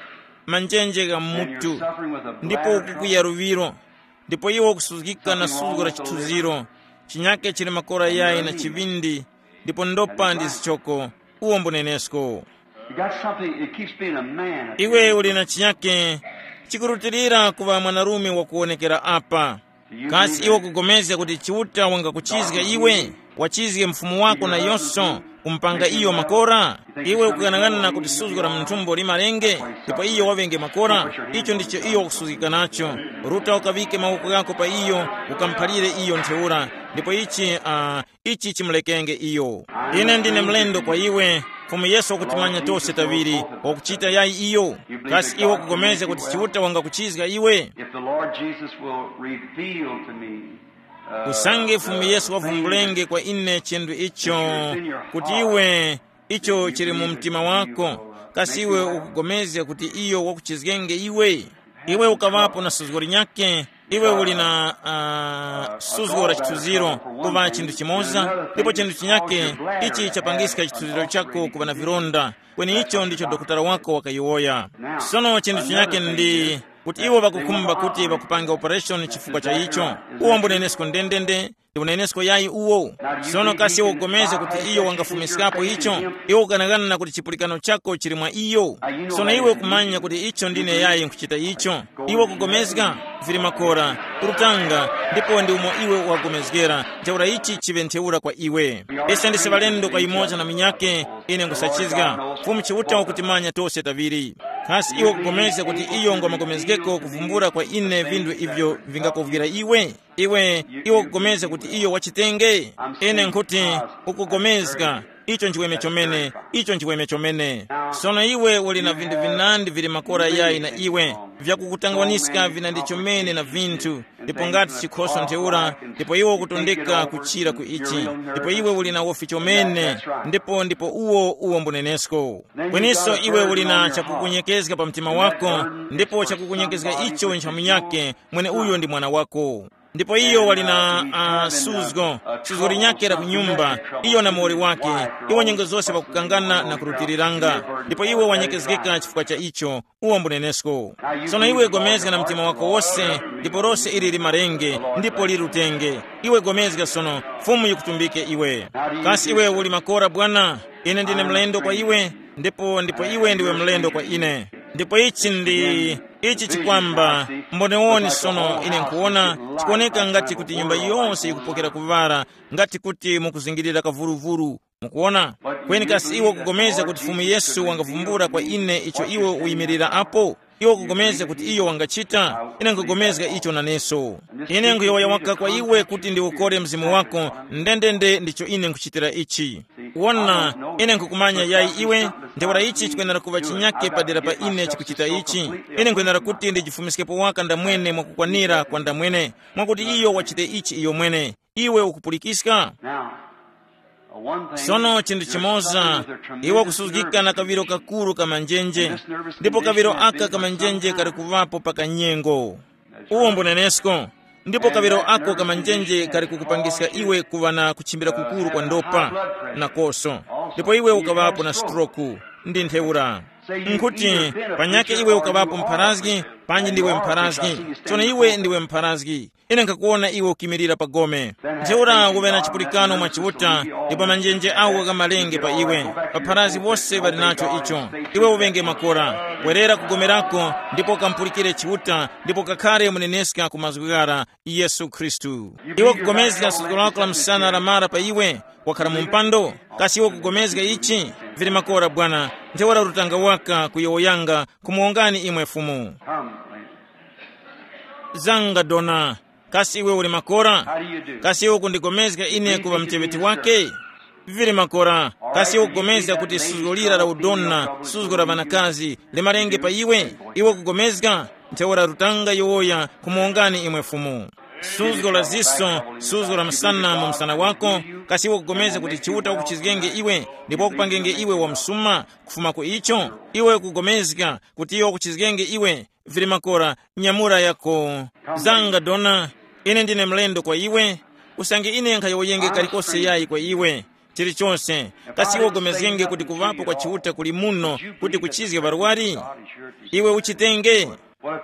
manjenje gha mutu, ndipo ukukuya luŵiro, ndipo iwe ukusuzgika na suzgo la chithunziro, chinyake chili makora yayi na chiŵindi, ndipo ndopa ndi zichoko. Uwo mbunenesko. You got something, it keeps being a man. Iwe uli na chinyake chikurutilira kuŵa mwanarume wakuwonekera apa. Kasi iwe ukugomezga kuti Chiuta wangakuchizga iwe, wachizge mfumu wako nayonso, kumpanga iyo makora? Iwe ukughanagana kuti suzgo la munthumbo limalenge, ndipo iyo wavenge makora? Icho ndicho iyo wakusuzgika nacho. Ruta ukaŵike mawoko ghako pa iyo, ukamuphalire iyo ntheura, ndipo ichi uh, ichi chimulekenge iyo. Ine ndine mlendo kwa iwe. Fumu Yesu wakutimanya tose taŵiri, wakuchita yayi iyo. Kasi iwe ukugomezga kuti Chiuta wangakuchizga iwe? If the Lord Jesus will reveal to me, uh, usange Fumu Yesu wavumbulenge kwa ine chinthu icho, kuti iwe, icho chili mu mtima wako, kasi iwe ukugomezga kuti iyo wakuchizgenge iwe? Iwe ukaŵapo na suzgo linyakhe. Iwe uli na uh, suzgo la chithunziro, kuŵa chinthu chimoza, ndipo chinthu chinyakhe, ichi chapangiska chithunziro chako kuŵa na vilonda. Kweni icho ndicho dokotala wako wakayowoya. Sono chinthu chinyakhe ndi kuti iwo ŵakukhumba kuti ŵakupange operation chifukwa cha icho. Uwo mbunenesko ndendende, ndi unenesko yayi uwo. Sono kasi iwe ukugomeza kuti iyo wangafumiskapo icho? Iwe ukanakana na kuti chipulikano chako chili mwa iyo. Sono iwe ukumanya kuti icho ndine yayi nkuchita icho. Iwe ukugomezga? Vili makora, kurutanga, ndipo ndi umo iwe wagomezgera. Ntheura ichi chiŵe ntheura kwa iwe. Ise ndise ŵalendo kwa yumoza na munyakhe. Ine nkusachizga. Fumu Chiuta ukutimanya tose taŵiri. Kasi iwe ukugomezga kuti iyo ngwamagomezgeko kuvumbula kwa ine vinthu ivyo vingakovwira iwe? Iwe, iwe ukugomezga kuti iyo wachitenge? Ine nkhuti, ukugomezga. Icho nchiweme chomene. Icho nchiweme chomene. Sono iwe uli na vinthu vinandi vili makora yayi na iwe, vyakukutangwaniska vinandi chomene na vinthu, ndipo ngati chikhoso ntheura, ndipo iwe ukutondeka kuchira ku ichi, ndipo iwe uli na wofi chomene. Ndipo ndipo uwo uwo mbunenesko. Kweniso iwe uli na chakukunyekezga pa mtima wako, ndipo chakukunyekezga icho nchamunyake, mwene uyo ndi mwana wako. Ndipo iyo wali na uh, suzgo, suzgo linyakhe la kunyumba, iyo na muwoli wake, iwo nyengo zose ŵakukangana na kurutiriranga. Ndipo iwe wanyekezgeka chifukwa cha icho. Uwo mbunenesko. Sono iwe gomezga na mtima wako wose, ndipo lose ili limarenge, ndipo lirutenge. Iwe gomezga sono, Fumu yikutumbike iwe. Kasi iwe uli makora bwana? Ine ndine mlendo kwa iwe, ndipo ndipo iwe ndiwe mlendo kwa ine. Ndipo ichi ndi, ichi chikwamba, mbonewoni sono ine nkuwona, chikuwoneka ngati kuti nyumba yonse yikupokera kuŵala, ngati kuti mukuzingirira kavuruvuru. Mukuona? Kweni kasi iwe ukupulikana kuti Fumu Yesu wangavumbula kwa ine icho iwe uyimirira apo? Iwe ukupulikana kuti iyo wangachita? Ine nkupulikana icho naneso. Ine nkuyowoya waka kwa iwe kuti ndiwukore mzimu wako, ndendende ndicho ine nkuchitira ichi. Wona, ine nkukumanya yayi iwe, ntheura ichi chikwenera kuŵa chinyake padera pa ine chikuchita ichi. Ine nkwenera kuti ndijifumiskepo waka ndamwene mwakukwanira kwa ndamwene, mwakuti iyo wachite ichi iyo mwene. Iwe ukupulikiska? Now, uh, one thing, sono chinthu there's chimoza, something of a tremendous iwe kusuzgika nerve na kawiro kakuru ka manjenje, ndipo kawiro aka ka manjenje kali kuŵapo pa kanyengo. Uwo mbunenesko. Ndipo kawiro ako ka manjenje kali kukupangiska iwe kuŵa na kuchimbira kukuru kwa ndopa, nakoso. Ndipo iwe ukaŵapo na stroku, ndi ntheura. Nkuti, panyakhe iwe ukaŵapo mpharazgi, panji ndiwe mpharazgi. Tsono iwe ndiwe mpharazgi. Ine nkhakuwona iwe ukimirira pa gome. Ntheura uŵe na chipulikano mwa Chiuta, ndipo manjenje awo ghamalenge pa iwe. Ŵapharazgi wose ŵali nacho icho. Iwe uŵenge makora. Werera ku gome lako, ndipo ukamupulikire Chiuta, ndipo kakhare muneneska ku mazgu ghara, Yesu Khristu. Iwe ukugomezga suzgo lako la msana lamara pa iwe, wakhala mu mpando? Kasi iwe ukugomezga ichi? Vili makora bwana. Ntheura rutanga waka kuyowoyanga, kumuwongani imwe Fumu. Zanga dona. Kasi iwe uli makora? Kasi iwe ukundigomezga ine kuŵa mteŵeti wake? Vili makora. Kasi iwe ukugomezga kuti suzgo lira la udona, suzgo la ŵanakazi, limalenge pa iwe? Iwe ukugomezga? Ntheura rutanga yowoya kumuwongani imwe Fumu. Suzgo la ziso, suzgo la msana mu msana wako. Kasi iwe ukugomezga kuti Chiuta wakuchizgenge iwe, ndipo wakupangenge iwe wa msuma? Kufuma ku icho, iwe ukugomezga kuti iyo wakuchizgenge iwe. Vili makora, nyamura yako. Zanga dona, ine ndine mlendo kwa iwe. Usange ine nkhayowoyenge kalikose yayi kwa iwe. Chilichonse, kasi iwe ugomezgenge kuti kuŵapo kwa Chiuta kuli muno, kuti kuchizge ŵarwari? Iwe uchitenge.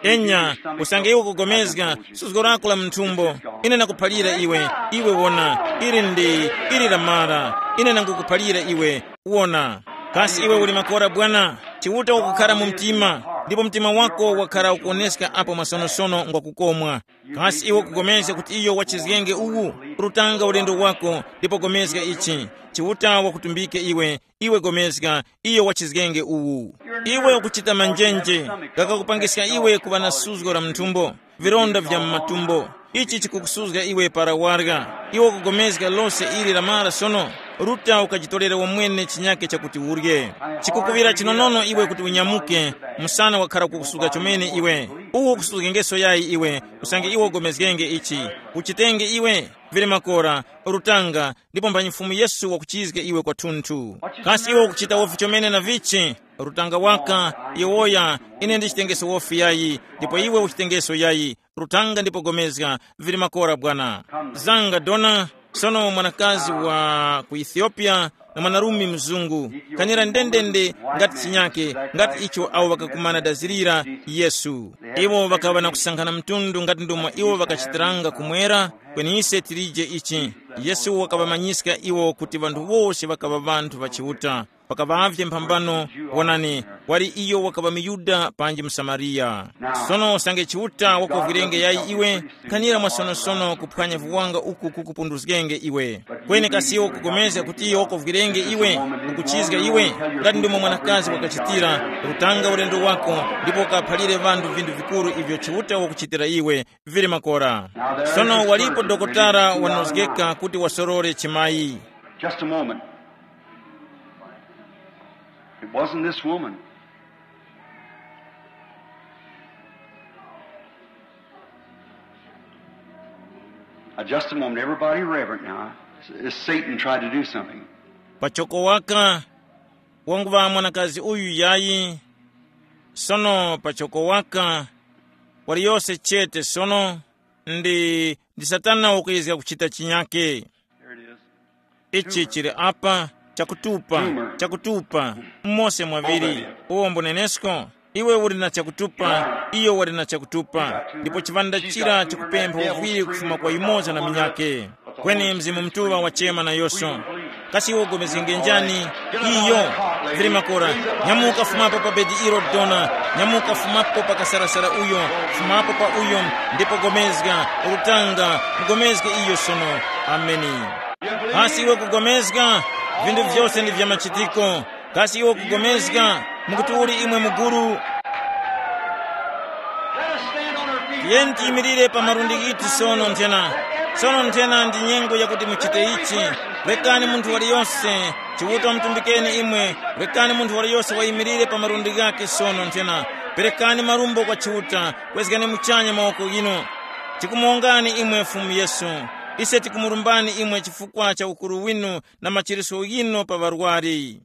Enya, usange iwe ukugomezga suzgo lako la munthumbo, ine nakuphalira iwe. Iwe wona, ili ndi, ili lamara. Ine nangukuphalira iwe. Wona. Kasi iwe uli makora bwana? Chiuta wakukhara mu mtima, ndipo mtima wako wakhara ukuwoneska apo masonosono ngwa kukomwa. Kasi iwe ukugomezga kuti iyo wachizgenge uwu? Rutanga ulendo wako, ndipo gomezga ichi. Chiuta wakutumbike iwe. Iwe gomezga, iyo wachizgenge uwu. Iwe ukuchita manjenje, gakakupangiska iwe kuŵa na suzgo la mthumbo, vironda vya mu matumbo. Ichi chikukusuzga iwe para warya. Iwe ukugomezga lose ili lamara sono, ruta ukajitorere wamwene chinyake chakuti urye. Chikukuŵira chinonono iwe kuti unyamuke, msana wakhara kukusuzga chomene iwe. Uwo ukusuzgengeso yayi iwe, usange iwe ugomezgenge ichi. Uchitenge iwe, vili makora, rutanga, ndipo mphanyi Fumu Yesu wakuchizga iwe kwathunthu. Kasi iwe ukuchita wofi chomene na vichi? Rutanga waka, yowoya, ine ndichitengeso wofi yayi, ndipo iwe uchitengeso yayi. Rutanga ndipo gomezga, vili makora bwana. Zanga dona, sono mwanakazi wa ku Ethiopia na mwanarume mzungu, kanira ndendende ngati chinyake, ngati icho awo ŵakakumana dazirira Yesu. Iwo ŵakaŵa na kusankhana mtundu ngati ndomwe iwo ŵakachitiranga kumwera, kweni ise tilije ichi. Yesu wakaŵamanyiska iwo kuti ŵanthu wose ŵakaŵa ŵanthu ŵa Chiuta. Pakaŵavye mphambano, wonani, wali iyo wakaŵa muYuda panji muSamariya. Sono usange Chiuta wakovwirenge yayi iwe, khanira mwasonosono kuphwanya viwanga uku kukupunduzgenge iwe. Kweni kasi iwe ukupulikana kuti iyo wakovwirenge iwe, ukuchizga iwe, ngati ndomwe mwanakazi wakachitira, rutanga ulendo wako, ndipo ukaphalire ŵanthu vinthu vikuru ivyo Chiuta wakuchitira iwe, vili makora. Sono walipo dokotala wanozgeka kuti wasorore chimayi. Just a moment. It wasn't this woman. Now, just a moment. Everybody reverent now. Is Satan tried to do something? Pachoko waka, wanguŵa mwanakazi uyu yayi. Sono pachoko waka, wali yose chete sono, ndi, ndi Satana wakuyezga kuchita chinyake. Here it is. Ichi chili apa, chakutupa, chakutupa, mose mwaviri. Uwo mbunenesko, iwe uli na chakutupa, iyo wali na chakutupa, ndipo chiŵanda chira chikupempha uvwiri kufuma kwa yumoza na minyake. Kweni Mzimu Mutuŵa wachema na yoso. Kasi iwe ugomezgenge njani? Iyo, vili makora, nyamuka fumapo pa bedi ilo dona, nyamuka fumapo pa kasarasara uyo, fumapo pa uyo, ndipo gomezga, urutanga, mugomezge iyo sono. Ameni. Kasi iwe kugomezga? Vinthu vyose ndi vya machitiko. Kasi iwe ukugomezga? Mukuti uli imwe muguru? Tiyeni tiyimirire pa malundi ghithu sono nthena. Sono nthena ndi nyengo yakuti muchite ichi. Rekani munthu waliyonse, Chiuta wamutumbikeni imwe. Rekani munthu waliyonse wayimirire pa malundi ghakhe sono nthena. Perekani marumbo kwa Chiuta. Kwezgani muchanya mawoko ghinu. Tikumuwongani imwe Fumu Yesu. Ise tikumurumbani imwe chifukwa cha ukuru winu na machiritso ghinu pa ŵarwari.